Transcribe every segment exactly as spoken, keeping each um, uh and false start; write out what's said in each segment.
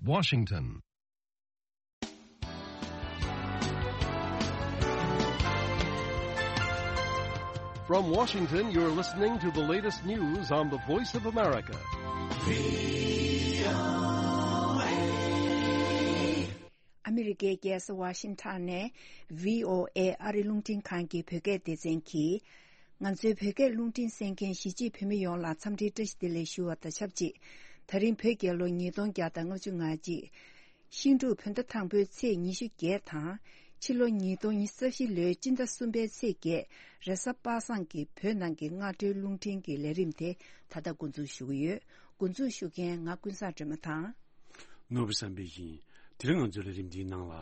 Washington. From Washington, you're listening to the latest news on the Voice of America. ཨ་མི་རི་ཀའི་རྒྱལ་ས་ཝ་ཤིང་ཊོན་ནས་བྷི་ཨོ་ཨེ་ཨ་རི་རླུང་འཕྲིན་ཁང་གི་བོད་སྐད་སྡེ་ཚན་གྱིས། ང་ཚོའི་བོད་སྐད་རླུང་འཕྲིན་གསན་མཁན་གཞིས་བྱེས་བོད་མི་ཡོངས་ལ་འཚམས་འདྲིའི་བཀྲ་ཤིས་བདེ་ལེགས་ཞུ་བ་དང་ཆབས་ཅིག་ད་རིང་བོད་རྒྱལ་ལོ་ཉིས་སྟོང་བརྒྱ་དང་ལྔ་བཅུ་ང་གཅིག་ཤིང་འབྲུག་བོད་ཟླ་དང་པོའི་ཚེས་ཉི་ཤུ་བརྒྱད་དང་། ཕྱི་ལོ་ཉིས་སྟོང་ཉི་ཤུ་རྩ་བཞི་ལོའི་སྤྱི་ཟླ་གསུམ་པའི་ཚེས་བརྒྱད། རེས་གཟའ་པ་སངས་ཀྱི་བོད་ནང་གི་སྔ་དྲོའི་རླུང་འཕྲིན་གྱི་ལས་རིམ་དེ་ད་ལྟ་འགོ་འཛུགས་ཞུ་གི་ཡོད། འགོ་འཛུགས་ཞུ་མཁན་ང་ཀུན་བཟང་སྒྲོལ་མ་དང་། ནོར་བུ་བསམ་འཕེལ་ཡིན། དེ་རིང་ང་ཚོའི་ལས་རིམ་འདིའི་ནང་ལ།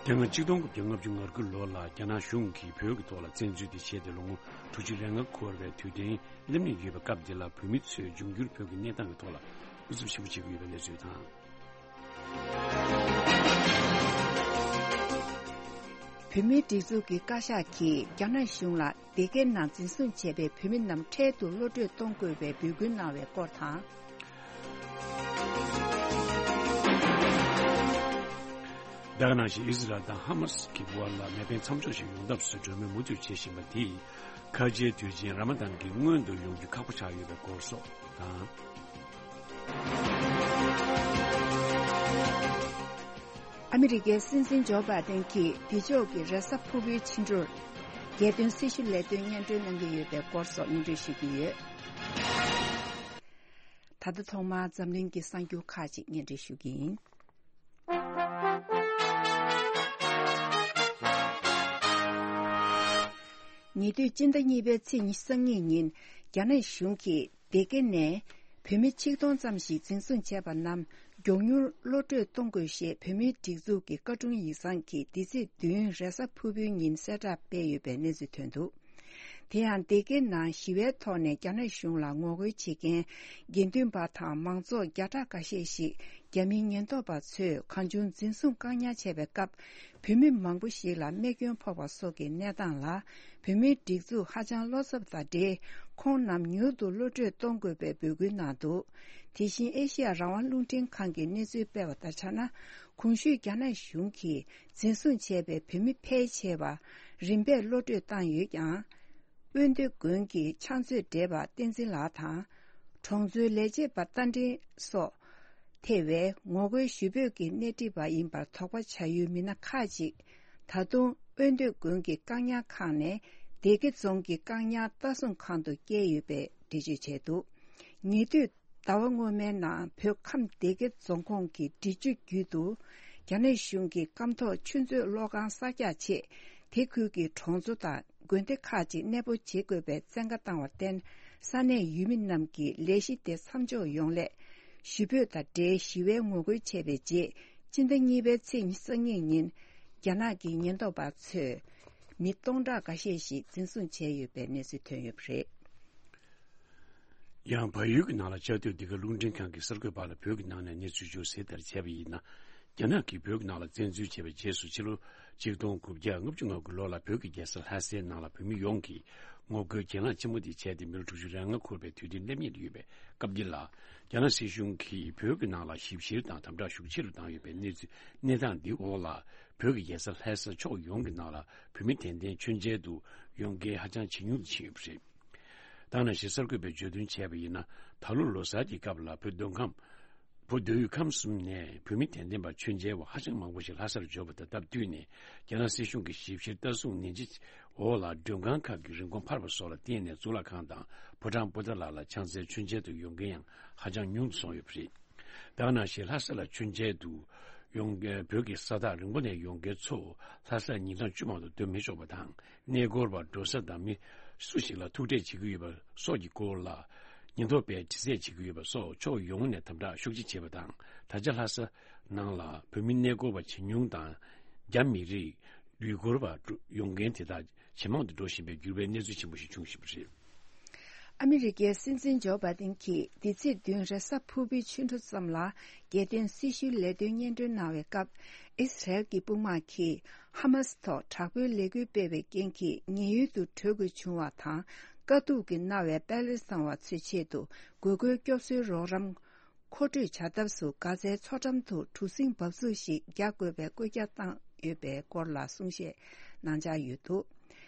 དེ་སྔ་ཆིག་སྟོང་དགུ་བརྒྱ་ལྔ་བཅུ་ང་དགུ་ལོ་ལ་རྒྱ་ནག་གཞུང་གིས་བོད་ཀྱི་ཐོག་ལ་བཙན་འཛུལ་དེ་བྱས་ཏེ་ལོ་ངོ་དྲུག་ཅུ་རེ་ལྔ་འཁོར་བའི་དུས་དྲན་སླེབས་ནས་ཡོད་པའི་སྐབས་འདི་ལ་བོད་མི་ཚོས་འབྱུང་འགྱུར་བོད་ཀྱི་གནས་སྟངས་ཀྱི་ཐོག་ལ་ཨུ་ཚུགས་ཆེན་པོ་བྱེད་ཀྱི་ཡོད་པའི་གནས་ཚུལ་དང་། བོད་མིའི་སྒྲིག་འཛུགས་ཀྱི་བཀའ་ཤག་གིས་རྒྱ་ནག་གཞུང་ལ་སྡེ་དགེ་ནང་འཛིན་བཟུང་བྱས་པའི་བོད་མི་རྣམས་འཕྲལ་དུ་གློད་བཀྲོལ་གཏོང་དགོས་པའི་འབོད་སྐུལ་གནང་བའི་སྐོར་དང་། ད་ག་ནང་བཞིན་ཨི་ཟི་རལ་དང་ཧ་མ་སི་གི་དབར་ལ་མེ་འཕེན་མཚམས་འཇོག་ཞིག་ཡོང་ཐབས་སུ་གྲོས་མོལ་མུ་མཐུད་བྱེད་བཞིན་པ་དེས། ཁ་ཆེའི་དུས་ཆེན་ར་མ་དན་གྱི་སྔོན་དུ་ཡོང་རྒྱུ་ཁག་པོ་ཆགས་ཡོད་པའི་སྐོར་སོགས་དང་། ཨ་མི་རི་ཀའི་སྲིད་འཛིན་ཇོ་བྷའི་ཏན་གྱིས་འདི་ཕྱོགས་ཀྱི་རེས་གཟའ་ཕུར་བུའི་ཕྱི་དྲོར་རྒྱལ་དོན་སྲི་ཞུ་ལས་དོན་སྙན་སྒྲོན་གནང་གི་ཡོད་པའི་སྐོར་སོགས་སྙན་སྒྲོན་ཞུ་གི་ཡོད། ད་ལྟ་ཐོག་མར་འཛམ་གླིང་གི་གསར་འགྱུར་ཁག་ཅིག་སྙན་སྒྲོན་ཞུ་གི་ཡིན། ཉེ་དུས་སྤྱི་ཟླ་གཉིས་པའི་ཚེས་ཉི་ཤུ་རྩ་གཉིས་ཉིན་རྒྱ་ནག་གཞུང་གིས་སྡེ་དགེ་ནས་བོད་མི་ཆིག་སྟོང་ཙམ་ཞིག་འཛིན་བཟུང་བྱས་པ་རྣམས་མགྱོགས་མྱུར་གློད་བཀྲོལ་གཏོང་དགོས་ཞེས་བོད་མིའི་སྒྲིག་འཛུགས་ཀྱི་བཀའ་དྲུང་ཡིག་ཚང་གིས་འདི་ཚེས་བདུན་རེས་གཟའ་ཕུར་བུའི་ཉིན་གསལ་བསྒྲགས་སྤེལ་ཡོད་པའི་གནས་ཚུལ་ཐོན་འདུག་དེ་ཡང་སྡེ་དགེ་ནང་ཞི་བའི་ཐོག་ནས་རྒྱ་ནག་གཞུང་ལ་ངོ་རྒོལ་བྱེད་མཁན་དགེ་འདུན་པ་དང་མང་ཚོགས་བརྒྱ་ཕྲག་འགའ་ཤས་ཤིག་རྒྱ་མིའི་ཉེན་རྟོག་པ་ཚོས་གང་བྱུང་འཛིན་བཟུང་བཀག་ཉར་བྱས་པའི་སྐབས། བོད་མི་མང་པོ་ཞིག་ལ་རྨས་སྐྱོན་ཕོག་པ་སོགས་ཀྱི་གནས་སྟངས་ལ། བོད་མིའི་སྒྲིག་འཛུགས་ཧ་ཅང་བློ་འཚབ་དང་འབྲེལ། ཁོང་རྣམས་མྱུར་དུ་གློད་བཀྲོལ་གཏོང་དགོས་པའི་འབོད་སྐུལ་གནང་འདུག་དེ་བཞིན་ཨེ་ཤི་ཡ་རང་དབང་རླུང་འཕྲིན་ཁང་གིས་གནས་ཚུལ་སྤེལ་བ་ལྟར་ཆགས་ན། གོང་ཞུས་རྒྱ་ནག་གཞུང་གིས་འཛིན་བཟུང་བྱས་པའི་བོད་མི་ཕལ་ཆེ་བ་རིམ་པས་གློད་བཀྲོལ་བཏང་ཡོད་ཀྱང་། དབོན་སྟོད་དགོན་གྱི་ཕྱག་མཛོད་བགྲེས་པ་བསྟན་འཛིན་ལགས་དང་། གྲོང་ཚོའི་ལས་བྱེད་པ་རྟ་མགྲིན་སོགས་ཐེ་བའི་ངོ་རྒོལ་ཞུ་འབོད་ཀྱི་སྣེ་ཁྲིད་པ་ཡིན་པར་དོགས་པ་བྱ་ཡུལ་མི་སྣ་ཁག་ཅིག་ད་དུང་དབོན་སྟོད་དགོན་གྱི་བཀག་ཉར་ཁང་ནས་སྡེ་དགེ་རྫོང་གི་བཀག་ཉར་ལྟ་སྲུང་ཁང་དུ་བསྐྱལ་ཡོད་པའི་འགྲེལ་བརྗོད་བྱས་འདུག་ཉེ་དུས་ཟླ་བ་སྔོན་མའི་ནང་བོད་ཁམས་སྡེ་དགེ་རྫོང་ཁོངས་ཀྱི་འབྲི་ཆུ་རྒྱུད་དུ་རྒྱ་ནག་གཞུང་གི་སྐམ་ཐོག་ཆུ་མཛོད་གློག་ཁང་གསར་རྒྱག་ཆེད་དེ་ཁུལ་གྱི་གྲོང་ཚོ་དང་དགོན་སྡེ་ཁག་ཅིག་གནས་སྤོ་བྱེད་དགོས་པའི་བཙན་བཀའ་བཏང་བར་བརྟེན། ས་གནས་ཡུལ་མི་རྣམས་ཀྱིས་ལས་གཞི་དེ་མཚམས་འཇོག་ཡོང་སླད། ཞུ་འབོད་དང་འབྲེལ་ཞི་བའི་ངོ་རྒོལ་བྱས་པའི་རྗེས། སྤྱི་ཟླ་གཉིས་པའི་ཚེས་ཉི་ཤུ་རྩ་གཉིས་ཉིན། རྒྱ་ནག་གི་ཉེན་རྟོག་པ་ཚོས་མི་སྟོང་ཕྲག་འགའ་ཤས་ཤིག་འཛིན་བཟུང་བྱས་ཡོད་པའི་གནས་ཚུལ་ཐོན་ཡོད་པ་རེད། ཡང་བལ་ཡུལ་གྱི་ནང་ལ་བཅའ་སྡོད་འདི་ག་རླུང་འཕྲིན་ཁང་གི་གསར་འགོད་པ་ལ་བོད་ཀྱི་ནང་ནས་གནས་ཚུལ་འབྱོར་གསལ་ལྟར་བྱས་པ་ཡིན་ན། རྒྱ་ནག་གིས་བོད་ཀྱི་ནང་ལ་བཙན་འཛུལ་བྱས་པའི་རྗེས་སུ་ཕྱི་ལོ་ཆིག་སྟོང་དགུ་བརྒྱ་ལྔ་བཅུ་ང་དགུ་ལོ་ལ་བོད་ཀྱི་རྒྱལ་ས་ལྷ་སའི་ནང་ལ་བོད་མི་ཡོངས་ཀྱིས་ངོ་རྒོལ་གྱེན་ལངས་ཆེན་མོ་དེ་བྱས་ཏེ་མི་ལོ་དྲུག་ཅུ་རེ་ལྔ་འཁོར་བའི་དུས་དྲན་སླེབས་ཉེར་ཡོད་པའི་སྐབས་འདི་ལ། རྒྱ་ནག་སྲིད་གཞུང་གིས་བོད་ཀྱི་ནང་ལ་ཞིབ་བཤེར་དང་དམ་དྲག་ཤུགས་ཆེ་རུ་བཏང་ཡོད་པའི་གནས་ཚུལ་གནས་སྟངས་འདི་འོག་ལ། བོད་ཀྱི་རྒྱལ་ས་ལྷ་ས་ཕྱོགས་ཡོངས་ཀྱི་ནང་ལ་བོད་མི་གདན་འདྲེན་མཆོད་མཇལ་དུ་ཡོང་མཁན་ཧ་ཅང་ཇེ་ཉུང་དུ་ཕྱིན་ཡོད་པ་རེད། ད་ནང་བཞིན་གསར་འགོད་པས་བརྗོད་དོན་བྱས་པ་ཡིན་ན། ད་ལོ་ལོ་གསར་གྱི་སྐབས་ལ་བོད་མདོ་ཁམས། བོད་མདོ་དབུས་ཁམས་གསུམ་ནས་བོད་མི་དད་ལྡན་པ་མཆོད་མཇལ་བ་ཧ་ཅང་མང་པོ་ཞིག་ལྷ་སར་འབྱོར་བ་དང་སྟབས་བསྟུན་ནས། རྒྱ་ནག་སྲིད་གཞུང་གི་ཞིབ་བཤེར་ལྟ་སྲུང་ནན་ཆེ་འོག་ལ་མགྲོན་ཁང་ཁག་གི་རིན་གོང་འཕར་བ་སོགས་ལ་བརྟེན་ནས་གཙུག་ལག་ཁང་དང་ཕོ་བྲང་པོ་ཏཱ་ལ་ལ་ཕྱག་འཚལ་མཆོད་མཇལ་དུ་ཡོང་མཁན་ཡང་ཧ་ཅང་ཉུང་དུ་སོང་ཡོད་པ་རེད། ད་ག་ནང་བཞིན་ལྷ་ས་ལ་མཆོད་མཇལ་དུ་ཡོང་མཁན་བོད་ཀྱི་ས་ཐག་རིང་པོ་ནས་ཡོང་མཁན་ཚོ་ལྷ་སར་ཉིན་གྲངས་བཅུ་མང་དུ་སྡོད་མི་ཆོག་པ་དང་། གནས་སྐོར་བ་འགྲོ་ས་དང་མི་སུ་ཞིག་ལ་ཐུག་འཕྲད་བྱེད་ཀྱི་ཡོད་པ་སོགས་ཀྱི་སྐོར་ལ་ཉེན་རྟོག་པས་དྲི་རྩད་བྱེད་ཀྱི་ཡོད་པ་སོགས་ཕྱོགས་ཡོངས་ནས་དམ་དྲག་ཤུགས་ཆེ་བྱས་པ་དང་། ད་ཆ་ལྷ་ས་ནང་ལ་བོད་མི་གནས་སྐོར་བ་ཇེ་ཉུང་དང་། རྒྱ་མི་རིགས་ཡུལ་སྐོར་བ་ཡོང་མཁན་དེ་དག་ཇེ་མང་དུ་འགྲོ་བཞིན་པའི་འགྱུར་བའི་གནས་ཚུལ་ཆེན་པོ་ཞིག་བྱུང་བཞིན་པ་རེད། ཨ་མི་རི་ཀའི་སྲིད་འཛིན་ཇོ་བྷའི་ཏིན་གྱིས་འདི་ཚེས་བདུན་རེས་གཟའ་ཕུར་བུའི་ཆུ་འགྲོ་ཙམ་ལ་རྒྱལ་དོན་སྲི་ཞུའི་ལས་དོན་སྙན་སྒྲོན་གནང་བའི་སྐབས། ཨི་སི་རལ་གྱི་དཔུང་དམག་གིས་ཧ་མ་སི་ཐོག་དྲག་པོའི་ལས་འགུལ་སྤེལ་བའི་རྐྱེན་གྱིས་ཉེན་གཡུལ་དུ་བྲོས་དགོས་བྱུང་བ་དང་། དཀའ་སྡུག་གིས་མནར་བའི་པེ་ལེ་སི་ཐན་བ་ཚོའི་ཆེད་དུ་དགོས་མཁོའི་སྐྱོབ་གསོའི་རོགས་རམ་མཁོ་སྤྲོད་བྱ་ཐབས་སུ་གྷ་ཛའི་མཚོ་འགྲམ་དུ་གྲུ་གཟིངས་འབབ་ཚུགས་ཤིག་རྒྱག་དགོས་པའི་བཀོད་ཁྱབ་བཏང་ཡོད་པའི་སྐོར་ལ་གསུང་བཤད་གནང་འཆར་ཡོད་འདུག།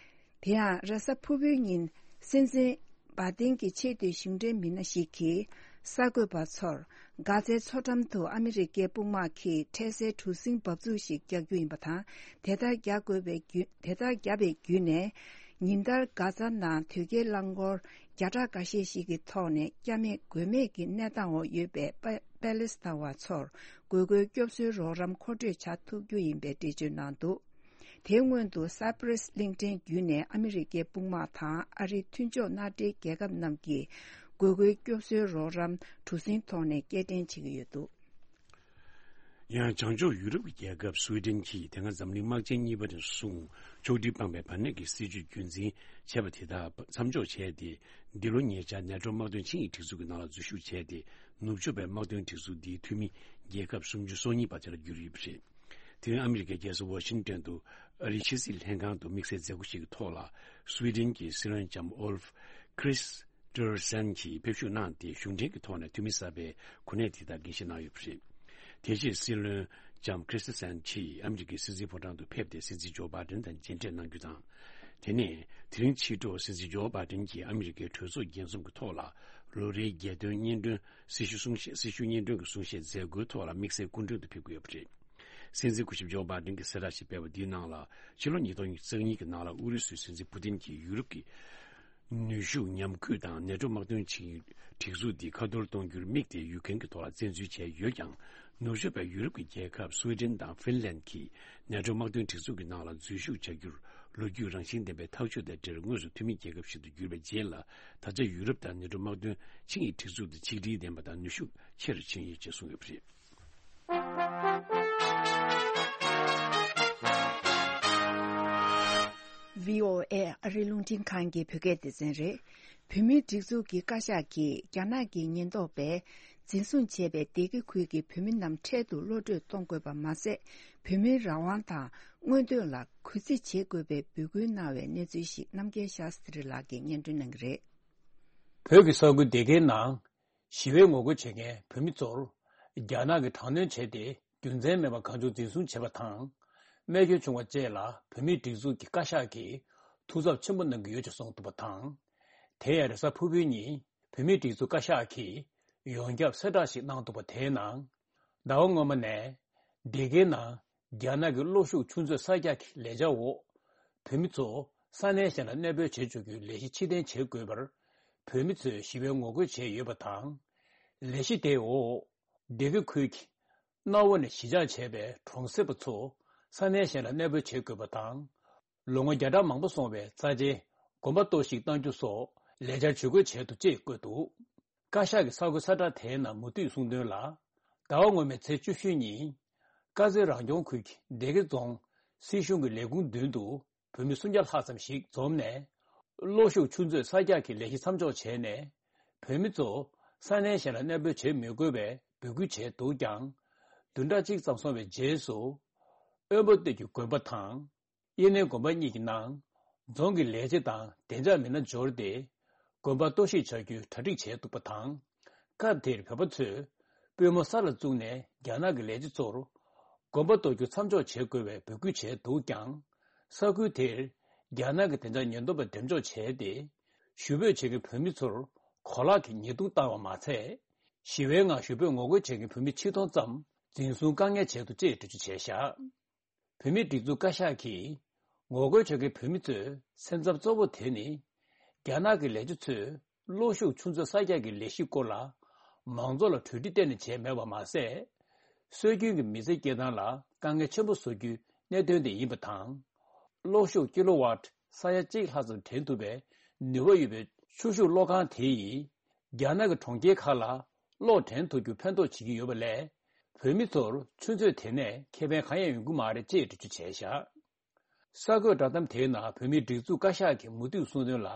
དེ་ཡང་རེས་གཟའ་ཕུར་བུའི་ཉིན་སྲིད་འཛིན་བྷའི་ཏིན་གྱི་ཆེས་མཐོའི་གཞུང་འབྲེལ་མི་སྣ་ཞིག་གིས་གསར་འགོད་པ་ཚོར་གྷ་ཛའི་མཚོ་འགྲམ་དུ་ཨ་མི་རི་ཀའི་དཔུང་དམག་གིས་འཕྲལ་སེལ་གྲུ་གཟིངས་འབབ་ཚུགས་ཤིག་རྒྱག་རྒྱུ་ཡིན་པ་དང་། དེ་ལྟར་རྒྱག་དགོས་པའི་བརྒྱུད་དེ་ལྟར་བརྒྱབ་པའི་བརྒྱུད་ནས། ཉིན་ལྟར་གྷ་ཛ་ནང་དོས་སྐྱེལ་རླངས་འཁོར་བརྒྱ་ཕྲག་འགའ་ཤས་ཤིག་གི་ཐོག་ནས་སྐྱ་མེད་མགོས་མེད་ཀྱི་གནས་སྟངས་འོག་ཡོད་པའི་པ་པེ་ལེ་སི་ཐན་བ་ཚོར་དགོས་མཁོའི་སྐྱོབ་གསོའི་རོགས་རམ་མཁོ་སྤྲོད་བྱ་ཐུབ་རྒྱུ་ཡིན་པའི་འགྲེལ་བརྗོད་གནང་འདུག། དེའི་སྔོན་དུ་སཱི་པྲེ་སི་གླིང་ཕྲན་བརྒྱུད་ནས་ཨ་མི་རི་ཀའི་དཔུང་དམག་དང་ཨ་རིའི་མཐུན་ཕྱོགས་མནའ་འབྲེལ་རྒྱལ་ཁབ་རྣམས་ཀྱིས་དགོས་མཁོའི་སྐྱོབ་གསོའི་རོགས་རམ་གྲུ་གཟིངས་ཐོག་ནས་སྐྱེལ་འདྲེན་བྱེད་ཀྱི་ཡོད་འདུག། ཡང་བྱང་ཕྱོགས་ཡུ་རོབ་ཀྱི་རྒྱལ་ཁབ་སུའེ་ཏེན་གྱིས་དེ་སྔ་འཛམ་གླིང་དམག་ཆེན་གཉིས་པ་ནས་བཟུང་ཕྱོགས་སྒྲིག་སྤངས་པའི་བར་གནས་ཀྱི་སྲིད་བྱུས་རྒྱུན་འཛིན་བྱས་པ་དེ་དག་མཚམས་འཇོག་བྱས་ཏེ། འདི་ལོ་ཉེ་ཆར་ནེ་ཏྲོ་དམག་དོན་ཆིངས་ཡིག་སྒྲིག་འཛུགས་ཀྱི་ནང་ལ་འཛུལ་ཞུགས་བྱས་ཏེ། ནུབ་ཕྱོགས་པའི་དམག་དོན་སྒྲིག་འཛུགས་འདིའི་འཐུས་མི་རྒྱལ་ཁབ་སུམ་ཅུ་སོ་གཉིས་པ་དེ་ལ་གྱུར་ཡོད་པ་རེད། དེ་རིང་ཨ་མི་རི་ཀའི་རྒྱལ་ས་ཝ་ཤིང་ཏོན་དུ་ཨ་རིའི་ཕྱི་སྲིད་ལྷན་ཁང་དུ་དམིགས་བསལ་མཛད་སྒོ་ཞིག་གི་ཐོག་ལ། སུའེ་ཏེན་གྱི་སྲིད་བློན་ལྕམ་ཨོལ་ཁྲིས་ཏེར་སན་གྱིས་ཕེབས་ཞུགས་གནང་སྟེ། གཞུང་འབྲེལ་གྱི་ཐོག་ནས་འཐུས་མི་གསར་པའི་གོ་གནས་དེ་དག་འགན་བཞེས་གནང་ཡོད་པ་རེད། དེ་རྗེས་སྲིད་བློན་ལྕམ་ཁྲིས་ཏེར་སན་གྱིས་ཨ་མི་རི་ཀའི་སྲིད་འཛིན་ཕོ་བྲང་དུ་ཕེབས་ཏེ། སྲིད་འཛིན་ཇོ་བྷའི་ཏིན་དང་མཇལ་འཕྲད་གནང་རྒྱུ་དང་། དེ་ནས་དེ་རིང་ཕྱི་དྲོ་སྲིད་འཛིན་ཇོ་བྷའི་ཏིན་གྱིས་ཨ་མི་རི་ཀའི་གྲོས་ཚོགས་རྒྱས་འཛོམས་ཀྱི་ཐོག་ལ། ལོ་རེའི་རྒྱལ་སྟོན་སྙན་སྒྲོན། སྲི་ཞུ་གསུང་བཤད། སྲི་ཞུ་སྙན་སྒྲོན་གྱི་གསུང་བཤད་མཛད་སྒོའི་ཐོག་ལ་དམིགས་བསལ་སྐུ་མགྲོན་དུ་ཕེབས་ཀྱི་ཡོད་པ་རེད། སྲིད་འཛིན་སྐུ་ཞབས་ཇོ་བྷའི་ཏིན་གྱིས་གསལ་བསྒྲགས་ཤིག་སྤེལ་བ་འདིའི་ནང་ལ། ཕྱི་ལོ་ཉིས་སྟོང་ཉེར་གཉིས་ཀྱི་ནང་ལ་ཨུ་རུ་སུའི་སྲིད་འཛིན་པུ་ཏིན་གྱིས་ཡུ་རོབ་ཀྱི་ནུས་ཤུགས་ཉམས་རྒུད་དང་ནེ་ཏྲོ་དམག་དོན་ཆིངས་ཡིག་སྒྲིག་འཛུགས་འདི་ཁ་ཐོར་གཏོང་རྒྱུར་དམིགས་ཏེ་ཡུཀ་རེན་གྱི་ཐོག་ལ་བཙན་འཛུལ་བྱས་ཡོད་ཀྱང་། ནུབ་ཕྱོགས་པའི་ཡུ་རོབ་ཀྱི་རྒྱལ་ཁབ་སུའེ་ཏེན་དང་ཧྥིན་ལན་གྱིས་ནེ་ཏྲོ་དམག་དོན་སྒྲིག་འཛུགས་ཀྱི་ནང་ལ་འཛུལ་ཞུགས་བྱ་རྒྱུར་ལོ་རྒྱུས་རང་བཞིན་ལྡན་པའི་ཐག་གཅོད་དེ་སྒྲིལ། དངོས་སུ་འཐུས་མི་རྒྱལ་ཁབ་ཞིག་ཏུ་གྱུར་པའི་རྗེས་ལ། ད་ཆ་ཡུ་རོབ་དང་ནེ་ཏྲོ་དམག་དོན་ཆིངས་ཡིག་སྒྲིག་འཛུགས་དེ་ཆིག་སྒྲིལ་ལྡན་པ་དང་ནུས་ཤུགས་ཆེ་རུ་ཕྱིན་ཡོད་ཅེས་གསུངས་ཡོད་པ་རེད། ཝི་ཨོ་ཨེ་ཨ་རིའི་རླུང་འཕྲིན་ཁང་གི་བོད་སྐད་སྡེ་ཚན་རེད། བོད་མིའི་སྒྲིག་འཛུགས་ཀྱི་བཀའ་ཤག་གིས་རྒྱ་ནག་གི་ཉེན་རྟོག་པས་འཛིན་བཟུང་བྱས་པའི་སྡེ་དགེ་ཁུལ་གྱི་བོད་མི་རྣམས་འཕྲལ་དུ་གློད་བཀྲོལ་གཏོང་དགོས་པ་མ་ཟད། བོད་མིའི་རང་དབང་དང་མངོན་འདོད་ལ་གུས་བརྩི་བྱེད་དགོས་པའི་འབོད་སྐུལ་གནང་བའི་གནས་ཚུལ་ཞིག་རྣམ་རྒྱལ་ཤཱ་སྟྲི་ལགས་ཀྱིས་སྙན་སྒྲོན་གནང་གི་རེད། བོད་ཀྱི་ས་ཁུལ་སྡེ་དགེའི་ནང་ཞི་བའི་ངོ་རྒོལ་བྱེད་མཁན་བོད་མི་ཚོར་རྒྱ་ནག་གིས་དྲག་གནོན་བྱས་ཏེ། རྒྱུ་མཚན་མེད་པར་གང་བྱུང་འཛིན་བཟུང་བྱས་པ་དང་། རྨས་སྐྱོན་བྱུང་བ་བཅས་ལ་བོད་མིའི་སྒྲིག་འཛུགས་ཀྱི་བཀའ་ཤག་གིས་ཐུགས་འཚབ་ཆེན་པོ་གནང་གི་ཡོད་ཅེས་གསུངས་འདུག་པ་དང་། དེ་ཡང་རེས་གཟའ་ཕུར་བུའི་ཉིན་བོད་མིའི་སྒྲིག་འཛུགས་བཀའ་ཤག་གིས་ཡོངས་ཁྱབ་གསལ་བསྒྲགས་ཤིག་གནང་འདུག་པ། དེའི་ནང་ཟླ་བ་སྔོན་མ་ནས་སྡེ་དགེའི་ནང་རྒྱ་ནག་གི་གློག་ཤུགས་ཆུ་མཛོད་གསར་རྒྱག་གི་ལས་འཆར་འོག་བོད་མི་ཚོ་ས་གནས་གཞན་ལ་གནས་སྤོས་བྱེད་བཅུག་རྒྱུའི་ལས་གཞི་ཕྱིར་འཐེན་བྱེད་དགོས་པར་བོད་མི་ཚོས་ཞི་བའི་ངོ་རྒོལ་བྱས་ཡོད་པ་དང་། ལས་གཞི་དེའི་འོག་སྡེ་དགེ་ཁུལ་གྱི་གནའ་བོ་ནས་གཞིས་ཆགས་བྱས་པའི་གྲོང་གསེབ་པ་ཚོ་ས་གནས་གཞན་ལ་གནས་སྤོས་བྱེད་དགོས་པ་དང་། ལོ་ངོ་བརྒྱ་ཕྲག་མང་པོ་སོང་བའི་རྩ་ཆེའི་དགོན་པ་གཏོར་བཤིག་གཏང་རྒྱུ་སོགས་ལས་འཆར་ཇུས་འགོད་བྱས་འདུག་ཅེས་བཀོད་འདུག། བཀའ་ཤག་གི་གསར་འགོད་གསལ་བསྒྲགས་དེའི་ནང་མུ་མཐུད་གསུངས་དོན་ལ། ཟླ་བ་སྔོན་མའི་ཚེས་བཅུ་བཞི་ཉིན་དཀར་མཛེས་རང་སྐྱོང་ཁུལ་གྱི་སྡེ་དགེ་རྫོང་སྲིད་གཞུང་གི་ལས་ཁུངས་མདུན་དུ་བོད་མི་སུམ་བརྒྱ་ལྷག་ཙམ་ཞིག་འཛོམས་ནས། གློག་ཤུགས་ཆུ་མཛོད་གསར་རྒྱག་གི་ལས་གཞི་མཚམས་འཇོག་བྱས་ནས། བོད་མི་ཚོ་ས་གནས་གཞན་ལ་གནས་སྤོས་བྱེད་མི་དགོས་པའི་འབོད་སྐུལ་བྱས་འདུག་ཀྱང་། བདུན་ཕྲག་གཅིག་ཙམ་སོང་བའི་རྗེས་སུ། དབོན་པོ་སྟོད་ཀྱི་དགོན་པ་དང་། དབྱེ་གནས་དགོན་པ་གཉིས་ཀྱི་ནང་རྫོང་གི་ལས་བྱེད་དང་བདེ་འཇགས་མི་སྣ་འབྱོར་ཏེ། དགོན་པ་གཏོར་བཤིག་བྱ་རྒྱུའི་གྲ་སྒྲིག་བྱས་འདུག་པ་དང་། སྐབས་དེར་བོད་པ་ཚོས་པུས་མོ་ས་ལ་བཙུགས་ནས་རྒྱ་ནག་གི་ལས་བྱེད་ཚོར་དགོན་པ་གཏོར་རྒྱུ་མཚམས་འཇོག་བྱེད་དགོས་པའི་འབོད་སྐུལ་བྱས་འདུག་ཀྱང་། ས་ཁུལ་དེར་རྒྱ་ནག་གི་བདེ་འཇགས་ཉེན་རྟོག་པས་འགྲེམས་འཇོག་བྱས་ཏེ། ཞུ་འབོད་བྱེད་མཁན་བོད་མི་ཚོར་གོ་ལག་གི་ཉེས་རྡུང་བཏང་བ་མ་ཚད། ཞི་བའི་ངང་ཞུ་འབོད་ངོ་རྒོལ་བྱེད་མཁན་བོད་མི་ཆིག་སྟོང་ཙམ་འཛིན་བཟུང་བཀག་ཉར་བྱས་འདུག་ཅེས་འགྲེལ་བརྗོད་བྱས་བཞག། བོད་མིའི་སྒྲིག་འཛུགས་བཀའ་ཤག་གིས་ངོ་རྒོལ་བྱེད་མཁན་བོད་མི་ཚོའི་སེམས་འཚབ་གཙོ་བོ་དེ་ནི། རྒྱ་ནག་གི་ལས་བྱེད་ཚོས་གློག་ཤུགས་ཆུ་མཛོད་གསར་རྒྱག་གི་ལས་གཞི་སྐོར་ལ་མང་ཚོགས་ལ་གྲོས་འདྲི་གཏན་ནས་བྱས་མེད་པ་མ་ཟད། སྲོལ་རྒྱུན་གྱི་མི་ཚེ་སྐྱེལ་སྟངས་ལ་དཀའ་ངལ་ཆེན་པོ་བཟོ་རྒྱུའི་གནད་དོན་དེ་ཡིན་པ་དང་། གློག་ཤུགས་ཀི་ལོ་ཝཊ་ས་ཡ་གཅིག་ལྷག་ཙམ་འདྲེན་ཐུབ་པའི་ནུས་པ་ཡོད་པའི་ཆུ་ཤུགས་གློག་ཁང་དེ་ཡིས། རྒྱ་ནག་གི་གྲོང་ཁྱེར་ཁག་ལ་གློག་འདྲེན་ཐུབ་རྒྱུ་ཕན་ཐོགས་བྱེད་ཀྱི་ཡོད་པ་ལས། བོད་མི་ཚོར་ཆུ་མཛོད་དེ་ནས་ཁེ་ཕན་གང་ཡང་ཡོང་གི་མ་རེད་ཅེས་འགྲེལ་བརྗོད་བྱས་བཞག། གསར་འགོད་བསྒྲགས་གཏམ་དེའི་ནང་བོད་མིའི་སྒྲིག་འཛུགས་བཀའ་ཤག་གིས་མུ་མཐུད་གསུངས་དོན་ལ།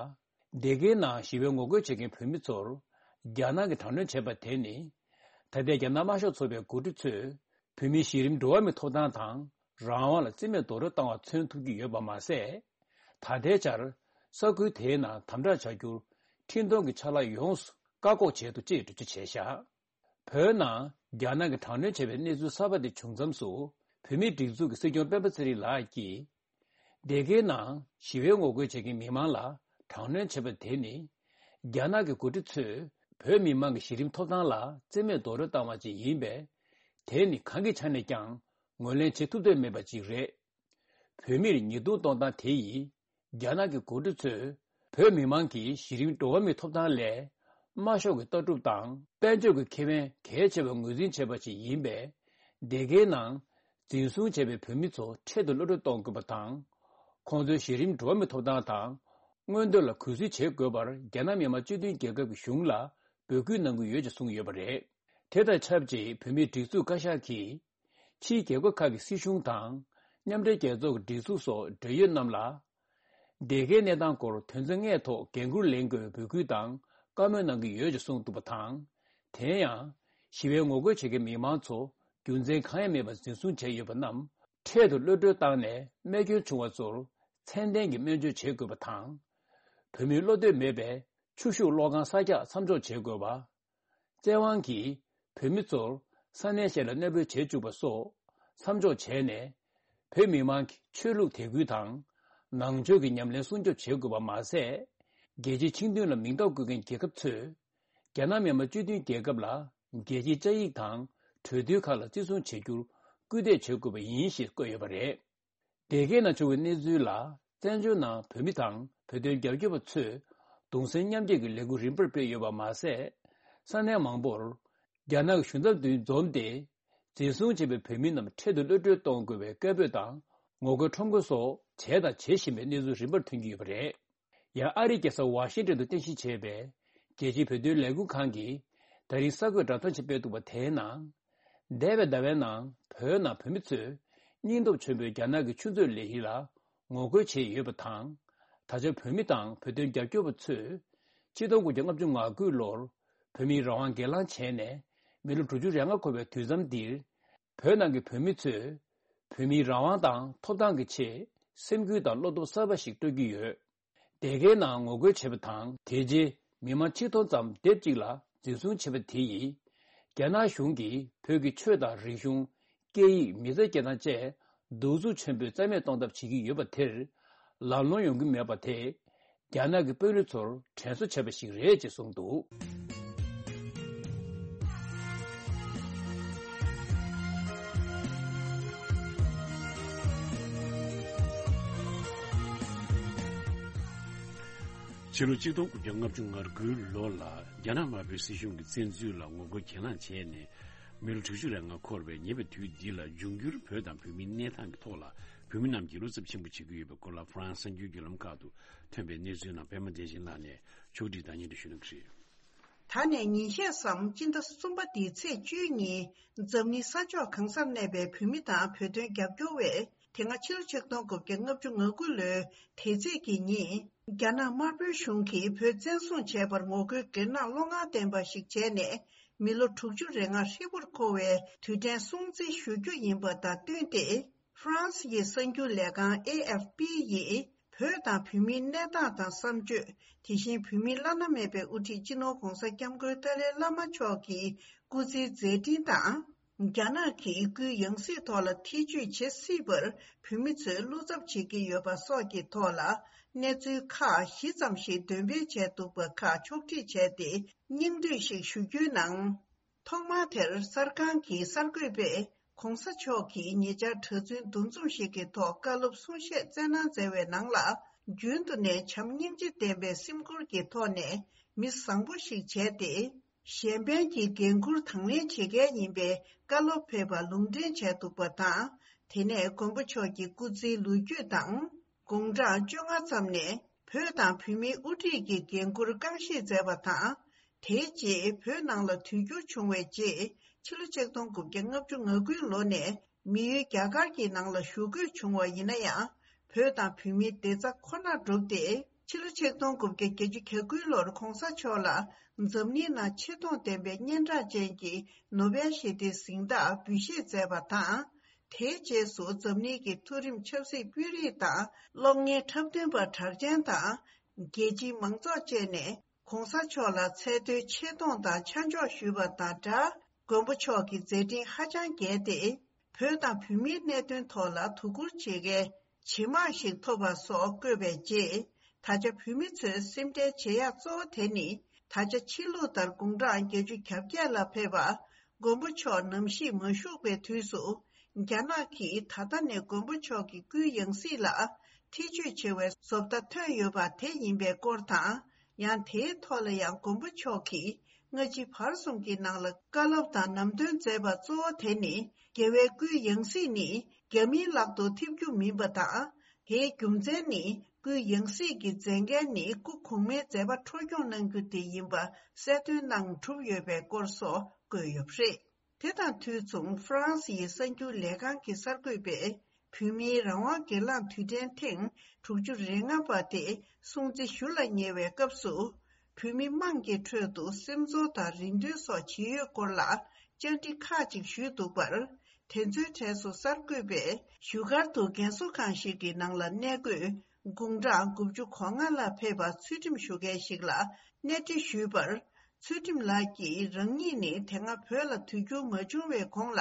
སྡེ་དགེའི་ནང་ཞི་བའི་ངོ་རྒོལ་བྱེད་མཁན་བོད་མི་ཚོར་རྒྱ་ནག་གིས་དྲག་གནོན་བྱས་པ་དེ་ནི། ད་ལྟའི་རྒྱ་ནག་དམར་ཤོག་ཚོགས་པའི་འགོ་ཁྲིད་ཚོས། བོད་མིའི་གཞི་རིམ་འགྲོ་བ་མིའི་ཐོབ་ཐང་དང་རང་དབང་ལ་རྩིས་མེད་རྡོག་རོལ་བཏང་བ་མཚོན་ཐུབ་ཀྱི་ཡོད་པ་མ་ཟད། ད་ལྟའི་ཆར་ ས་ཁུལ་དེའི་ནང་དམ་དྲག་བྱ་རྒྱུར་འཕྲིན་གཏོང་གི་ཕྱག་ལས་ཡོངས་སུ་བཀག་འགོག་བྱས་འདུག་ཅེས་འགྲེལ་བརྗོད་བྱས་བཞག་བོད་ནང་རྒྱ་ནག་གིས་དྲག་གནོན་བྱས་པའི་གནས་ཚུལ་གསར་པ་དེ་བྱུང་མཚམས་སུ། བོད་མིའི་སྒྲིག་འཛུགས་ཀྱི་སྲིད་སྐྱོང་སྤེན་པ་ཚེ་རིང་ལགས་ཀྱིས། སྡེ་དགེའི་ནང་ཞི་བའི་ངོ་རྒོལ་བྱེད་མཁན་མི་མང་ལ་དྲག་གནོན་བྱས་པ་དེ་ནི། རྒྱ་ནག་གི་འགོ་ཁྲིད་ཚོས་བོད་མི་མང་གི་གཞི་རིམ་ཐོབ་ཐང་ལ་བརྩི་མེད་རྡོག་རོལ་བཏང་བ་ཅིག་ཡིན་པས། དེ་ནི་གང་གི་ཆ་ནས་ཀྱང་ངོས་ལེན་བྱེད་ཐུབ་འདོད་མེད་པ་ཅིག་རེད། བོད་མིར་ཉེས་རྡུང་གཏོང་སྟངས་དེ་ཡིས། རྒྱ་ནག་གི་འགོ་ཁྲིད་ཚོས་བོད་མི་མང་གི་གཞི་རིམ་འགྲོ་བ་མིའི་ཐོབ་ཐང་ལས། དམར་ཤོག་གི་ལྟ་གྲུབ་དང་དཔལ་འབྱོར་གྱི་ཁེ་ཕན་གལ་ཆེ་བར་ངོས་འཛིན་བྱས་པ་ཞིག་ཡིན་པས། སྡེ་དགེའི་ནང་འཛིན་བཟུང་བྱས་པའི་བོད་མི་ཚོ་འཕྲལ་དུ་གློད་གྲོལ་གཏོང་དགོས་པ་དང་། ཁོང་ཚོའི་གཞི་རིམ་འགྲོ་བ་མིའི་ཐོབ་ཐང་དང་། མངོན་འདོད་ལ་གུས་བརྩི་བྱེད་དགོས་པར་རྒྱ་ནག་མི་དམངས་སྤྱི་མཐུན་རྒྱལ་ཁབ་ཀྱི་གཞུང་ལ་འབོད་སྐུལ་གནང་གི་ཡོད་ཅེས་གསུངས་ཡོད་པ་རེད། དེ་དང་ཆབས་ཅིག་བོད་མིའི་སྒྲིག་འཛུགས་བཀའ་ཤག་གིས། ཕྱིའི་རྒྱལ་ཁབ་ཁག་གི་སྲིད་གཞུང་དང་། མཉམ་འབྲེལ་རྒྱལ་ཚོགས་ཀྱི་སྒྲིག་འཛུགས་སོགས་འབྲེལ་ཡོད་རྣམས་ལ། སྡེ་དགེའི་གནས་སྟངས་སྐོར་དོན་ཚན་ལྔའི་ཐོག་འགན་འཁུར་ལེན་དགོས་པའི་འབོད་སྐུལ་དང་བཀའ་མོལ་གནང་གི་ཡོད་ཅེས་གསུངས་འདུག་པ་དང་། དེ་ཡང་། ཞི་བའི་ངོ་རྒོལ་བྱེད་མཁན་མི་མང་ཚོ་རྒྱུ་མཚན་གང་ཡང་མེད་པར་འཛིན་བཟུང་བྱས་ཡོད་པ་རྣམས་འཕྲལ་དུ་གློད་གྲོལ་བཏང་ནས་རྨས་སྐྱོན་བྱུང་བ་ཚོར་ཚད་ལྡན་གྱི་སྨན་བཅོས་བྱེད་དགོས་པ་དང་། བོད་མིའི་བློ་འདོད་མེད་པའི་ཆུ་ཤུགས་གློག་ཁང་གསར་རྒྱག་མཚམས་འཇོག་བྱེད་དགོས་པ། བཙན་དབང་གིས་བོད་མི་ཚོར་ས་གནས་གཞན་ལ་གནས་སྤོས་བྱེད་བཅུག་པ་སོགས་མཚམས་འཇོག་བྱས་ནས། བོད་མི་མང་གི་ཆོས་ལུགས་དད་གུས་དང་། ནང་ཆོས་ཀྱི་ཉམས་ལེན་སྲུང་སྐྱོབ་བྱེད་དགོས་པ་མ་ཟད། རྒྱལ་སྤྱིའི་ཆིངས་དོན་ལ་མིང་རྟགས་བཀོད་མཁན་རྒྱལ་ཁབ་ཚོས། རྒྱ་ནག་མི་དམངས་སྤྱི་མཐུན་རྒྱལ་ཁབ་ལ་རྒྱལ་སྤྱིའི་བཅའ་ཡིག་དང་གྲོས་མཐུན་ཁག་ལ་བརྩི་སྲུང་བྱེད་རྒྱུར་སྐུལ་འདེད་བྱེད་དགོས་པ་ཡིན་ཞེས་བཀོད་ཡོད་པ་རེད། སྡེ་དགེ་ནང་བྱུང་བའི་གནས་ཚུལ་ལ། བཙན་བྱོལ་ནང་བོད་མི་དང་བོད་དོན་རྒྱབ་སྐྱོར་བ་ཚོས་གདུང་སེམས་མཉམ་སྐྱེད་ཀྱི་ལས་འགུལ་རིམ་པར་སྤེལ་ཡོད་པ་མ་ཟད། ས་གནས་མང་པོར། རྒྱ་ནག་གི་གཞུང་ཚབ་མདུན་འཛོམས་ཏེ། འཛིན་བཟུང་བྱས་པའི་བོད་མི་རྣམས་འཕྲལ་དུ་གློད་གྲོལ་གཏོང་དགོས་པའི་སྐད་འབོད་དང་ངོ་རྒོལ་ཁྲོམ་སྐོར་སོགས་བྱས་དང་བྱེད་བཞིན་པའི་གནས་ཚུལ་རིམ་པར་ཐོན་གྱི་ཡོད་པ་རེད། ཡང་ཨ་རིའི་རྒྱལ་ས་ཝ་ཤིང་ཏོན་དུ་རྟེན་གཞི་བྱས་པའི་རྒྱལ་སྤྱིའི་བོད་དོན་ལས་འགུལ་ཁང་གིས་ད་རིང་གསར་འགོད་བསྒྲགས་གཏམ་ཞིག་སྤེལ་འདུག་པ། དེའི་ནང་། འདས་པའི་ཟླ་བའི་ནང་བོད་ནང་བོད་མི་ཚོས་སྙིང་སྟོབས་ཆེན་པོས་རྒྱ་ནག་གི་ཆུ་མཛོད་ལས་གཞི་ལ་ངོ་རྒོལ་བྱས་ཡོད་པ་དང་། ད་ཆ་བོད་མི་དང་བོད་དོན་རྒྱབ་སྐྱོར་བ་ཚོས་ཆིག་སྟོང་དགུ་བརྒྱ་ལྔ་བཅུ་ང་དགུ་ལོར་བོད་མིའི་རང་དབང་སྒེར་ལངས་བྱས་ནས་མི་ལོ་དྲུག་ཅུ་རེ་ལྔ་འཁོར་བའི་དུས་མཚམས་འདིར། བོད་ནང་གི་བོད་མི་ཚོས་བོད་མིའི་རང་དབང་དང་ཐོབ་ཐང་གི་ཆེད་སེམས་འགུལ་དང་བློ་སྟོབས་གསར་པ་ཞིག་སྤྲོད་ཀྱི་ཡོད། སྡེ་དགེའི་ནང་ངོ་རྒོལ་བྱས་པ་དང་། དེ་རྗེས་མི་མང་ཆིག་སྟོང་ཙམ་སྡེབ་གཅིག་ལ་འཛིན་བཟུང་བྱས་པ་དེ་ཡིས། རྒྱ་ནག་གཞུང་གིས་བོད་ཀྱི་ཆོས་དང་རིག་གཞུང་། སྐད་ཡིག་མི་ཚེ་སྐྱེལ་སྟངས་བཅས་གདུག་རྩུབ་ཆེན་པོས་རྩ་མེད་གཏོང་ཐབས་བྱེད་ཀྱི་ཡོད་པ་དེར། ལམ་ལྷོང་ཡོང་གི་མེད་པ་དེས། རྒྱ་ནག་གི་དཔོན་རིགས་ཚོར་དྲན་གསོ་བྱས་པ་ཞིག་རེད་ཅེས་གསུངས་འདུག་ཕྱི་ལོ་ཆིག་སྟོང་དགུ་བརྒྱ་ལྔ་བཅུ་ང་དགུའི་ལོ་ལ་རྒྱ་ནག་དམར་པོའི་སྲིད་གཞུང་གི་བཙན་འཛུལ་ལ་ངོ་རྒོལ་གྱེན་ལངས་བྱས་ནས། མི་ལོ་དྲུག་ཅུ་རེ་ལྔ་འཁོར་བའི་ཉེ་བའི་དུས་འདི་ལ་འབྱུང་འགྱུར་བོད་དང་བོད་མིའི་གནས་སྟངས་ཀྱི་ཐོག་ལ་བོད་མི་རྣམས་ཀྱིས་བློ་འཚབ་ཆེན་པོ་བྱེད་ཀྱི་ཡོད་པའི་སྐོར་ལ་ཧྥ་རན་སི་གསར་འགྱུར་བརྒྱུད་ལམ་ཁག་ཏུ་ཐོན་པའི་གནས་ཚུལ་ནང་པད་མ་བདེ་ཆེན་ལགས་ནས་ཕྱོགས་བསྒྲིགས་དང་སྙན་སྒྲོན་ཞུ་གནང་གི་རེད། ད་ནས་ཉིན་ཤས་སམ་སྤྱི་ཟླ་གསུམ་པ་འདིའི་ཚེས་བཅུའི་ཉིན་འཛམ་གླིང་ས་ཕྱོགས་གང་སར་གནས་པའི་བོད་མི་དང་བོད་དོན་རྒྱབ་སྐྱོར་བས། དེ་སྔ་ཕྱི་ལོ་ཆིག་སྟོང་དགུ་བརྒྱ་ལྔ་བཅུ་ང་དགུ་ལོའི་དེ་ཚེས་ཀྱི་ཉིན། རྒྱ་ནག་དམར་པོའི་གཞུང་གིས་བོད་བཙན་བཟུང་བྱས་པར་ངོ་རྒོལ་སྒེར་ནག་བློ་ངན་ལྡན་པ་ཞིག་བྱས་ནས། མི་ལོ་དྲུག་ཅུ་རེ་ལྔ་ཧྲིལ་པོར་འཁོར་བའི་དུས་དྲན་སྲུང་བརྩི་ཞུ་རྒྱུ་ཡིན་པ་དང་བསྟུན་ཏེ། ཧྥ་རན་སི་ཡི་གསར་འགྱུར་ལས་ཁང་ཨེ་ཨེཕ་པི་ཡིས། བོད་དང་བོད་མིའི་གནས་སྟངས་དང་བསམ་སྤྱོད། དེ་བཞིན་བོད་མིའི་བླ་ན་མེད་པའི་དབུ་ཁྲིད་སྤྱི་ནོར་༧གོང་ས་༧སྐྱབས་མགོན་ཏཱ་ལའི་བླ་མ་མཆོག་གི་སྐུ་ཚེའི་མཛད་འཕྲིན་དང་། རྒྱ་ནག་གིས་སྐུའི་ཡང་སྲིད་ཐོག་ལ་ཐེ་བྱུས་བྱེད་སྲིད་པར་བོད་མི་ཚོས་བློ་འཚབ་བྱེད་ཀྱི་ཡོད་པ་སོགས་ཀྱི་ཐོག་ལ་གནས་ཚུལ་ཁག་བཞི་ཙམ་ཞིག་འདོན་སྤེལ་བྱས་འདུག་པ་ཁག་ཕྱོགས་སྒྲིག་བྱས་ཏེ་སྙིང་བསྡུས་ཤིག་ཞུ་རྒྱུའི་ནང་། ཐོག་མར་དེར་གསར་ཁང་གི་གསར་འགོད་པས་༧གོང་ས་མཆོག་གིས་ཉེ་ཆར་གྲྭ་བཙུན་འདུ་འཛོམས་ཤིག་གི་ཐོག་བཀའ་སློབ་གསུང་བཤད་སྩལ་གནང་མཛད་པའི་ནང་ལ། རྒྱུན་དུ་ནས་བྱམས་སྙིང་རྗེ་ལྡན་པའི་སེམས་ཁུར་གྱི་ཐོག་ནས་མི་བཟང་པོ་ཞིག་བྱས་ཏེ། གཞན་ཕན་གྱི་འགན་འཁུར་དང་ལེན་བྱེད་མཁན་ཡིན་པའི་བཀའ་སློབ་ཕེབས་པ་ལུང་འདྲེན་བྱས་འདུག་པ་དང་། དེ་ནས་མགོན་པོ་མཆོག་གི་སྐུ་ཚེའི་ལོ་རྒྱུས་དང་། དགུང་གྲངས་བཅོ་ལྔ་ཙམ་ནས་བོད་དང་བོད་མིའི་དབུ་ཁྲིད་ཀྱི་འགན་འཁུར་རྐང་བཞེས་མཛད་པ་དང་། དེའི་རྗེས་བོད་ནང་ལ་དུས་འགྱུར་བྱུང་བའི་རྗེས་ཕྱི་ལོ་ཆིག་སྟོང་དགུ་བརྒྱ་ལྔ་བཅུ་ང་དགུའི་ལོ་ནས་མི་ཡུལ་རྒྱ་གར་གྱི་ནང་ལ་བཞུགས་དགོས་བྱུང་བ་ཡིན་ན་ཡང་། བོད་དང་བོད་མིའི་བདེ་རྩ་ཁོ་ནར་བསྒྲུབས་ཏེ། ཕྱི་ལོ་ཆིག་སྟོང་དགུ་བརྒྱ་བརྒྱད་ཅུ་གྱ་དགུའི་ལོར་༧གོང་ས་མཆོག་ལ་འཛམ་གླིང་ནང་ཆེ་མཐོང་ལྡན་པའི་སྙན་གྲགས་ཅན་གྱི་ནོ་བེལ་ཞི་བདེའི་གཟེངས་རྟགས་འབུལ་བཞེས་མཛད་པ་དང་། དེའི་རྗེས་སུ་འཛམ་གླིང་གི་མཐོ་རིམ་ཆབ་སྲིད་དཔོན་རིགས་དང་གློག་བརྙན་འཁྲབ་སྟོན་པ་གྲགས་ཅན་དང་ རྒྱལ་སྤྱིའི་མང་ཚོགས་བཅས་ནས་གོང་ས་མཆོག་ལ་ཚད་མཐོའི་ཆེ་མཐོང་དང་ཆ་འཇོག་ཞུས་པ་དང་སྦྲགས། མགོན་པོ་མཆོག་གི་མཛད་འཕྲིན་ཧ་ཅང་རྒྱས་ཏེ། བོད་དང་བོད་མིའི་གནད་དོན་ཐོག་ལ་དོ་ཁུར་བྱེད་མཁན་ཇེ་མང་ཞིག་ཐོབ་པ་སོགས་བཀོད་པའི་རྗེས། ད་ཆ་བོད་མི་ཚོས་སེམས་ཁྲལ་བྱེད་ཡག་གཙོ་བོ་དེ་ནི། ད་ཆ་ཕྱི་ལུགས་ལྟར་དགུང་གྲངས་བརྒྱད་ཅུ་གྱ་བརྒྱད་ལ་ཕེབས་པ། མགོན་པོ་མཆོག་ནམ་ཞིག་མ་བཞུགས་པའི་དུས་སུ། རྒྱ་ནག་གིས་ད་ལྟ་ནས་མགོན་པོ་མཆོག་གི་སྐུའི་ཡང་སྲིད་ལ་ཐེ་བྱུས་བྱེད་པའི་བཟོ་ལྟ་ཐོན་ཡོད་པ་དེ་ཡིན་པའི་སྐོར་དང་། ཡང་དེའི་ཐོག་ལ་ཡང་མགོན་པོ་མཆོག་གིས་སྔ་ཕྱི་བར་གསུམ་གྱི་ནང་ལ་བཀའ་སློབ་དང་ནམ་སྟོན་མཛད་པ་གཙོ་བོ་དེ་ནི། རྒྱལ་བའི་སྐུའི་ཡང་སྲིད་ནི་རྒྱ་མིའི་ལག་ཏུ་ཐེབས་རྒྱུ་མིན་པ་དང་། དེའི་རྒྱུ་མཚན་ནི། སྐུའི་ཡང་སྲིད་ཀྱི་མཛད་འགན་ནི་སྐུ་གོང་མའི་མཛད་པ་འཕྲོ་སྐྱོང་གནང་རྒྱུ་དེ་ཡིན་པ་གསལ་སྟོན་གནང་གྲུབ་ཡོད་པའི་སྐོར་སོགས་བཀོད་ཡོད་པ་རེད། དེ་དང་དུས་མཚུངས་ཧྥ་རན་སིའི་གསར་འགྱུར་ལས་ཁང་གི་གསར་འགོད་པས། བོད་མིའི་རང་དབང་སྒེར་ལངས་དུས་དྲན་ཐེངས་དྲུག་ཅུ་རེ་ལྔ་པ་དེ་སྲུང་བརྩི་ཞུ་ལ་ཉེ་བའི་སྐབས་སུ། བོད་མི་དམངས་ཀྱི་ཁྲོད་དུ་སེམས་ཚོར་དང་རེ་འདུན་སོགས་ཇི་ཡོད་སྐོར་ལ་བཅར་འདྲི་ཁག་ཅིག་ཞུས་འདུག་པར། དེ་ཚོའི་གྲས་སུ་གསར་འགོད་པས་བཞུགས་སྒར་དུ་རྒན་གསོ་ཁང་ཞིག་གི་ནང་ལ་གནས་འཁོད་དགུང་གྲངས་དགུ་བཅུ་གོ་ལྔ་ལ་ཕེབས་པ་ཚུལ་ཁྲིམས་ཞུ་མཁན་ཞིག་ལ་གནས་འདྲི་ཞུས་པར། ཚུལ་ཁྲིམས་ལགས་ཀྱིས་རང་ཉིད་ནི་དེ་སྔ་བོད་ལ་དུས་འགྱུར་མ་བྱུང་བའི་གོང་ལ་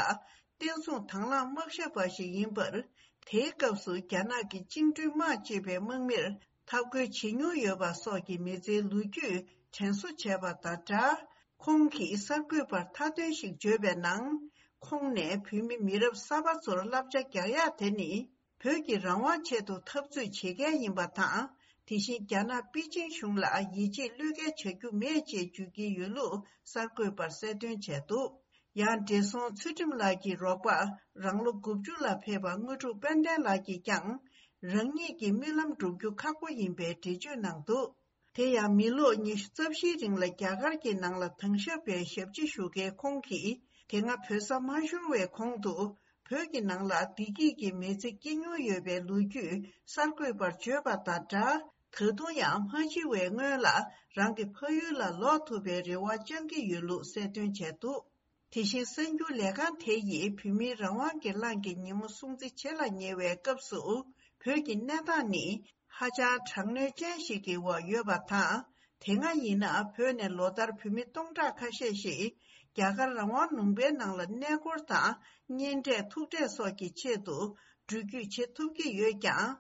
བསྟན་སྲུང་དང་བླངས་དམག་ཞབས་པ་ཞིག་ཡིན་པར། དེའི་སྐབས་སུ་རྒྱ་ནག་གི་བཅིངས་འགྲོལ་དམག་ཅེས་པའི་དམག་མིར་འཐབ་རྒོལ་བྱེད་མྱོང་ཡོད་པ་སོགས་ཀྱི་མི་ཚེའི་ལོ་རྒྱུས་དྲན་གསོ་བྱས་པ་དང་སྦྲགས། ཁོང་གིས་གསར་འགོད་པར་མཐའ་དོན་ཞིག་བརྗོད་པའི་ནང་། ཁོང་ནས་བོད་མི་མི་རབས་གསར་པ་ཚོར་བསླབ་བྱ་རྒྱག་ཡག་དེ་ནི། བོད་ཀྱི་རང་དབང་ཆེད་དུ་འཐབ་རྩོད་བྱེད་མཁན་ཡིན་པ་དང་། དེ་བཞིན་རྒྱ་ནག་པེ་ཅིང་གཞུང་ལ་ཡིད་ཆེས་བློས་འགེལ་བྱ་རྒྱུ་མེད་ཅེས་བརྗོད་ཀྱི་ཡོད་ལུགས་གསར་འགོད་པར་གསལ་སྟོན་བྱས་འདུག་ཡང་བགྲེས་སོང་ཚུལ་ཁྲིམས་ལགས་ཀྱི་རོགས་པ་རང་ལོ་དགུ་བཅུ་ལ་ཕེབས་པ་དངོས་གྲུབ་དཔལ་ལྡན་ལགས་ཀྱིས་ཀྱང་། རང་ཉིད་ཀྱི་རྨི་ལམ་འགྲུབ་རྒྱུ་ཁག་པོ་ཡིན་པའི་འགྲེལ་བརྗོད་གནང་འདུག་དེ་ཡང་མི་ལོ་ཉི་ཤུ་རྩ་བཞིའི་རིང་ལ་རྒྱ་གར་གྱི་ནང་ལ་དྭང་ཞབས་པའི་ཞབས་ཕྱི་ཞུ་མཁན་ཁོང་གིས། དེ་སྔ་བོད་ས་མ་ཤོར་བའི་གོང་དུ་བོད་ཀྱི་ནང་ལ་བདེ་སྐྱིད་ཀྱི་མི་ཚེ་སྐྱེལ་མྱོང་ཡོད་པའི་ལོ་རྒྱུས་གསར་འགོད་པར་བརྗོད་པ་དང་སྦྲགས། ད་དུང་ཡང་མ་འཆི་བའི་སྔོན་ལ་རང་གི་ཕ་ཡུལ་ལ་ལོག་ཐུབ་པའི་རེ་བ་བཅང་གི་ཡོད་ལུགས་གསལ་སྟོན་བྱས་འདུག་དེ་བཞིན་གསར་འགྱུར་ལས་ཁང་དེ་ཡིས་བོད་མིའི་རང་དབང་སྒེར་ལངས་ཀྱི་ཉིན་མོ་སྲུང་བརྩི་བྱེད་ལ་ཉེ་བའི་སྐབས་སུ། བོད་ཀྱི་གནས་སྟངས་ནི་ཧ་ཅང་དྲག་གནོན་ཅན་ཞིག་གི་འོག་ཡོད་པ་དང་། དེ་སྔ་ཡིན་ན་བོད་ནས་ལོ་ལྟར་བོད་མི་སྟོང་ཕྲག་ཁ་ཤས་ཤིག་རྒྱ་གར་རང་དབང་ལུང་པའི་ནང་ལ་གནས་སྐོར་དང་གཉེན་འཕྲད་ཐུག་འཕྲད་སོགས་ཀྱི་ཆེད་དུ་འགྲུལ་སྐྱོད་བྱེད་ཐུབ་ཀྱི་ཡོད་ཀྱང་།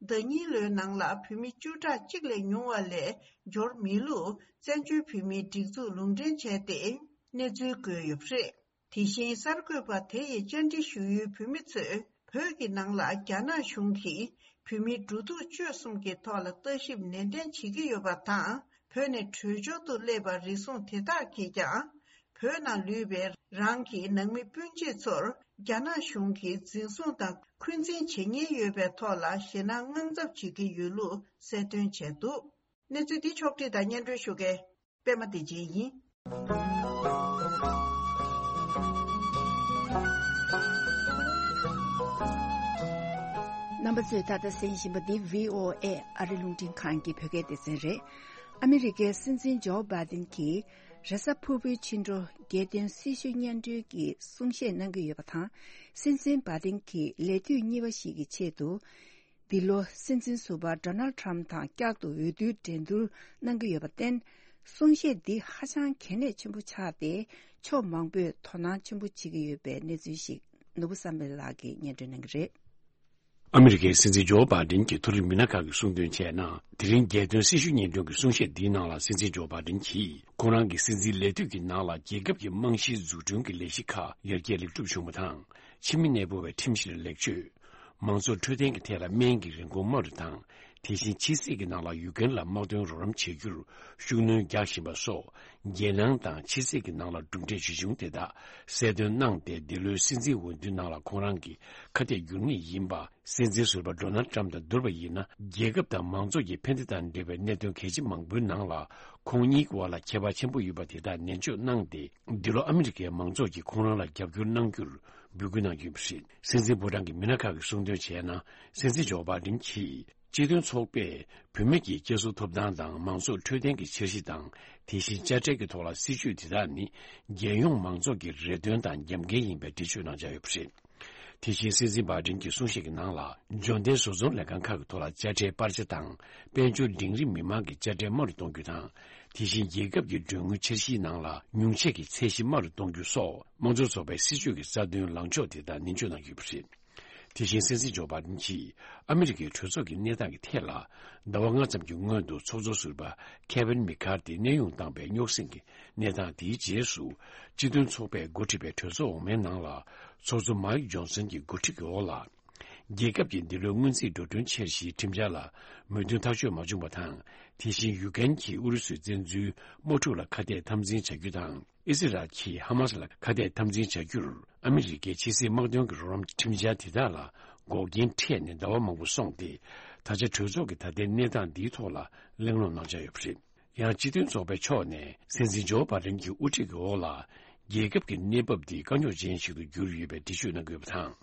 ཟླ་གཉིས་ལོའི་ནང་ལ་བོད་མི་བཅུ་ཕྲག་གཅིག་ལས་ཉུང་བ་ལས་འབྱོར་མེད་ལུགས་བཙན་བྱོལ་བོད་མིའི་སྒྲིག་འཛུགས་ལུང་འདྲེན་བྱས་ཏེ། གནས་ཚུལ་བཀོད་ཡོད་པ་རེད། དེ་བཞིན་གསར་འགོད་པ་དེ་ཡི་བཅར་འདྲི་ཞུ་ཡུལ་བོད་མི་ཚོས་བོད་ཀྱི་ནང་ལ་རྒྱ་ནག་གཞུང་གིས་བོད་མིའི་འགྲོ་འདུག་སྤྱོད་གསུམ་གྱི་ཐོག་ལ་ལྟ་ཞིབ་ནན་ཏན་བྱེད་ཀྱི་ཡོད་པ་དང་། བོད་ནས་བྲོས་བྱོལ་དུ་སླེབས་པ་རེ་ཟུང་དེ་དག་གིས་ཀྱང་། བོད་ནང་ལུས་པའི་རང་གི་ནང་མི་སྤུན་མཆེད་ཚོར་རྒྱ་ནག་གཞུང་གིས་འཛིན་བཟུང་དང་འཁོན་འཛིན་བྱེད་ཉེན་ཡོད་པའི་ཐོག་ལ་ཞེད་སྣང་དངངས་འཚབ་བྱེད་ཀྱི་ཡོད་ལུགས་གསལ་སྟོན་བྱས་འདུག་གནས་ཚུལ་འདི་ཕྱོགས་བསྒྲིགས་དང་སྙན་སྒྲོན་ཞུ་མཁན་པད་མ་བདེ་ཆེན་ཡིན། རྣམ་པ་ཚོས་ད་ལྟ་གསན་བཞིན་པ་འདི་བྷི་ཨོ་ཨེ་ཨ་རི་རླུང་འཕྲིན་ཁང་གི་བོད་སྐད་སྡེ་ཚན་རེད། ཨ་མི་རི་ཀའི་སྲིད་འཛིན་ཇོ་བྷ་དིན་གྱིས་རེས་གཟའ་ཕུར་བུའི་ཕྱི་དྲོ་རྒྱལ་དོན་སྲི་ཞུ་སྙན་སྒྲོན་གྱི་གསུང་བཤད་གནང་གི་ཡོད་པ་དང་། སྲིད་འཛིན་བྷ་དིན་གྱིས་ལས་དུས་གཉིས་པ་ཞིག་གི་ཆེད་དུ། འདི་ལོ་སྲིད་འཛིན་ཟུར་པ་ཌོ་ནལ་ཊམ་དང་བསྐྱར་དུ་འོས་བསྡུའི་འགྲན་བསྡུར་གནང་གི་ཡོད་པར་བརྟེན། གསུང་བཤད་འདི་ཧ་ཅང་གལ་གནད་ཆེན་པོ་ཆགས་ཏེ། ཕྱོགས་མང་པོས་དོ་སྣང་ཆེན་པོ་བྱེད་ཀྱི་ཡོད་པའི་གནས་ཚུལ་ཞིག་ནོར་བུ་བསམ་འཕེལ་ལགས་ཀྱིས་སྙན་སྒྲོན་གནང་གི་རེད། ཨ་མི་རི་ཀའི་སྲིད་འཛིན་ཇོ་བྷ་དིན་གྱིས་མཐོ་རིམ་མི་སྣ་ཁག་གིས་གསུངས་དོན་བྱས་ན། དེ་རིང་རྒྱལ་དོན་སྲི་ཞུ་སྙན་སྒྲོན་གྱི་གསུང་བཤད་འདིའི་ནང་ལ། སྲིད་འཛིན་ཇོ་བྷ་དིན་གྱིས་ཁོང་རང་གི་སྲིད་འཛིན་ལས་དུས་ཀྱི་ནང་ལ་རྒྱལ་ཁབ་ཀྱི་རྨང་གཞིའི་འཛུགས་སྐྲུན་གྱི་ལས་གཞི་ཁག་ཡར་རྒྱས་ལེགས་གྲུབ་བྱུང་བ་དང་། ཕྱི་མི་གནས་སྤོ་བའི་ཁྲིམས་གཞིར་ལེགས་བཅོས། མང་གཙོ་འཕྲོད་བསྟེན་གྱི་ཐད་ལ་སྨན་གྱི་རིན་གོང་དམའ་རུ་བཏང་། དེ་བཞིན་ཕྱི་སྲིད་ཀྱི་ནང་ལ་ཡུཀ་རེན་ལ་དམག་དོན་རོགས་རམ་བྱེད་རྒྱུར་ཤུགས་སྣོན་རྒྱག་བཞིན་པ་སོགས། རྒྱལ་ནང་དང་ཕྱི་སྲིད་ཀྱི་ནང་ལ་གྲུབ་འབྲས་ཇི་བྱུང་དེ་དག་གསལ་སྟོན་གནང་སྟེ། འདི་ལོའི་སྲིད་འཛིན་འོས་བསྡུའི་ནང་ལ་ཁོང་རང་གི་ཁ་གཏད་འགྱུར་ངེས་ཡིན་པ། སྲིད་འཛིན་ཟུར་པ་ཌོ་ནལ་ཊམ་དང་བསྡུར་བ་ཡིན་ན། རྒྱལ་ཁབ་དང་མང་ཚོགས་ཀྱི་ཕན་བདེ་དང་འབྲེལ་བའི་གནད་དོན་གལ་ཆེ་མང་པོའི་ནང་ལ། ཁོང་གཉིས་ཀྱི་བར་ལ་ཁྱད་པར་ཆེན་པོ་ཡོད་པ་དེ་དག་ནན་བརྗོད་གནང་སྟེ། འདི་ལོ་ཨ་མི་རི་ཀའི་མང་ཚོགས་ཀྱིས་ཁོང་རང་ལ་རྒྱབ་སྐྱོར་གནང་རྒྱུར་འབོད་སྐུལ་གནང་རྒྱུ་ཡིན་པ་རེད། སྲིད་འཛིན་ཕོ་བྲང་གི་མི་སྣ་ཁག་གིས་གསུངས་དོན་བྱས་ན། སྲིད་འཛིན་ཇོ་བྷ་དིན་གྱིས་སྤྱི་མཐུན་ཚོགས་པས་བུད་མེད་ཀྱི་སྐྱེས་སོ་ཐོབ་ཐང་དང་མང་གཙོ་འཕྲོད་བསྟེན་གྱི་འཆར་གཞི་དང་། དེ་བཞིན་དཔྱ་ཁྲལ་གྱི་ཐོག་ལ་སྲིད་ཇུས་དེ་དག་ནི། རྒྱལ་ཡོངས་མང་ཚོགས་ཀྱི་རེ་འདུན་དང་རྒྱབ་འགལ་ཡིན་པའི་འགྲེལ་བརྗོད་གནང་འཆར་ཡོད་པ་རེད། དེ་བཞིན་སྲིད་འཛིན་བྷའི་ཌེན་གྱི་གསུང་བཤད་ཀྱི་ནང་ལ། འབྱོར་ལྡན་བཟོ་ཚོང་ལས་ཁང་ཁག་གི་ཐོག་ལ་དཔྱ་ཁྲལ་སྤར་ཆ་དང་། དཔལ་འབྱོར་འབྲིང་རིམ་མི་མང་གི་དཔྱ་ཁྲལ་དམའ་རུ་གཏོང་རྒྱུ་དང་། དེ་བཞིན་རྒྱལ་ཁབ་ཀྱི་མགྲོན་དངུལ་འཆར་གཞིའི་ནང་ལ་ཉུང་ཆད་ཀྱི་ཚད་གཞི་དམའ་རུ་གཏོང་རྒྱུ་སོགས། དམངས་གཙོ་ཚོགས་པའི་སྲིད་བྱུས་ཀྱི་རྩ་དོན་ལངས་ཕྱོགས་དེ་དག་ནན་བརྗོད་གནང་གི་ཡོད་པ་རེད། དེ་བཞིན་སྲིད་འཛིན་ཇོ་བྷའི་ཌེན་གྱིས་ཨ་མི་རི་ཀའི་གྲོས་ཚོགས་ཀྱི་གནས་སྟངས་ཀྱི་ཐད་ལ། ཟླ་བ་ལྔ་ཙམ་གྱི་སྔོན་དུ་ཚོགས་གཙོ་ཟུར་པ་ཁེ་ཝིན་མེག་ཁར་ཐི་གནས་དབྱུང་བཏང་པའི་རྙོག་ཟིང་གི་གནས་སྟངས་དེའི་རྗེས་སུ། སྤྱི་མཐུན་ཚོགས་པས་འགོ་ཁྲིད་པའི་གྲོས་ཚོགས་འོག་མའི་ནང་ལ། ཚོགས་གཙོ་མཱིག་ཇོན་སན་གྱི་འགོ་ཁྲིད་ཀྱི་འོག་ལ། རྒྱལ་ཁབ་ཀྱི་འདི་ལོའི་སྔོན་རྩིས་འགྲོ་གྲོན་འཆར་གཞིའི་ཁྲིམས་འཆར་ལ་མོས་མཐུན་ཐག་གཅོད་མ་བྱུང་བ་དང་། དེ་བཞིན་ཡུ་ཀེན་གྱིས་ཨུ་རུ་སུས་བཙན་འཛུལ་དམག་འཁྲུག་ལ་ཁ་གཏད་དམ་འཛིན་བྱ་རྒྱུ་དང་། ཨི་སི་རལ་གྱིས་ཧ་མ་སི་ལ་ཁ་གཏད་དམ་འཛིན་བྱ་རྒྱུར་ཨ་མི་རི་ཀའི་ཕྱི་སྲིད་དམག་དོན་གྱི་རོགས་རམ་ཁྲིམས་འཆར་དེ་དག་ལ་འགོག་རྐྱེན་འཕྲད་ནས་ཟླ་བ་མང་པོ་སོང་སྟེ། ད་ཆ་གྲོས་ཚོགས་ཀྱི་ད་ལྟའི་གནས་སྟངས་འདིའི་ཐོག་ལ་གླེང་སློང་གནང་འཆར་ཡོད་པ་རེད། ཡང་སྤྱི་མཐུན་ཚོགས་པའི་ཕྱོགས་ནས་སྲིད་འཛིན་ཇོ་བྷའི་ཌེན་གྱི་དབུ་ཁྲིད་ཀྱི་འོག་ལ། རྒྱལ་ཁབ་ཀྱི་གནས་བབ་འདི་དཀའ་རྙོག་ཅན་ཞིག་ཏུ་གྱུར་ཡོད་པའི་འགྲེལ་བརྗོད་གནང་དགོས་པ་དང་།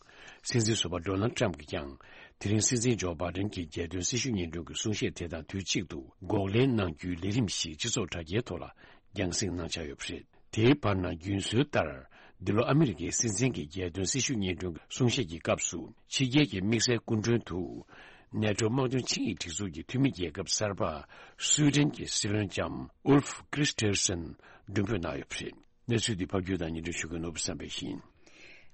སྲིད་འཛིན་ཟུར་པ་ཌོ་ནལ་ཊམ་གྱིས་ཀྱང་། དེ་རིང་སྲིད་འཛིན་ཇོ་བྷའི་ཌེན་གྱི་རྒྱལ་དོན་སྲི་ཞུ་སྙན་སྒྲོན་གྱི་གསུང་བཤད་དེ་དང་དུས་གཅིག་ཏུ། འགོག་ལན་གནང་རྒྱུའི་ལས་རིམ་ཞིག་སྤྱི་ཚོགས་དྲ་རྒྱའི་ཐོག་ལ་རྒྱང་སྲིང་གནང་འཆར་ཡོད་པ་རེད། དེའི་བར་ན། རྒྱུན་སྲོལ་ལྟར། འདི་ལོ་ཨ་མི་རི་ཀའི་སྲིད་འཛིན་གྱི་རྒྱལ་དོན་སྲི་ཞུ་སྙན་སྒྲོན་གྱི་གསུང་བཤད་ཀྱི་སྐབས་སུ། ཕྱི་རྒྱལ་གྱི་དམིགས་བསལ་སྐུ་མགྲོན་དུ། ནེ་ཊོ་དམག་དོན་ཆིངས་ཡིག་སྒྲིག་འཛུགས་ཀྱི་འཐུས་མི་རྒྱལ་ཁབ་གསར་པ། སུའེ་ཌེན་གྱི་སྲིད་བློན་ལྕམ་ཨུལ་ཕ་ཀྲིས་ཊེར་སན་མགྲོན་འབོད་གནང་ཡོད་པ་རེད། གནས་ཚུལ་འདི་ཕབ་སྒྱུར་དང་སྙན་སྒྲོན་ཞུ་མཁན་ནོར་བུ་བསམ་འཕེལ་ཡིན།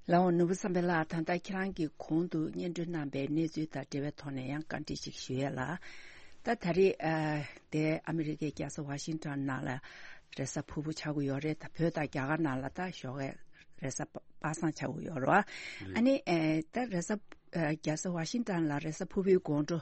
ལགས་འོང་། ནོར་བུ་བསམ་འཕེལ་ལགས། ད་ལྟ་ཁྱེད་རང་གིས་གོང་དུ་སྙན་སྒྲོན་གནང་པའི་གནས་ཚུལ་དང་འབྲེལ་བའི་ཐོག་ནས་ཡང་བཀའ་འདྲི་ཞིག་ཞུ་ཡས་ལ། ད་ད་རེས་ཨ་དེ་ཨ་མི་རི་ཀའི་རྒྱལ་ས་ཝ་ཤིང་ཊོན་ནང་ལ་རེས་གཟའ་ཕུར་བུ་ཆགས་ཀྱི་ཡོད་རེད། ད་བོད་དང་རྒྱ་གར་ནང་ལ་ད་ཞོགས་ཀས་རེས་གཟའ་པ་པ་སངས་ཆགས་ཀྱི་ཡོད་རེད་བ། ཨ་ནི་ཨེ་ད་རེས་གཟའ་ཨ་རྒྱལ་ས་ཝ་ཤིང་ཊོན་ལ་རེས་གཟའ་ཕུར་བུའི་དགོང་དྲོ།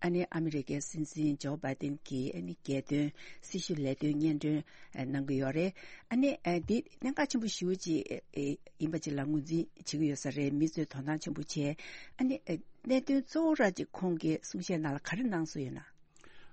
ཨ་ནི་ཨ་མི་རི་ཀའི་སྲིད་འཛིན་ཇོ་བྷའི་ཏིན་གྱིས་ཨ་ནི་རྒྱལ་དོན་སྲི་ཞུ་ལས་དོན་སྙན་སྒྲོན་ཨ་གནང་གི་ཡོད་རེད། ཨ་ནི་ཨ་འདི་གནད་འགག་ཆེན་པོ་ཞེ་པོ་ཅིག་ཨེ་ཡིན་པ་ཅིག་ལ་ངོས་འཛིན་བྱེད་ཀྱི་ཡོད་ས་རེད། མི་ཚོས་དོ་སྣང་ཆེན་པོ་བྱས། ཨ་ནི་ཨ་གནད་དོན་གཙོ་བོ་ར་ཅིག་ཁོང་གི་གསུང་བཤད་ནང་ལ་ག་རེ་གནང་སོང་ཡོད་ན།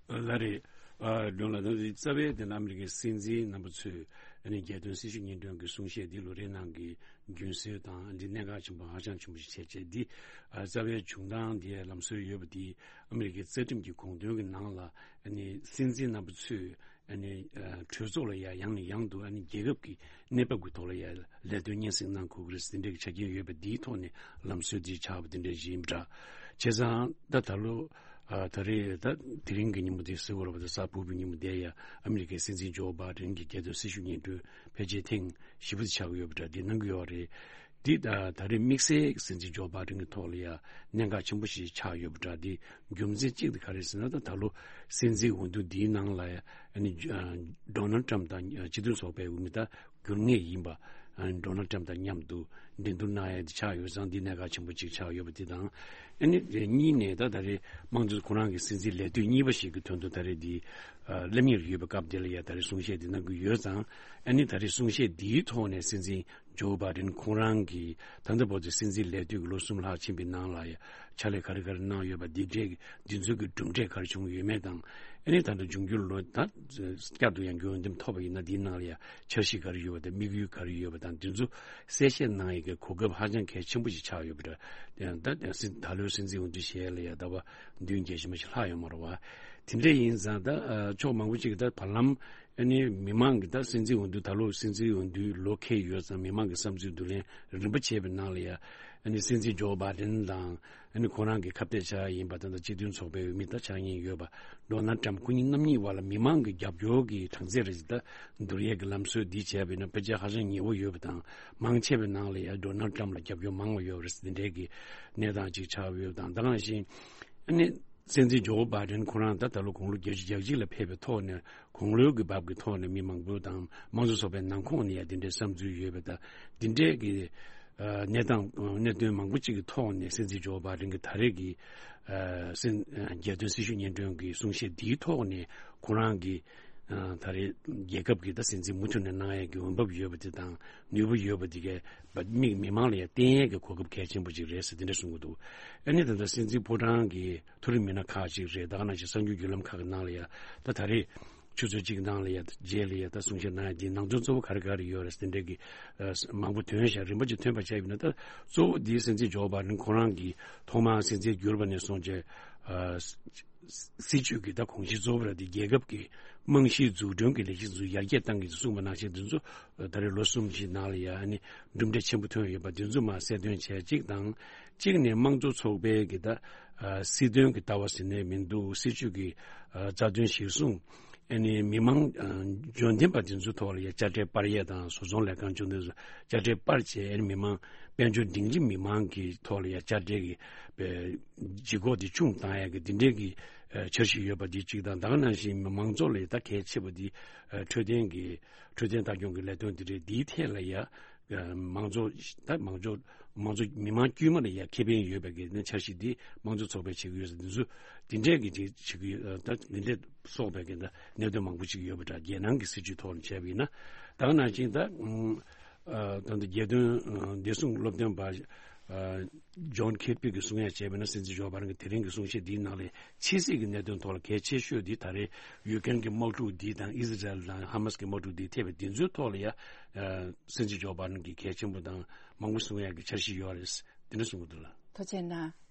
ལགས་རེད། ཨ་ལགས་འོང་། ད་རྩ་བའི་དེ་ནི་ཨ་མི་རི་ཀའི་སྲིད་འཛིན་རྣམ་པ་ཚོས་ཨ་ནི་རྒྱལ་དོན་སྲི་ཞུ་སྙན་སྒྲོན་གྱི་གསུང་བཤད་འདི་ལོ་རེའི་ནང་གི་རྒྱུན་སྲོལ་དང་འདི་གནད་འགག་ཆེན་པོ་ཧ་ཅང་ཆེན་པོ་ཞིག་བྱས་བྱས། འདི་ཨ་རྩ་བའི་བྱུང་སྟངས་འདི་ལམ་སྲོལ་ཡོད་པ་འདི་ཨ་མི་རི་ཀའི་རྩ་ཁྲིམས་ཀྱི་དགོངས་དོན་གྱི་ནང་ལ་ཨ་ནི་སྲིད་འཛིན་རྣམ་པ་ཚོས་ཨ་ནི་ཨ་གྲོས་ཚོགས་ལ་ཡ་ཡང་ནས་ཡང་དུ་ཨ་ནི་རྒྱལ་ཁབ་ཀྱི་གནས་བབ་ཀྱི་ཐོག་ལ་ཡ་ལས་དོན་སྙན་སེང་གནང་དགོས་ཀྱི་རེད་ཟེར་འདྲ་གི་ཆ་རྐྱེན་ཡོད་པ་འདིའི་ཐོག་ནས་ལམ་སྲོལ་འདི་ཆགས་པ་འདི་འདྲ་ཞིག་ཡིན་པ་འདྲ། བྱས་ཙང་ད་ད་ལོ། ཨ་ད་རེས་ད་དེ་རིང་གི་ཉིན་མོ་དེ་ཟེར་དགོས་རེད་པ། ད་གཟའ་ཕུར་བུའི་ཉིན་མོ་དེ་ཡ་ཨ་མི་རི་ཀའི་སྲིད་འཛིན་ཇོ་བྷའི་ཌེན་གྱི་རྒྱལ་དོན་སྲི་ཞུ་སྙན་སྒྲོན་ཕལ་ཆེར་ཐེངས་བཞི་པ་དེ་ཆགས་ཀྱི་ཡོད་པ་འདྲ། འདི་གནང་གི་ཡོད་རེད། འདི་ད་ད་རེས་དམིགས་བསལ་སྲིད་འཛིན་ཇོ་བྷའི་ཌེན་གྱི་ཐོག་ལ་ཡ་གནད་འགག་ཆེན་པོ་ཞིག་ཆགས་ཡོད་པ་འདྲ། འདི་རྒྱུ་མཚན་གཅིག་དེ་ག་རེ་ཟེར་ན། ད་ད་ལོ་སྲིད་འཛིན་འོས་བསྡུ་འདིའི་ནང་ལ་ཡ་ཨ་ནི་ཨ་ཌོ་ནལ་ཊམ་དང་སྤྱི་མཐུན་ཚོགས་པའི་འོས་མི་ད་འགྱུར་ངེས་ཡིན་པ། ཨ་ཌོ་ནལ་ཊམ་དང་མཉམ་དུ་འགྲན་བསྡུར་གནང་ཡ་དེ་ཆགས་ཡོད་ཙང་། འདི་གནད་འགག་ཆེན་པོ་གཅིག་ཆགས་ཡོད་པ་དེ་དང་། ཨ་ནི་དེ་གཉིས་ནས་ད་ད་རེས་དམངས་གཙོ་ཁོ་རང་གི་སྲིད་འཛིན་ལས་དུས་གཉིས་པ་ཞིག་གི་དོན་དུ་ད་རེས་འདི་ཨ་སླེབས་ཉེར་ཡོད་པའི་སྐབས་དེ་ལ་ཡ་ད་རེས་གསུང་བཤད་དེ་གནང་གི་ཡོད་ཙང་། ཨ་ནི་ད་རེས་གསུང་བཤད་འདིའི་ཐོག་ནས་སྲིད་འཛིན་ཇོ་བྷའི་ཌེན་ཁོང་རང་གིས་ད་ལྟ་བར་དུ་སྲིད་འཛིན་ལས་དུས་ཀྱི་ལོ་གསུམ་ལྷག་ཕྱིན་པའི་ནང་ལ་ཡ་ཕྱག་ལས་ག་རེ་ག་རེ་གནང་ཡོད་པ། འདི་འདྲའི་འདི་ཚོའི་གི་གྲུབ་འབྲས་ག་རེ་བྱུང་ཡོད་མེད་དང་། ཨ་ནི་ད་ལྟ་འབྱུང་འགྱུར་ལོ་ད་བསྐྱར་དུ་ཡང་འོས་འདེམས་ཐོབ་པ་ཡིན་ན་འདིའི་ནང་ལ་ཡང་འཆར་གཞི་ག་རེ་ཡོད་པ་དང་། དམིགས་ཡུལ་ག་རེ་ཡོད་པ་དང་། འདི་ཚོ་གསལ་བཤད་གནང་ཡས་ཀྱི་གོ་སྐབས་ཧ་ཅང་གལ་ཆེན་པོ་ཞིག་ཆགས་ཡོད་པ་འདྲ། ད་ད་ད་ལོའི་སྲིད་འཛིན་འོས་བསྡུ་བྱས་ལ་ཡང་ཟླ་བ་བདུན་བརྒྱད་ཅུ་མ་ཞིག་ལྷག་ཡོད་མ་རེད་བ། དེ་འདྲ་ཡིན་ཙང་ད་ཕྱོགས་མང་པོ་ཅིག་གིས་ད་བར་ལམ་ཨ་ནི་མི་མང་གིས་ད་སྲིད་འཛིན་འོས་བསྡུ་ད་ལོ་སྲིད་འཛིན་འོས་བསྡུའི་ལོ་འཁེལ་ཡོད་ཙང་། མི་མང་གི་བསམ་ཚུལ་བསྡུ་ལེན་རིམ་པ་བྱས་པའི་ནང་ལ་ཡང་ཨ་ནི་སྲིད་འཛིན་ཇོ་བྷའི་ཌེན་དང་། ཨ་ནི་ཁོ་རང་གི་ཁ་གཏད་བཅག་ཡིན་པ་དང་། ད་སྤྱི་མཐུན་ཚོགས་པའི་འོས་མི་ད་ཆགས་ཉེན་ཡོད་པ་ཌོ་ནལ་ཊམ་ཁོ་གཉིས་རྣམ་གཉིས་བར་ལ་མི་མང་གི་རྒྱབ་སྐྱོར་གྱི་གྲངས་ཚད་རེ་ཞིག་ད་བསྡུར་ཡས་ཀྱི་ལམ་སྲོལ་འདི་བྱས་པ་ཡིན་ན་ཕལ་ཆེར་ཧ་ཅང་ཉེ་བོ་ཡོད་པ་དང་། མང་ཆེ་བའི་ནང་ལ་ཡང་ཌོ་ནལ་ཊམ་ལ་རྒྱབ་སྐྱོར་མང་བ་ཡོད་རེད་ཟེར་འདི་འདྲའི་གི་གནས་སྟངས་ཅིག་ཆགས་ཡོད་པ་དང་། ད་ག་ནང་བཞིན་ཨ་ནི་སྲིད་འཛིན་ཇོ་བྷའི་ཌེན་ཁོ་རང་ད་ད་ལོ་དགུང་ལོ་བརྒྱད་ཅུ་གྱ་གཅིག་ལ་ཕེབས་པའི་ཐོག་ནས་དགུང་ལོའི་གི་བབ་ཀྱི་ཐོག་ནས་མི་མང་པོ་དང་དམངས་གཙོ་ཚོགས་པའི་ནང་ཁོངས་ནས་ཡང་འདི་འདྲའི་བསམ་ཚུལ་ཡོད་པ་དང་། འདི་འདྲའི་གི་ཨ་གནས་སྟངས་གནད་དོན་མང་པོ་གཅིག་གི་ཐོག་ནས་སྲིད་འཛིན་ཇོ་བྷའི་ཌེན་གྱི་ད་རེས་ཀྱི་ཨ་སྲིད་ཨ་རྒྱལ་དོན་སྲི་ཞུ་སྙན་སྒྲོན་གྱི་གསུང་བཤད་འདིའི་ཐོག་ནས་ཁོ་རང་གི་ཨ་ད་རེས་རྒྱལ་ཁབ་ཀྱི་ད་སྲིད་འཛིན་མུ་མཐུད་ནས་གནང་ཡས་ཀྱི་འོས་འབབ་ཡོད་པ་དེ་དང་ནུས་པ་ཡོད་པ་དེ་གའི་མི་མི་མང་ལ་ཡང་བསྟན་ཡས་ཀྱི་གོ་སྐབས་གལ་ཆེན་པོ་ཅིག་རེད་ཟེར་དེ་འདྲ་གསུང་གི་འདུག་ཨ་ནི་ད་ལྟ་སྲིད་འཛིན་ཕོ་བྲང་གི་མཐོ་རིམ་མི་སྣ་ཁག་ཅིག་རེད། ད་ག་ནང་བཞིན་གསར་འགྱུར་བརྒྱུད་ལམ་ཁག་གི་ནང་ལ་ཡང་ད་ད་རེས་ཆུ་ཚོད་གཅིག་ནང་ལ་ཡ་རྗེས་ལ་ཡ་ད་གསུང་བཤད་གནང་ཡ་འདི་ནང་དོན་གཙོ་བོ་ག་རེ་ག་རེ་ཡོད་རེད་ཟེར་འདྲ་གི་ཨ་མང་པོ་ཐོན་ཤག་རིམ་པ་ཅིག་ཐོན་པ་བྱས་ཡིན་ན། ད་གཙོ་བོ་འདི་སྲིད་འཛིན་ཇོ་བྷའི་ཌེན་ཁོ་རང་གིས་ཐོག་མར་སྲིད་འཛིན་གྱུར་པ་ནས་བཟུང་བྱས་ ཨ། སྲིད་ཇུས་ཀྱི་ད་གོང་ཞིང་གཙོ་བོ་ར་དེ་རྒྱལ་ཁབ་ཀྱི་རྨང་གཞིའི་འཛུགས་སྐྲུན་གྱི་ལས་གཞི་ཚོ་ཡར་རྒྱས་གཏང་གི་འདུག་གསུངས་པ་ནང་བཞིན། འདི་ཚོ་ད་རེས་ལོ་གསུམ་ཞིག་ནང་ལ་ཡ་ཨ་ནི་གྲུབ་འབྲས་ཆེན་པོ་ཐོན་ཡོད་པ་འདི་ཚོ་མར་གསལ་སྟོན་བྱས་གཅིག་དང་། གཅིག་ནས་དམངས་གཙོ་ཚོགས་པའི་གི་ད་ཨ་སྲིད་དོན་གྱི་ལྟ་བ་ཟེར་ནས་མི་འདུག་སྲིད་ཇུས་ཀྱི་ཨ་རྩ་དོན་གཞིར་བཟུང་། ཨ་ནི་མི་མང་ཨ་འབྱོར་ལྡན་པ་དེ་ཚོའི་ཐོག་ལ་ཡ་དཔྱ་ཁྲལ་སྤར་ཡས་དང་། བཟོ་ཚོང་ལས་ཁང་བཅོ་ལྔ་དེ་ཚོ་དཔྱ་ཁྲལ་སྤར་བྱས། ཨ་ནི་མི་མང་དཔལ་འབྱོར་སྒྲིང་རིམ་མི་མང་གི་ཐོག་ལ་ཡ་དཔྱ་ཁྲལ་གྱི་ཨ་ལྗིད་ཁོག་དེ་ཆུང་བཏང་ཡས་ཀྱི་འདི་འདྲའི་གི་ཨ་འཆར་གཞི་ཡོད་པ་འདི་གཅིག་དང་། ད་ག་ནང་བཞིན་མང་ཚོགས་ལ་ཡ་ད་གལ་ཆེ་བ་འདི་ཨ་འཕྲོད་བསྟེན་གྱི་འཕྲོད་བསྟེན་ལྟ་སྐྱོང་གི་ལས་དོན་འདི་རེད། འདིའི་ཐད་ལ་ཡ་ཨ་མང་ཚོགས་ད་མང་ཚོགས་མང་ཚོགས་མི་མང་དཀྱུས་མ་ལ་ཡ་ཁེ་ཕན་ཡོད་པའི་གི་ནི་འཆར་གཞི་འདི་དམངས་གཙོ་ཚོགས་པས་བྱེད་ཀྱི་ཡོད་ཟེར། འདི་ཚོ་འདི་འདྲའི་གི་དེ་བྱེད་ཀྱི་ཡོད། ད་འདི་འདྲའི་སོགས་པའི་གི་ད་གནད་དོན་མང་པོ་ཅིག་ཡོད་པ་འདྲ། རྒྱལ་ནང་གི་སྲིད་ཇུས་ཐོག་ནས་བྱས་པ་ཡིན་ན། ད་ག་ནང་བཞིན་ད་ཨ་ད་ལྟ་རྒྱལ་དོན་ཨ་བདེ་སྲུང་སློབ་སྟོན་པ་ཨ་ཇོན་ཁེར་པི་གིས་གསུང་ཡ་བྱས་པ་ཡིན་ན། སྲིད་འཛིན་ཇོ་བྷའི་ཌེན་གྱི་དེ་རིང་གི་གསུང་བཤད་འདིའི་ནང་ལ་ཕྱི་སྲིད་ཀྱི་གནད་དོན་ཐོག་ལ་གལ་ཆེ་ཤོས་འདི་ད་རེས་ཡུཀ་རེན་གྱི་དམག་འཁྲུག་འདི་དང་། ཨི་ཟི་རལ་དང་ཧ་མ་སི་གི་དམག་འཁྲུག་འདི་ཐེབས་པའི་འདི་ཚོའི་ཐོག་ལ་ཡ་ཨ་སྲིད་འཛིན་ཇོ་བྷའི་ཌེན་གྱིས་གལ་ཆེན་པོ་དང་མང་པོ་གསུང་ཡ་གི་འཆར་གཞི་ཡོད་རེད། འདི་འདྲ་གསུང་གི་འདུག་ལགས། ཐུགས་རྗེ་གནང་།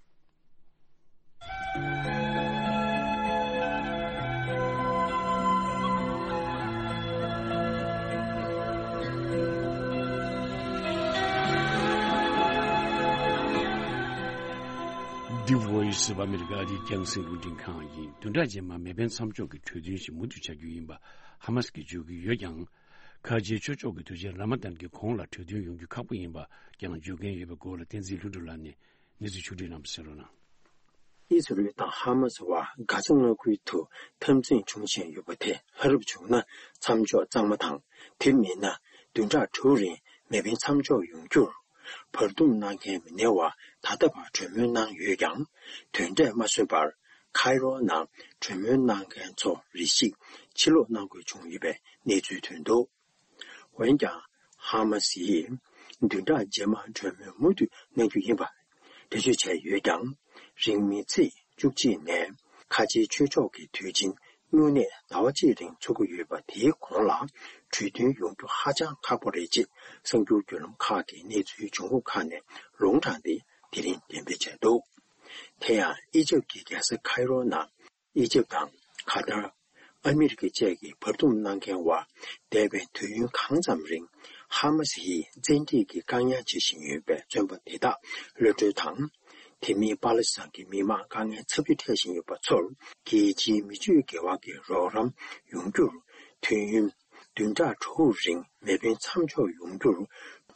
The Voice of America འདི་རྒྱང་སྲིང་རླུང་འཕྲིན་ཁང་ཡིན། བདུན་ཕྲག་རྗེས་མར་མེ་འཕེན་མཚམས་འཇོག་གི་གྲོས་མཐུན་ཞིག་མུ་མཐུད་བྱ་རྒྱུ་ཡིན་པ་ཧ་མ་སི་གིས་བརྗོད་ཀྱི་ཡོད་ཀྱང་། ཁ་ཆེའི་ཆོས་ཕྱོགས་ཀྱི་དུས་ཆེན་ར་མ་དན་གྱི་གོང་ལ་གྲོས་མཐུན་ཡོང་རྒྱུ་ཁག་པོ་ཡིན་པ་ཀྱང་བརྗོད་མཁན་ཡོད་པའི་སྐོར་ལ་བསྟན་འཛིན་ལྷུན་གྲུབ་ལགས་ནས་གནས་ཚུལ་ཕྱོགས་སྒྲིག་གནང་བ་གསན་རོགས་གནང་། ཨི་ཟི་རལ་དང་ཧ་མ་སི་བར་གྷ་ཛ་མངའ་ཁུལ་དུ་འཐབ་འཛིང་བྱུང་བཞིན་ཡོད་པ་དེ་ལྷ་རབ་བྱུང་ན་མཚམས་འཇོག་གཙང་མ་དང་། དེ་མིན་ན་བདུན་ཕྲག་དྲུག་རིང་མེ་འཕེན་མཚམས་འཇོག་ཡོང་རྒྱུར་བར་འདུམ་གནང་མཁན་མི་སྣའི་བར་ད་ལྟ་བར་གྲོས་མོལ་གནང་ཡོད་ཀྱང་། དོན་འབྲས་མ་སོན་པར་ཁའི་རོ་ནང་གྲོས་མོལ་གནང་མཁན་ཚོ་རེ་ཞིག་ཕྱིར་ལོག་གནང་དགོས་བྱུང་ཡོད་པའི་གནས་ཚུལ་ཐོན་འདུག། འོན་ཀྱང་། ཧ་མ་སི་ཡིས་བདུན་ཕྲག་རྗེས་མར་གྲོས་མོལ་མུ་མཐུད་གནང་རྒྱུ་ཡིན་པ་འགྲེལ་བརྗོད་བྱས་ཡོད་ཀྱང་། རིང་མིན་ཚེས་བཅུ་གཅིག་ནས་ཁ་ཆེའི་ཆོས་ཕྱོགས་ཀྱི་དུས་ཆེན་སྨྱུང་གནས་ཟླ་བ་གཅིག་རིང་འཚོགས་ཀྱི་ཡོད་པ་དེའི་གོང་ལ་གྲོས་མཐུན་ཡོང་རྒྱུ་ཧ་ཅང་ཁག་པོ་རེད་ཅེས་གསར་འགྱུར་བརྒྱུད་ལམ་ཁག་གིས་གནས་ཚུལ་འབྱུང་ཁུངས་ཁག་ནས་ལུང་དྲངས་ཏེ་དེ་རིང་འགྲེམས་སྤེལ་བྱས་འདུག། དེ་ཡང་ཨི་ཇེབ་ཀྱི་རྒྱལ་ས་ཁའི་རོ་ནང་། ཨི་ཇེབ་དང་། ཁ་ཐར། ཨ་མི་རི་ཀ་བཅས་ཀྱིས་བར་འདུམ་གནང་མཁན་བར་འདས་པའི་དུས་ཡུན་གང་ཙམ་རིང་ཧ་མ་སི་ཡིས་བཙན་ཁྲིད་ཀྱི་བཀག་ཉར་བྱེད་བཞིན་ཡོད་པའི་བཙོན་པ་དེ་དག་གློད་གྲོལ་དང་། དེ་མིན་པ་ལི་སི་ཐན་གྱི་མི་མང་དཀའ་ངལ་ཚབས་ཆེ་འཕྲད་བཞིན་ཡོད་པ་ཚོར་རྒྱལ་སྤྱིའི་མི་ཆོས་འགལ་བ་གྱི་རོགས་རམ་ཡོང་རྒྱུར་དུས་ཡུན་བདུན་ཕྲག་དྲུག་རིང་མེ་འཕེན་མཚམས་འཇོག་ཡོང་རྒྱུར་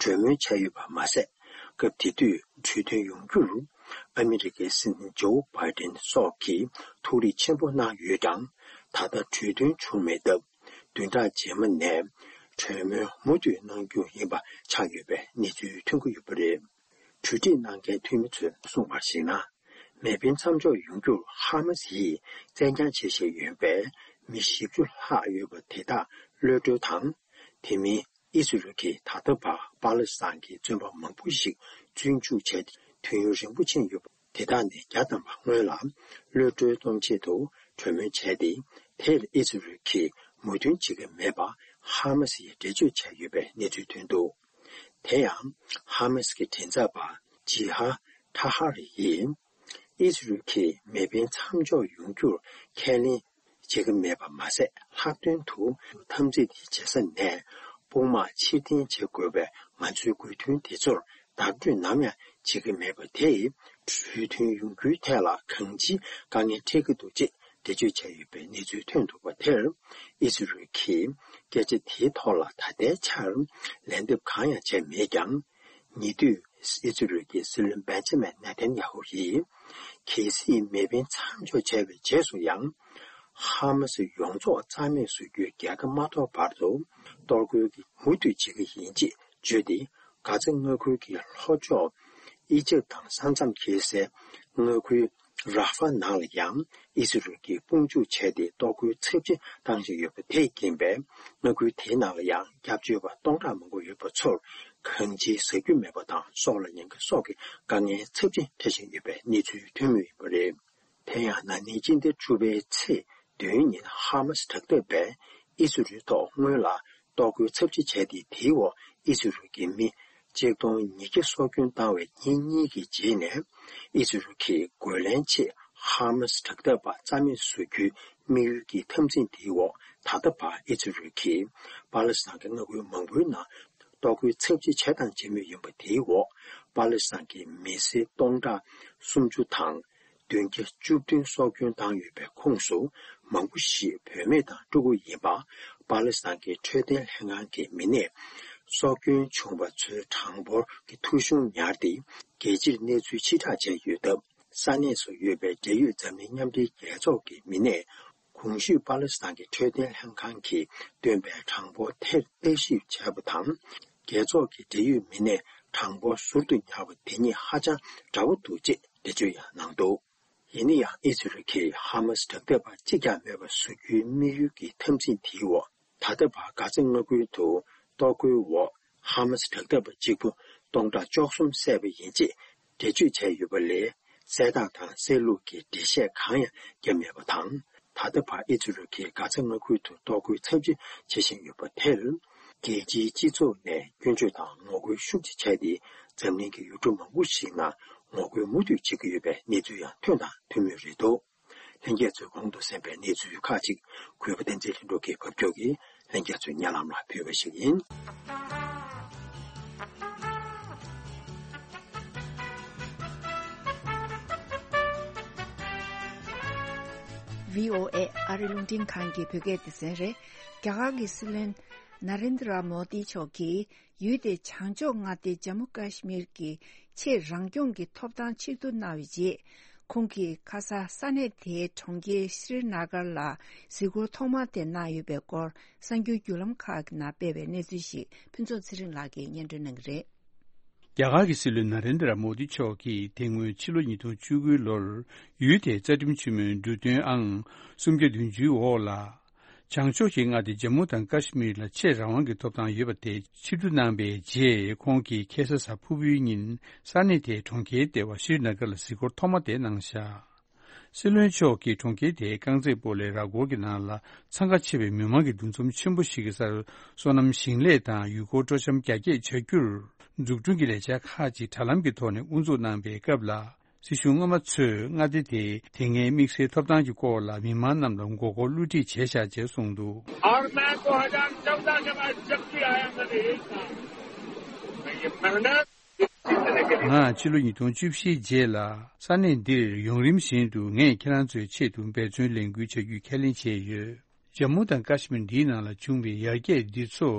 གྲོས་མོལ་བྱས་ཡོད་པ་མ་ཟད། སྐབས་དེ་དུས་གྲོས་མཐུན་ཡོང་རྒྱུར་ཨ་མི་རི་ཀའི་སྲིད་འཛིན་ཇོ་བྷའི་ཌེན་སོགས་ཀྱིས་ཐུགས་རེ་ཆེན་པོ་གནང་ཡོད་ཀྱང་། ད་ལྟ་གྲོས་མཐུན་བྱུང་མེད་སྟབས། བདུན་ཕྲག་རྗེས་མ་ནས་གྲོས་མོལ་མུ་མཐུད་གནང་རྒྱུ་ཡིན་པ་ཆགས་ཡོད་པའི་གནས་ཚུལ་ཐོན་གྱི་ཡོད་པ་རེད། གྲོས་འགྲིག་གནང་མཁན་འཐུས་མི་ཚོས་གསུངས་པར་གཞིགས་ན། མེ་འཕེན་མཚམས་འཇོག་ཡོང་རྒྱུར་ཧ་མ་སི་ཡིས་བཙན་རྒྱག་བྱེད་བཞིན་ཡོད་པའི་མི་བཞི་བཅུ་ལྷག་ཡོད་པ་དེ་དག་གློད་གྲོལ་དང་། དེ་མིན། ཨི་ཟི་རལ་གྱིས་ད་ལྟ་བར་པ་ལི་སི་ཐན་གྱི་བཙོན་པ་མང་པོ་ཞིག་བཙོན་འཇུག་བྱས་ཏེ་དུས་ཡུན་རིང་པོ་ཕྱིན་ཡོད་པ་དེ་དག་ནས་བརྒྱ་ཐམ་པ་སྔོན་ལ་གློད་གྲོལ་གཏོང་ཆེད་དུ་གྲོས་མོལ་བྱས་ཏེ། དེར་ཨི་ཟི་རལ་གྱིས་མོས་མཐུན་བྱེད་ཀྱི་མེད་པ་ཧ་མ་སི་ཡིས་འགྲེལ་བརྗོད་བྱས་ཡོད་པའི་གནས་ཚུལ་ཐོན་འདུག། དེ་ཡང་ཧ་མ་སི་གི་མགྲིན་ཚབ་པ་ཇི་ཧ་ཐ་ཧ་རི་ཡིས། ཨི་ཟི་རལ་གྱིས་མེ་འཕེན་མཚམས་འཇོག་ཡོང་རྒྱུར་ཁས་ལེན་བྱེད་ཀྱི་མེད་པ་མ་ཟད། ལྷག་དོན་དུ་འཐབ་འཛིང་དེ་བྱེད་ས་ནས་དཔུང་དམག་ཕྱིར་འཐེན་བྱེད་དགོས་པའི་ང་ཚོའི་དགོས་འདུན་དེ་ཚོར་བརྡ་སྤྲོད་ནམ་ཡང་བྱེད་ཀྱི་མེད་པ་དེས། གྲོས་མཐུན་ཡོང་རྒྱུའི་ཐད་ལ་གང་ཅིའི་དཀའ་ངལ་འཕྲད་ཀྱི་འདུག་ཅེས་འགྲེལ་བརྗོད་བྱས་ཡོད་པའི་གནས་ཚུལ་ཐོན་འདུག་པ་དེར། ཨི་ཟི་རལ་གྱིས་སྐད་ཆ་དེའི་ཐོག་ལ་ད་ལྟའི་ཆར་ལན་འདེབས་གང་ཡང་བྱས་མེད་ཀྱང་། ཉེ་དུས་ཨི་ཟི་རལ་གྱི་སྲིད་བློན་བེན་ཇ་མིན་ནེ་ཐན་ཡ་ཧུ་ཡིས། གལ་སྲིད་མེ་འཕེན་མཚམས་འཇོག་བྱས་པའི་རྗེས་སུ་ཡང་། ཧ་མ་སི་ཡོངས་རྫོགས་རྩ་མེད་བཟོ་རྒྱུའི་རྒྱལ་ཁ་མ་ཐོབ་བར་དུ་གཏོར་རྒོལ་གྱི་མུ་མཐུད་བྱེད་ཀྱི་ཡིན་ཅེས་བརྗོད་དེ། གྷ་ཛ་མངའ་ཁུལ་གྱི་ལྷོ་ཕྱོགས་ཨི་ཇེབ་དང་ས་མཚམས་འཁེལ་སའི་མངའ་ཁུལ་ར་ཧྥ་ནང་ལ་ཡང་ཨི་ཟི་རལ་གྱིས་དཔུང་འཇུག་བྱས་ཏེ་གཏོར་རྒོལ་ཚབས་ཆེ་བཏང་བཞིན་ཡོད་པ་དེས་རྐྱེན་པས། མངའ་ཁུལ་དེའི་ནང་ལ་ཡང་སྐྱབས་བཅོལ་བ་སྟོང་ཕྲག་མང་པོ་ཡོད་པ་ཚོར་གང་ཅིའི་ཟ་རྒྱུ་མེད་པ་དང་སྲོག་ལ་ཉེན་ཁ་སོགས་ཀྱི་དཀའ་ངལ་ཚབས་ཆེ་འཕྲད་བཞིན་ཡོད་པའི་གནས་ཚུལ་ཐོན་མུས་ཡིན་པ་རེད། དེ་ཡང་ན་ནིང་སྤྱི་ཟླ་དྲུག་པའི་ཚེས་བདུན་ཉིན་ཧ་མ་སི་དྲག་འཐབ་པས་ཨི་ཟི་རལ་ཐོག་སྔོན་ལ་གཏོར་རྒོལ་ཚབས་ཆེ་བྱས་ཏེ། དེའི་འོག་ཨི་ཟི་རལ་གྱི་མི་གཅིག་སྟོང་ཉིས་བརྒྱ་སྲོག་སྐྱོན་བཏང་བའི་ཉིན་གཉིས་ཀྱི་རྗེས་ནས། ཨི་ཟི་རལ་གྱིས་རྒོལ་ལན་ཆེད་ ཧ་མ་སི་དྲག་འཐབ་པ་རྩ་མེད་བཟོ་རྒྱུའི་དམིགས་ཡུལ་གྱི་འཐབ་འཛིང་དེའི་འོག་ད་ལྟ་བར་ཨི་ཛི་རལ་གྱིས་པ་ལི་སི་ཐན་གྱི་མངའ་ཁུལ་མང་པོའི་ནང་གཏོར་རྒོལ་ཚབས་ཆེ་བྱས་དང་བྱེད་མུས་ཡིན་པ་དེའི་འོག་པ་ལི་སི་ཐན་གྱི་མི་སེར་སྟོང་ཕྲག་སུམ་ཅུ་དང་། བདུན་བརྒྱ་བཅུ་བདུན་སྲོག་སྐྱོན་བཏང་ཡོད་པའི་ཁོངས་སུ་མང་པོ་ཞིག་བུད་མེད་དང་ཕྲུ་གུ་ཡིན་པ། པ་ལི་སི་ཐན་གྱི་འཕྲོད་བསྟེན་ལྷན་ཁང་གི་མི་སྣས་སྲོག་སྐྱོན་བྱུང་བ་ཚོའི་གྲངས་འབོར་གྱི་ཐོ་གཞུང་ཉར་ཏེ་རྒྱལ་སྤྱིར་གནས་ཚུལ་ཕྱིར་བསྒྲགས་བྱས་ཡོད་སྟབས། ས་གནས་སུ་ཡོད་པའི་འབྲེལ་ཡོད་འཛམ་གླིང་མཉམ་འབྲེལ་རྒྱལ་ཚོགས་ཀྱི་མི་སྣས་གོང་ཞུས་པ་ལི་སི་ཐན་གྱི་འཕྲོད་བསྟེན་ལྷན་ཁང་གིས་བཏོན་པའི་གྲངས་འབོར་དེར་བརྟག་ཞིབ་བྱས་པ་དང་། རྒྱལ་ཚོགས་ཀྱི་འབྲེལ་ཡོད་མི་སྣས་གྲངས་འབོར་ཟུར་དུ་ཉར་བ་དེ་གཉིས་ཧ་ཅང་འདྲ་བོ་འདུག་ཅེས་འགྲེལ་བརྗོད་ཡང་གནང་འདུག་ཡིན་ན་ཡང་ཨི་ཛི་རལ་གྱིས་ཧ་མ་སི་དྲག་འཐབ་པ་གཅིག་ཀྱང་མེད་པ་བཟོ་རྒྱུའི་དམིགས་ཡུལ་གྱི་འཐབ་འཛིང་དེའི་འོག་ད་ལྟ་བར་གྷ་ཛ་མངའ་ཁུལ་དུ་གཏོར་རྒོལ་འོག་ཧ་མ་སི་དྲག་འཐབ་པ་གཅིག་པུ་སྟོང་ཕྲག་བཅུ་གསུམ་བསད་པ་ཡིན་ཅེས་འགྲེལ་བརྗོད་བྱས་ཡོད་པ་ལས། གསལ་བསྒྲགས་དང་གསལ་ལུགས་ཀྱི་འགྲེལ་བཤད་གང་ཡང་བརྒྱབ་མེད་པ་དང་། ད་ལྟ་བར་ཨི་ཛི་རལ་གྱིས་གྷ་ཛ་མངའ་ཁུལ་དུ་གཏོར་རྒོལ་ཚབས་ཆེ་བྱེད་བཞིན་ཡོད་པ་དེར། རྒྱལ་སྤྱིའི་སྤྱི་ཚོགས་ནས་སྐྱོན་བརྗོད་དང་ངོ་རྒོལ་ཤུགས་ཆེ་བྱས་ཏེ། འཛམ་གླིང་གི་ཡུལ་གྲུ་མང་པོ་ཞིག་ནང་ངོ་རྒོལ་མུ་མཐུད་བྱེད་ཀྱི་ཡོད་པའི་གནས་ཚུལ་ཡང་ཐོན་དང་ཐོན་མུས་རེད་འདུག་ལྷན་རྒྱས་ཚོས་གོང་དུ་གསན་པའི་གནས་ཚུལ་ཁག་ཅིག་གུས་པ་བསྟན་འཛིན་ལྷུན་གྲུབ་ཀྱིས་ཕབ་སྒྱུར་གྱིས་ལྷན་རྒྱས་ཚོའི་སྙན་ལམ་ལ་ཕུལ་བ་ཞིག་ཡིན། བྷི་ཨོ་ཨེ་ཨ་རི་རླུང་འཕྲིན་ཁང་གི་བོད་སྐད་སྡེ་ཚན་རེད། རྒྱ་གར་གྱི་སྲིད་བློན་ན་རེན་དྲ་མོ་དི་མཆོག་གིས་ཡུལ་དེའི་བྱང་ཕྱོགས་མངའ་སྡེ་ཇམ་མུ་ཀ་ཤི་མིར་གྱི་ཆེས་རང་སྐྱོང་གི་ཐོབ་ཐང་ཕྱིར་བསྡུ་གནང་བའི་རྗེས། ཁོང་གིས་ཁ་ས་ས་གནས་དེའི་གྲོང་ཁྱེར་ཤྲི་ན་གར་ལ་གཟིགས་སྐོར་ཐོག་མ་དེ་གནང་ཡོད་པའི་སྐོར་གསར་འགྱུར་བརྒྱུད་ལམ་ཁག་གི་ནང་སྤེལ་བའི་གནས་ཚུལ་ཞིག་ཕུན་ཚོགས་ཚེ་རིང་ལགས་ཀྱིས་སྙན་སྒྲོན་གནང་གི་རེད། རྒྱ་གར་གྱི་སྲིད་བློན་ན་རེན་དྲ་མོ་དི་མཆོག་གིས་དེ་སྔོན་ཕྱི་ལོ་ཉིས་སྟོང་བཅུ་དགུ་ལོར་ཡུལ་དེའི་རྩ་ཁྲིམས་ཆེན་མོའི་འབྲུ་དོན་ཨང་སུམ་བརྒྱ་བདུན་ཅུའི་འོག་ལ། བྱང་ཕྱོགས་ཀྱི་མངའ་སྡེ་ཇམ་མུ་དང་ཀ་ཤི་མིར་ལ་ཆེས་རང་དབང་གི་ཐོབ་ཐང་ཡོད་པ་དེ་ཕྱིར་བསྡུ་གནང་པའི་རྗེས། ཁོང་གིས་ཁ་སང་གཟའ་ཕུར་བུའི་ཉིན་ས་གནས་དེའི་གྲོང་ཁྱེར་ལྟེ་བ་ཤྲི་ན་གར་ལ་གཟིགས་སྐོར་ཐོག་མ་དེ་གནང་བཞག་སྲིད་བློན་མཆོག་གིས་གྲོང་ཁྱེར་དེའི་རྐང་རྩེད་སྤོ་ལོའི་ར་སྐོར་གྱི་ནང་ལ་འཚང་ཁ་ཆེ་བའི་མི་མང་གི་འདུ་འཛོམས་ཆེན་པོ་ཞིག་གི་སར། སོ་ནམ་ཞིང་ལས་དང་ཡུལ་སྐོར་སྤྲོ་འཆམ་རྒྱ་སྐྱེད་བྱ་རྒྱུར། འཛུགས་སྐྲུན་གྱི་ལས་འཆར་ཁག་ཅིག་དྲ་ལམ་གྱི་ཐོག་ནས་དབུ་འཛུགས་གནང་པའི་སྐབས་ལ། སྲིད་གཞུང་སྔོན་མ་ཚོས་མངའ་སྡེ་དེའི་དེ་སྔའི་དམིགས་བསལ་ཐོབ་ཐང་གི་སྐོར་ལ་མི་མང་རྣམས་ལ་མགོ་སྐོར་བསླུ་བྲིད་བྱས་བཞག་ཅེས་གསུངས་འདུག और मैं दो हज़ार चौदह के बाद जब भी आया, मैंने यही कहा, मैं ये मेहनत ང་ཕྱི་ལོ་ཉིས་སྟོང་བཅུ་བཞིའི་རྗེས་ལ་ས་གནས་འདིར་ཡུན་རིང་བཞིན་དུ་ངས་ཁྱེད་རང་ཚོའི་ཆེད་དུ་འབད་བརྩོན་ལས་འགུལ་བྱ་རྒྱུའི་ཁས་ལེན་བྱས་ཡོད། ཇམ་མུ་དང་ཀ་ཤི་མིར་འདིའི་ནང་ལ་བྱུང་བའི་ཡར་རྒྱས་འདི་ཚོ་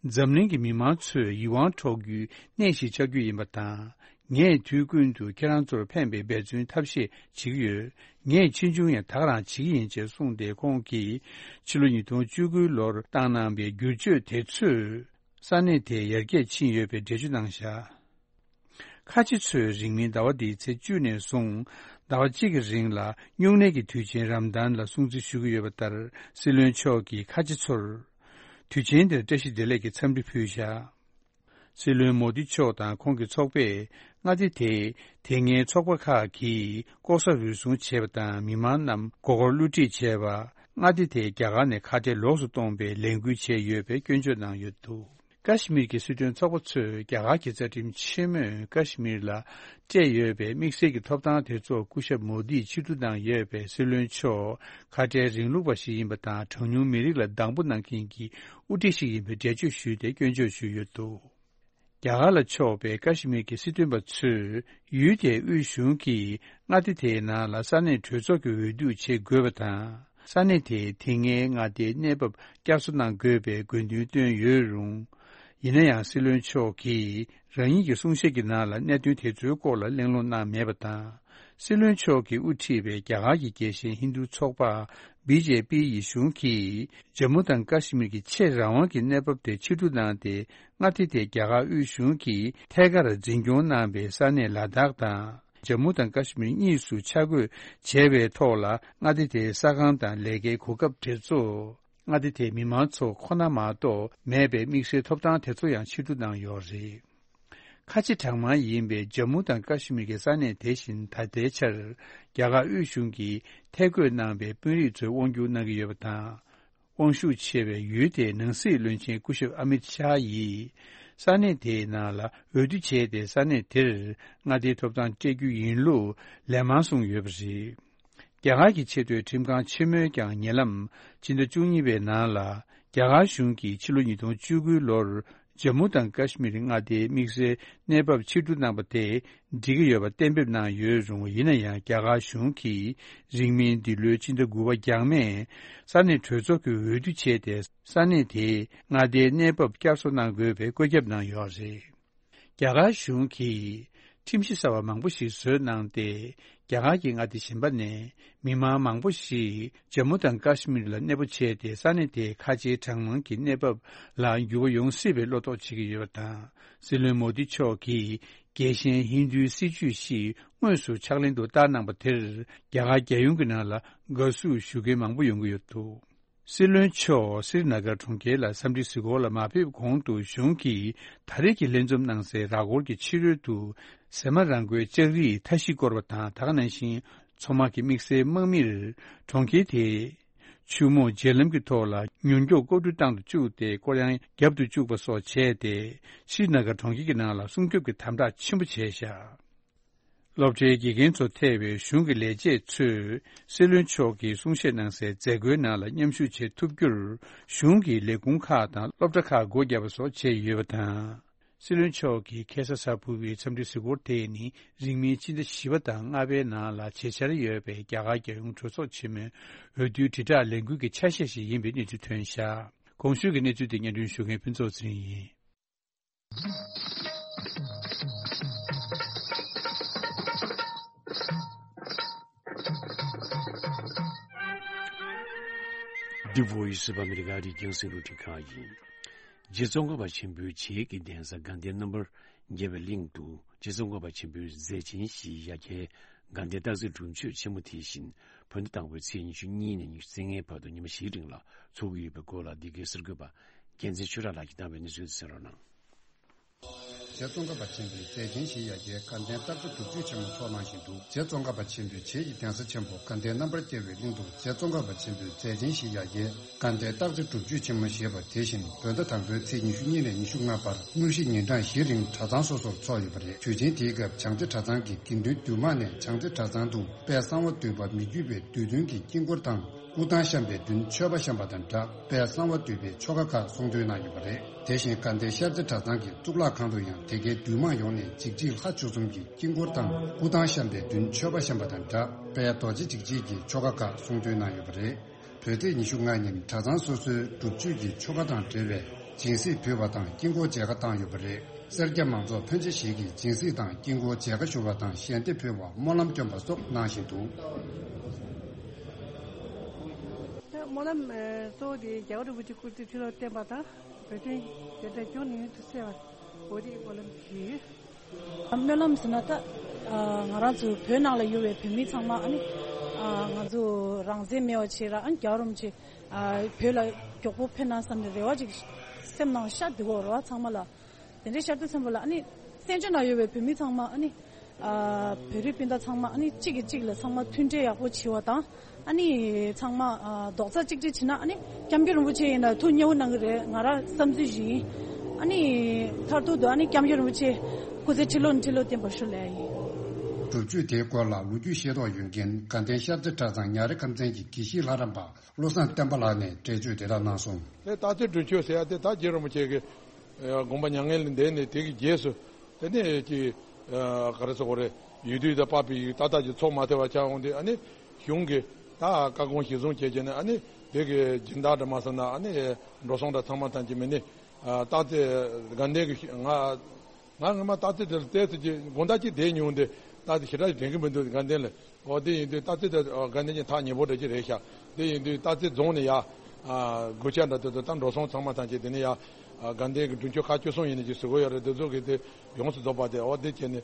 འཛམ་གླིང་གི་མི་མང་ཚོས་ཡིད་དབང་འཕྲོག་རྒྱུའི་གནས་ཤིག་ཆགས་རྒྱུ་ཡིན་པ་དང་། ངས་དུས་ཀུན་ཏུ་ཁྱེད་རང་ཚོར་ཕན་པའི་འབད་བརྩོན་ཐབས་ཤེས་བྱེད་ཀྱི་ཡོད། ངས་ཆེ་ཆུང་ཡང་དག་རང་བྱེད་ཀྱི་ཡིན་ཅེས་གསུངས་ཏེ། ཁོང་གིས་ཕྱི་ལོ་ཉིས་སྟོང་བཅུ་དགུའི་ལོར་བཏང་གནང་པའི་བསྒྱུར་བཅོས་དེ་ཚོས། ས་གནས་དེ་ཡར་རྒྱས་ཕྱིན་ཡོད་པའི་འགྲེལ་བརྗོད་གནང་བཞག་ཁ་ཆེ་ཚོས་རིང་མིན་ཟླ་བ་འདིའི་ཚེས་བཅུ་ནས་བཟུང་ཟླ་བ་གཅིག་གི་རིང་ལ་སྨྱུང་གནས་ཀྱི་དུས་ཆེན་རམ་དཱན་ལ་སྲུང་བརྩི་ཞུ་གི་ཡོད་པ་ལྟར། སྲིད་བློན་མཆོག་གིས་ཁ་ཆེ་ཚོར་དུས་ཆེན་དེར་བཀྲ་ཤིས་བདེ་ལེགས་ཀྱི་འཚམས་འདྲི་ཕུལ་བཞག་སྲིད་བློན་མོ་དི་མཆོག་དང་ཁོང་གི་ཚོགས་པས་མངའ་སྡེ་དེའི་དེ་སྔའི་ཚོགས་པ་ཁག་གིས་ལྐོག་ཟ་རུལ་སུངས་བྱས་པ་དང་མི་མང་རྣམས་མགོ་སྐོར་བསླུ་བྲིད་བྱས་པ། མངའ་སྡེ་དེས་རྒྱ་གར་ནས་ཁ་བྲལ་ལོགས་སུ་གཏོང་པའི་ལས་འགུལ་བྱས་ཡོད་པའི་སྐྱོན་བརྗོད་གནང་ཡོད་འདུག་ཀ་ཤི་མིར་གྱི་སྲིད་དོན་ཚོགས་པ་ཚོས་རྒྱ་གར་གྱི་རྩ་ཁྲིམས་ཆེན་མོས་ཀ་ཤི་མིར་ལ་སྤྲད་ཡོད་པའི་དམིགས་བསལ་གྱི་ཐོབ་ཐང་དེ་ཚོ་སྐུ་ཞབས་མོ་དིས་ཕྱིར་བསྡུ་གནང་ཡོད་པས། སྲིད་བློན་མཆོག་ཁ་བྲལ་རིང་ལུགས་པ་ཞིག་ཡིན་པ་དང་། གྲངས་ཉུང་མི་རིགས་ལ་སྡང་པོ་གནང་མཁན་གྱི་དབུ་ཁྲིད་ཞིག་ཡིན་པའི་འགྲེལ་བརྗོད་ཞུས་ཏེ་སྐྱོན་བརྗོད་ཞུས་ཡོད་འདུག་རྒྱ་གར་ལ་ཕྱོགས་པའི་ཀ་ཤི་མིར་གྱི་སྲིད་དོན་པ་ཚོས་ཡུལ་དེའི་དབུས་གཞུང་གིས་མངའ་སྡེ་དེའི་ནང་ལ་ས་གནས་གྲོས་ཚོགས་ཀྱི་འོས་བསྡུ་བྱེད་དགོས་པ་དང་། ས་གནས་དེའི་དེ་སྔའི་མངའ་སྡེའི་གནས་བབ་བསྐྱར་གསོ་གནང་དགོས་པའི་དགོས་འདུན་བཏོན་ཡོད་རུང་། ཡིན་ན་ཡང་སྲིད་བློན་མཆོག་གིས་རང་ཉིད་ཀྱི་གསུང་བཤད་ཀྱི་ནང་ལ་གནད་དོན་དེ་ཚོའི་སྐོར་ལ་གླེང་སློང་གནང་མེད་པ་དང་། སྲིད་བློན་མཆོག་གིས་དབུ་ཁྲིད་པའི་རྒྱ་གར་གྱི་རྒྱལ་ཞེན་ཧིན་རྡུ་ཚོགས་པ་བི་ཇེ་པི་ཡི་གཞུང་གིས་ཇམ་མུ་དང་ཀ་ཤི་མིར་གྱི་ཆེས་རང་དབང་གི་གནས་བབ་དེ་ཕྱིར་བསྡུ་གནང་སྟེ། མངའ་སྡེ་དེ་རྒྱ་གར་དབུས་གཞུང་གིས་ཐད་ཀར་འཛིན་སྐྱོང་གནང་པའི་ས་གནས་ལ་དྭགས་དང་ཇམ་མུ་དང་ཀ་ཤི་མིར་གཉིས་སུ་ཆ་བགོས་བྱས་པའི་ཐོག་ལ། མངའ་སྡེ་དེའི་ས་ཁང་དང་ལས་ཀའི་གོ་སྐབས་དེ་ཚོ་མངའ་སྡེ་དེའི་མི་མང་ཚོ་ཁོ་ན་མ་གཏོགས་མེད་པའི་དམིགས་བསལ་ཐོབ་ཐང་དེ་ཚོ་ཡང་ཕྱིར་བསྡུ་གནང་ཡོད་རེད། ཁ་ཆེ་གྲངས་མང་ཡིན་པའི་ཇམ་མུ་དང་ཀ་ཤི་མིར་གྱི་ས་གནས་དེ་བཞིན་ད་ལྟའི་ཆར་རྒྱ་གར་དབུས་གཞུང་གིས་ཐད་བསྐོས་གནང་པའི་དཔོན་རིགས་ཚོས་དབང་སྒྱུར་གནང་གི་ཡོད་པ་དང་། དབང་ཤུགས་ཆེ་བའི་ཡུལ་དེའི་ནང་སྲིད་བློན་ཆེན་སྐུ་ཞབས་ཨ་མིད་ཤཱ་ཡིས་ས་གནས་དེའི་ནང་ལ་འོས་བསྡུ་བྱས་ཏེ། ས་གནས་དེར་མངའ་སྡེའི་ཐོབ་ཐང་སྤྲད་རྒྱུ་ཡིན་ལུགས་ལན་མང་གསུངས་ཡོད་པ་རེད། རྒྱ་གར་གྱི་ཆེས་མཐོའི་ཁྲིམས་ཁང་ཆེན་མོས་ཀྱང་ཉེ་ལམ་ཕྱི་ཟླ་བཅུ་གཉིས་པའི་ནང་ལ། རྒྱ་གར་གཞུང་གིས་ཕྱི་ལོ་ཉིས་སྟོང་བཅུ་དགུའི་ལོར་ཇམ་མུ་དང་ཀཱ་ཤི་མིར་མངའ་སྡེའི་དམིགས་བསལ་གནས་བབ་ཕྱིར་བསྡུ་གནང་པ་དེ་འགྲིག་གི་ཡོད་པ་གཏན་འབེབས་གནང་ཡོད་རུང་། ཡིན་ན་ཡང་རྒྱ་གར་གཞུང་གིས་རིང་མིན་འདི་ལོའི་ཕྱི་ཟླ་དགུ་པ་རྒྱང་མེས་ས་གནས་གྲོས་ཚོགས་ཀྱི་འོས་བསྡུ་བྱས་ཏེ། ས་གནས་དེའི་མངའ་སྡེའི་གནས་བབ་བསྐྱར་གསོ་གནང་དགོས་པའི་བཀོད་ཁྱབ་གནང་ཡོད་རེད། རྒྱ་གར་གཞུང་གིས་ཁྲིམས་གཞི་གསར་བ་མང་པོ་ཞིག་བཟོས་གནང་སྟེ། རྒྱ་གར་གྱི་མངའ་སྡེ་གཞན་པ་ནས་མི་མང་མང་པོ་ཞིག་ཇམ་མུ་དང་ཀཱ་ཤི་མིར་ལ་གནས་སྤོ་བྱས་ཏེ། ས་གནས་དེའི་ཁ་ཆེའི་གྲངས་མང་གི་གནས་བབ་ལ་འགྱུར་བ་ཡོང་སྲིད་པའི་བློ་དོགས་བྱེད་ཀྱི་ཡོད་པ་དང་། སྲིད་བློན་མོ་དི་མཆོག་གིས་རྒྱལ་ཞེན་ཧིན་རྡུའི་སྲིད་ཇུས་ཤིག་དངོས་སུ་ཕྱག་ལེན་དུ་བསྟར་གནང་པ་དེར། རྒྱ་གར་རྒྱལ་ཡོངས་ཀྱི་ནང་ལ་དགའ་བསུ་ཞུ་མཁན་མང་པོ་ཡོང་གི་ཡོད་འདུག། སྲིད་བློན་མཆོག་སི་རི་ན་གར་གྲོང་ཁྱེར་ལ་འཚམས་འདྲི་གཟིགས་སྐོར་ལ་མ་ཕེབས་གོང་དུ། གཞུང་གིས་ད་རེས་ཀྱི་ལྷན་འཛོམས་གནང་སའི་ར་སྐོར་གྱི་ཕྱི་རོལ་དུ་ཟེ་མ་རང་མགོའི་ལྕགས་རིའི་མཐའ་བཞི་བསྐོར་བ་དང་། ད་ག་ནང་བཞིན་མཚོ་དམག་གི་དམིགས་བསལ་དམག་མིར་གྲོང་ཁྱེར་དེའི་ཆུ་མོ་བརྒྱུད་ལམ་གྱི་ཐོག་ལ་མྱུར་མགྱོགས་ཀོ་གྲུ་བཏང་དུ་བཅུག་སྟེ། སྐོར་གཡང་བརྒྱབ་ཏུ་བཅུག་པ་སོགས་བྱས་ཏེ། སི་རི་ན་གར་གྲོང་ཁྱེར་གྱི་ནང་ལ་སྲུང་སྐྱོབ་ཀྱི་དམ་དྲག་ཆེན་པོ་བྱས་བཞག། སློབ་གྲྭའི་དགེ་རྒན་ཚོ་ཐེ་བའི་གཞུང་གི་ལས་བྱེད་ཚོས་སྲིད་བློན་མཆོག་གིས་གསུང་བཤད་གནང་སའི་མཛད་སྒོའི་ནང་ལ་མཉམ་ཞུགས་བྱེད་ཐུབ་རྒྱུར། གཞུང་གི་ལས་ཁུངས་ཁག་དང་སློབ་གྲྭ་ཁག་སྒོ་བརྒྱབ་པ་སོགས་བྱས་ཡོད་པ་དང་། སྲིད་བློན་མཆོག་གིས་ཁ་སང་གཟའ་ཕུར་བུའི་འཚམས་འདྲི་གཟིགས་སྐོར་དེ་ནི། རིང་མིན་ཕྱི་ཟླ་བཞི་པ་དང་ལྔ་པའི་ནང་ལ་བྱེད་འཆར་ཡོད་པའི་རྒྱ་གར་རྒྱལ་ཡོངས་གྲོས་ཚོགས་ཆེན་མོའི་འོས་བསྡུའི་དྲིལ་བསྒྲགས་ལས་འགུལ་གྱི་ཆ་ཤས་ཤིག་ཡིན་པའི་གནས་ཚུལ་ཐོན་བཞག། གོང་ཞུས་ཀྱི་གནས་ཚུལ་དེ་སྙན་སྒྲོན་ཞུ་མཁན་ཕུན་ཚོགས་ཚེ་རིང་ཡིན། The Voice of America རིགས་རྒྱང་སྲིང་རླུང་འཕྲིན་ཁང་ཡིན། རྗེ་ཙོང་ཁ་པ་ཆེན་པོའི་རྗེས་ཀྱི་གདན་ས་དགའ་ལྡན་རྣམ་པར་རྒྱལ་བའི་གླིང་དུ། རྗེ་ཙོང་ཁ་པ་ཆེན་པོའི་མཛད་ཆེན་བཞིའི་ཡ་གྱལ་དགའ་ལྡན་སྟག་རྩེ་སྒྲུབ་མཆོད་ཆེན་མོ་དེ་བཞིན་བོད་ཟླ་དང་པོའི་ཚེས་ཉི་ཤུ་གཉིས་ནས་ཉི་ཤུ་རྩ་ལྔའི་བར་དུ་ཉི་མ་བཞིའི་རིང་ལ་འཚོགས་ཀྱི་ཡོད་པའི་སྐོར་ལ། འདི་གའི་གསར་འགོད་པ་རྒྱལ་མཚན་ཆོས་གྲགས་ལགས་ཀྱིས་བཏང་བའི་གནས་ཚུལ་དེ་གསན་རོགས་གནང་། རྗེ་ཙོང་ཁ་པ་ཆེན་པོའི་མཛད་ཆེན་བཞིའི་ཡ་གྱལ་དགའ་ལྡན་སྟག་རྩེ་སྒྲུབ་མཆོད་ཆེན་མོ་འཚོགས་གནང་བཞིན་འདུག། རྗེ་ཙོང་ཁ་པ་ཆེན་པོའི་རྗེས་ཀྱི་གདན་ས་ཆེན་པོ་དགའ་ལྡན་རྣམ་པར་རྒྱལ་བའི་གླིང་དུ། རྗེ་ཙོང་ཁ་པ་ཆེན་པོའི་མཛད་ཆེན་བཞིའི་ཡ་གྱལ་དགའ་ལྡན་སྟག་རྩེ་སྒྲུབ་མཆོད་ཆེན་མོ་ཞེས་པ་དེ་བཞིན་བོད་ཟླ་དང་པོའི་ཚེས་ཉི་ཤུ་གཉིས་ནས་ཉི་ཤུ་ལྔ་བར་དངོས་གཞི་ཉིན་གྲངས་བཞི་རིང་གྲྭ་ཚང་སོ་སོར་འཚོགས་ཡོད་པ་རེད། དུས་ཆེན་དེའི་སྐབས་བྱང་རྩེ་གྲྭ་ཚང་གི་དགེ་འདུན་འདུས་མང་ནས་བྱང་རྩེ་གྲྭ་ཚང་དུ་དཔལ་གསང་བ་འདུས་པ་མི་བསྐྱོད་པའི་བསྡུས་དོན་གྱི་དཀྱིལ་འཁོར་དང་། སྐུ་ཐང་བཤམས་པའི་མདུན་མཆོད་པ་བཤམས་པ་དང་སྦྲགས། དཔལ་གསང་བ་འདུས་པའི་ཆོ་ག་ཁག་གསུང་འདོན་གནང་ཡོད་པ་རེད། དེ་བཞིན་དགའ་ལྡན་ཤར་རྩེ་གྲྭ་ཚང་གི་གཙུག་ལག་ཁང་དུ་ཡང་དེ་གའི་འདུས་མང་ཡོངས་ནས་འཇིགས་བྱེད་ལྷ་བཅུ་གསུམ་གྱི་དཀྱིལ་འཁོར་དང་། སྐུ་ཐང་བཤམས་པའི་མདུན་མཆོད་པ་བཤམས་པ་དང་སྦྲགས། དཔལ་རྡོ་རྗེ་འཇིགས་བྱེད་ཀྱི་ཆོ་ག་ཁག་གསུང་འདོན་གནང་ཡོད་པ་རེད། བོད་ཚེས་ཉི་ཤུ་ལྔ་ཉིན་གྲྭ་ཚང་སོ་སོའི་སྒྲུབ་མཆོད་ཀྱི་ཆོ་ག་དང་འབྲེལ་བའི་སྦྱིན་སྲེག་ཕུལ་བ་དང་དཀྱིལ་འཁོར་མཇལ་ཁ་བཏང་ཡོད་པ་རེད། སེར་སྐྱ་མང་ཚོགས་ཕོན་ཆེ་ཞིག་གིས་སྦྱིན་སྲེག་དང་དཀྱིལ་འཁོར་མཇལ་ཁ་ཞུ་བ་དང་ཞལ་འདེབས་ཕུལ་བ། སྨོན་ལམ་སྐྱོན་པ་སོགས་གནང་བཞིན་འདུག། སྨོན་ལམ་གཙོ་བོ་དེ་རྒྱལ་བ་རིན་པོ་ཆེ་སྐུ་ཚེ་ཁྲི་ལོ་བརྟན་པ་དང་། བོད་དོན་རྒྱལ་དར་སྐྱོང་ནུས་མཐུ་གསལ་བ། འོ་དེ་སྨོན་ལམ་ཞུས་ཡོད། སྨོན་ལམ་ཟེར་ན་ད་ང་རང་ཚོ་བོད་ནང་ལ་ཡོད་པའི་བོད་མི་ཚང་མ་ཨ་ནི་ང་ཚོ་རང་བཙན་མེད་པ་བྱེད་ར། ཨ་ནི་རྒྱལ་བ་རིན་པོ་ཆེ་བོད་ལ་མགྱོགས་པོ་ཕེབས་ན་བསམ་ནས་རེ་བ་ཅིག་སེམས་ནང་ཤར་འདུག་གོ། རེ་བ་ཚང་མ་ལ། དེ་འདྲའི་ཤར་དུས་ཙམ་པ་ལ་ཨ་ནི་བཙན་བྱོལ་ནང་ཡོད་པའི་བོད་མི་ཚང་མ་ཨ་ནི་བོད་རིགས་སྤུན་ཟླ་ཚང་མ་ཨ་ནི་གཅིག་གིས་གཅིག་ལ་ཚང་མ་མཐུན་འབྲེལ་ཡག་པོ་བྱེད་པ་དང་། ཨ་ནི་ཚང་མ་རྡོག་རྩ་གཅིག་སྒྲིལ་བྱེད་ན་ཨ་ནི་སྐྱབས་མགོན་རིན་པོ་ཆེ་ཡིན་ན་ཐུགས་མཉེས་པོ་གནང་གི་རེད། ང་རང་བསམ་ཚུལ་ཞིག་ཡིན། ཨ་ནི་མཐར་ཐུག་ཏུ་ཨ་ནི་སྐྱབས་མགོན་རིན་པོ་ཆེ་སྐུ་ཚེ་ཁྲི་ལོ་ནས་ཁྲི་ལོ་བརྟན་པར་ཤོག་ལབ་ཡིན། སྒྲུབ་མཆོད་དེའི་སྐོར་ལ་ལོ་རྒྱུས་ཤེས་རྟོགས་ཡོད་མཁན་དགའ་ལྡན་ཤར་རྩེ་གྲྭ་ཚང་ཉ་རི་ཁམས་ཚན་གྱི་དགེ་བཤེས་ལྷ་རམས་པ་བློ་བཟང་བསྟན་པ་ལགས་ནས་འགྲེལ་བརྗོད་དེ་དག་གནང་སོང་། དེ་སྟག་རྩེ་སྒྲུབ་མཆོད་ཟེར་ཡ་དེ་ད་རྗེ་རིན་པོ་ཆེ་གི་དགོངས་པ་མྱ་ངན་ལས་འདས་ནས་དེ་གི་རྗེས་སུ་དེ་ནས་ཀྱི་ག་རེ་ཟེར་དགོས་རེད། ཡུལ་དུས་དང་པ་པི་ཡིག་ཏག་ཏག་ཅིག་ཚོགས་མ་ཐེ་བ་ཆགས་འོང་དུས། ཨ་ནི་གཞུང་གི་ད་བཀའ་དགོངས་གཞིར་བཟུང་བྱས་བྱས་ནས། ཨ་ནི་དེ་གི་སྦྱིན་བདག་འདྲ་མ་ཟེར་ན། ཨ་ནི་འགྲོ་སོང་འདྲ་ཚང་མ་ཐམས་ཅད་མི་ནི་སྟག་རྩེ་དགའ་ལྡན་གི་ང་ང་ངོ་མ་སྟག་རྩེ་དེར་བལྟས་ཚེ་ཅིག་དགོང་དག་ཅིག་བསྡད་མྱོང་དུས་སྟག་རྩེ་ཞེ་དྲག་ཅིག་དྲན་གི་མི་འདུག་དགའ་ལྡན་ལ། འོ་དེ་ཡིན་དུས་སྟག་རྩེ་དེ་དགའ་ལྡན་གྱི་ཐག་ཉེ་པོ་འདྲ་ཅིག་རེད་ཤག། དེ་ཡིན་དུས་སྟག་རྩེ་རྫོང་ནས་ཡར་སྒོ་ལྕགས་འདྲ་དེ་ཚོ་ད་འགྲོ་སོང་ཚང་མ་ཐམས་ཅད་དེ་ནས་ཡར་དགའ་ལྡན་གྱི་སྒྲུབ་མཆོད་ཁག་བཅུ་གསུམ་ཡིན་ནས་ཅིག་ཟེར་གྱི་ཡོད་རེད། དེ་ཚོ་གི་དེ་ཡོངས་སུ་རྫོགས་པ་དེ། འོ་དེ་བྱས་ནས་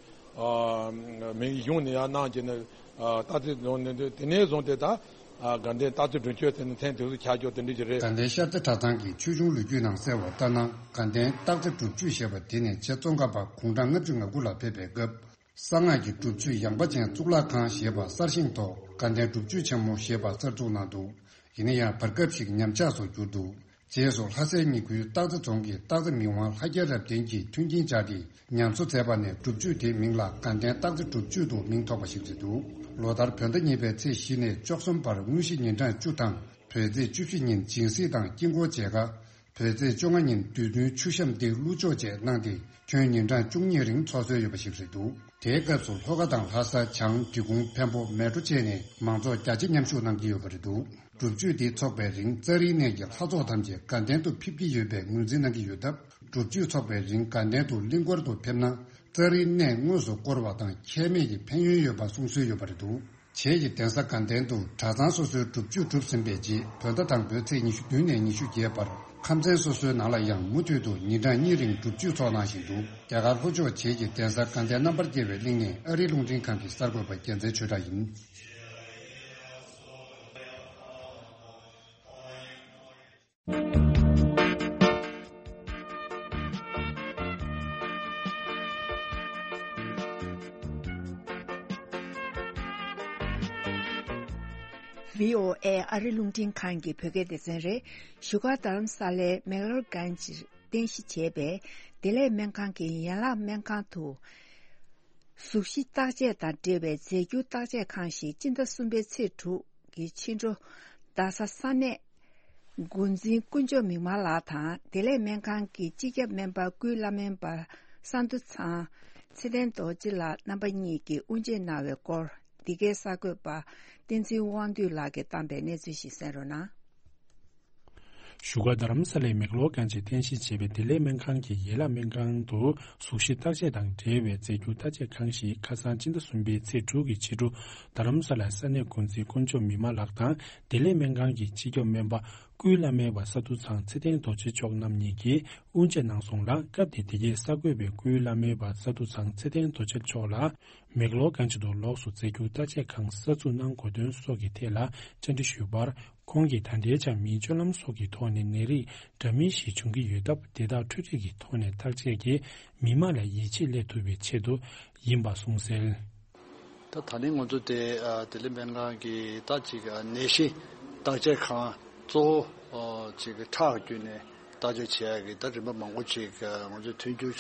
མི་གཞུང་ནས་ཡར་གནང་བྱས་ནས་སྟག་རྩེ་རྫོང་ནས། དེ་ནས་བཟུང་སྟེ་ད་དགའ་ལྡན་སྟག་རྩེ་སྒྲུབ་མཆོད་ཟེར་ནས་མཚན་དེ་ཚོ་ཆགས་ཀྱོག་དེ་འདྲ་ཅིག་རེད། དགའ་ལྡན་ཤར་རྩེ་གྲྭ་ཚང་གི་ཆོས་འབྱུང་ལོ་རྒྱུས་ནང་གསལ་བ་ལྟར་ན། དགའ་ལྡན་སྟག་རྩེ་སྒྲུབ་མཆོད་ཞེས་པ་དེ་ནི་རྗེ་ཙོང་ཁ་པ་དགུང་གྲངས་ལྔ་བཅུ་ང་དགུ་ལ་ཕེབས་པའི་སྐབས། གསང་སྔགས་ཀྱི་སྒྲུབ་མཆོད་ཡངས་པ་ཅན་གཙུག་ལག་ཁང་ཞེས་པ་གསར་བཞེངས་ཐོག་དགའ་ལྡན་སྒྲུབ་མཆོད་ཆེན་མོ་ཞེས་པ་གསར་བཙུགས་གནང་འདུག། ཡིན་ན་ཡང་བར་སྐབས་ཤིག་ཉམས་ཆག་སུ་གྱུར་འདུག། རྗེས་སུ་ལྷ་སའི་ཉེ་ཁུལ་སྟག་རྩེ་རྫོང་གི་སྟག་རྩེ་མི་དབང་ལྷ་རྒྱལ་རབ་བརྟན་གྱིས་མཐུན་རྐྱེན་སྦྱར་ཏེ་ཉམས་གསོ་མཛད་པ་ནས་སྒྲུབ་མཆོད་དེའི་མིང་ལ་དགའ་ལྡན་སྟག་རྩེ་སྒྲུབ་མཆོད་དུ་མིང་ཐོགས་པ་ཞིག་རེད་འདུག། ལོ་ལྟར་བོད་ཟླ་གཉིས་པའི་ཚེས་བཞི་ནས་བཅུ་གསུམ་བར་དངོས་གཞི་ཉིན་གྲངས་བཅུ་དང་། བོད་ཚེས་བཅུ་བཞི་ཉིན་སྦྱིན་སྲེག་དང་དཀྱིལ་འཁོར་མཇལ་ཁ། བོད་ཚེས་བཅོ་ལྔ་ཉིན་བདུད་འདུལ་མཆོད་བཤམས་ཏེ་བླུགས་སྦྱོར་བཅས་གནང་སྟེ། ཁྱོན་ཉིན་གྲངས་བཅུ་གཉིས་རིང་འཚོགས་སྲོལ་ཡོད་པ་ཞིག་རེད་འདུག་དེའི་སྐབས་སུ་ལྷོ་ཁ་དང་ལྷ་ས། བྱང་། འབྲི་གུང་། འཕན་པོ། མལ་གྲོ་བཅས་ནས་མང་ཚོགས་བརྒྱ་ཆ་མཉམ་ཞུགས་གནང་གི་ཡོད་པ་རེད་འདུག་སྒྲུབ་མཆོད་འདི་འཚོགས་པའི་རིང་རྩ་རིའི་གནས་ཀྱི་ལྷ་ཚོགས་ཐམས་ཅད་དགའ་ལྡན་དུ་ཕེབས་ཀྱི་ཡོད་པའི་ངོས་འཛིན་གནང་གི་ཡོད་སྟབས། སྒྲུབ་མཆོད་འཚོགས་པའི་རིང་དགའ་ལྡན་དུ་གླིང་སྐོར་དུ་ཕེབས་ན། རྩ་རིའི་གནས་དངོས་སུ་བསྐོར་བ་དང་ཁྱད་མེད་ཀྱི་ཕན་ཡོན་ཡོད་པ་གསུང་སྲོལ་ཡོད་པ་རེད་འདུག་བྱེས་ཀྱི་གདན་ས་དགའ་ལྡན་དུ་གྲྭ་ཚང་སོ་སོའི་སྒྲུབ་མཆོད་གྲུབ་ཟིན་པའི་རྗེས། བོད་ཟླ་དང་པོའི་ཚེས་ཉི་ཤུ་བདུན་ནས་ཉི་ཤུ་བརྒྱད་བར་ཁམས་ཚན་སོ་སོའི་ནང་ལ་ཡང་མུ་མཐུད་དུ་ཉིན་གྲངས་གཉིས་རིང་སྒྲུབ་མཆོད་འཚོགས་གནང་བཞིན་འདུག་རྒྱ་གར་ལྷོ་ཕྱོགས་བྱེས་ཀྱི་གདན་ས་དགའ་ལྡན་རྣམ་པར་རྒྱལ་བའི་གླིང་ནས་ཨ་རི་རླུང་འཕྲིན་ཁང་གི་གསར་འགོད་པ་རྒྱལ་མཚན་ཆོས་གྲགས་ཡིན། བྷི་ཨོ་ཨེ་ཨ་རི་རླུང་འཕྲིན་ཁང་གི་བོད་སྐད་སྡེ་ཚན་རེད། བཞུགས་སྒར་རྡ་རམ་ས་ལའི་མེག་ལོར་གྷན་ཇིར་རྟེན་གཞི་བྱས་པའི་བདེ་ལེགས་སྨན་ཁང་གི་ཡན་ལག་སྨན་ཁང་དུ། གཟུགས་གཞི་བརྟག་དཔྱད་དང་འབྲེལ་བའི་རྫས་འགྱུར་བརྟག་དཔྱད་ཁང་ཞིག་སྤྱི་ཟླ་གསུམ་པའི་ཚེས་དྲུག་གི་ཕྱི་དྲོ། རྡ་ས་ས་གནས་འགོ་འཛིན་དཀོན་མཆོག་མིག་དམར་ལགས་དང་བདེ་ལེགས་སྨན་ཁང་གི་སྤྱི་ཁྱབ་སྨན་པ་སྐུའི་བླ་སྨན་པ་ས་འདུ་ཚང་ཚེ་བརྟན་རྡོ་རྗེ་ལགས་རྣམ་པ་གཉིས་ཀྱིས་དབུ་འབྱེད་གནང་བའི་སྐོར། འདི་གའི་གསར་འགོད་པ་བསྟན་འཛིན་དབང་འདུས་ལགས་ཀྱིས་བཏང་པའི་གནས་ཚུལ་ཞིག་གསན་རོགས་གནང་། བཞུགས་སྒར་རྡ་རམ་ས་ལའི་མེག་ལོར་གྷན་ཇིར་རྟེན་གཞི་བྱས་པའི་བདེ་ལེགས་སྨན་ཁང་གི་ཡན་ལག་སྨན་ཁང་དུ་གཟུགས་གཞི་བརྟག་དཔྱད་དང་འབྲེལ་བའི་རྫས་འགྱུར་བརྟག་དཔྱད་ཁང་ཞིག་ཁ་སང་སྤྱི་ཟླ་གསུམ་པའི་ཚེས་དྲུག་གི་ཕྱི་དྲོ། རྡ་རམ་ས་ལ་ས་གནས་འགོ་འཛིན་དཀོན་མཆོག་མིག་དམར་ལགས་དང་བདེ་ལེགས་སྨན་ཁང་གི་སྤྱི་ཁྱབ་སྨན་པ་སྐུའི་བླ་སྨན་པ་ས་འདུ་ཚང་ཚེ་བརྟན་རྡོ་རྗེ་མཆོག་རྣམ་གཉིས་ཀྱིས་དབུ་འབྱེད་གནང་སོང་ལ། སྐབས་དེར་འདི་གའི་གསར་འགོད་པས་སྐུའི་བླ་སྨན་པ་ས་འདུ་ཚང་ཚེ་བརྟན་རྡོ་རྗེ་མཆོག་ལ། མེག་ལོར་གྷན་ཇི་དུ་ལོགས་སུ་རྫས་འགྱུར་བརྟག་དཔྱད་ཁང་གསར་འཛུགས་གནང་དགོས་དོན་སོགས་ཀྱི་ཐད་ལ་བཅར་འདྲི་ཞུས་པར། ཁོང་གིས་ད་ལྟའི་ཆར་མིའི་སྤྱོད་ལམ་སོགས་ཀྱི་ཐོག་ནས་ནད་རིགས་འདྲ་མིན་ཞིག་འབྱུང་གི་ཡོད་སྟབས། དེ་དག་འཕྲུལ་རིག་གི་ཐོག་ནས་བརྟག་དཔྱད་ཀྱིས་མི་མང་ལ་ཡིད་ཆེས་སླེབས་ཐུབ་པའི་ཆེད་དུ་ཡིན་པ་གསུངས་གསལ། ད་ད་ནི་ང་ཚོ་དེ་ཨ་བདེ་ལེགས་སྨན་ཁང་གི་ད་ཅིག་ཨ་ནད་གཞི་བརྟག་དཔྱད་ཁང་གཙོ་བོ་ཨ་ཅིག་ཁྲག་བརྒྱུད་ནས་བརྟག་དཔྱད་བྱེད་ཡག་གི་ད་རིམ་པ་མང་པོ་ཅིག་ཨ་ང་ཚོས་མཐུན་འགྱུར་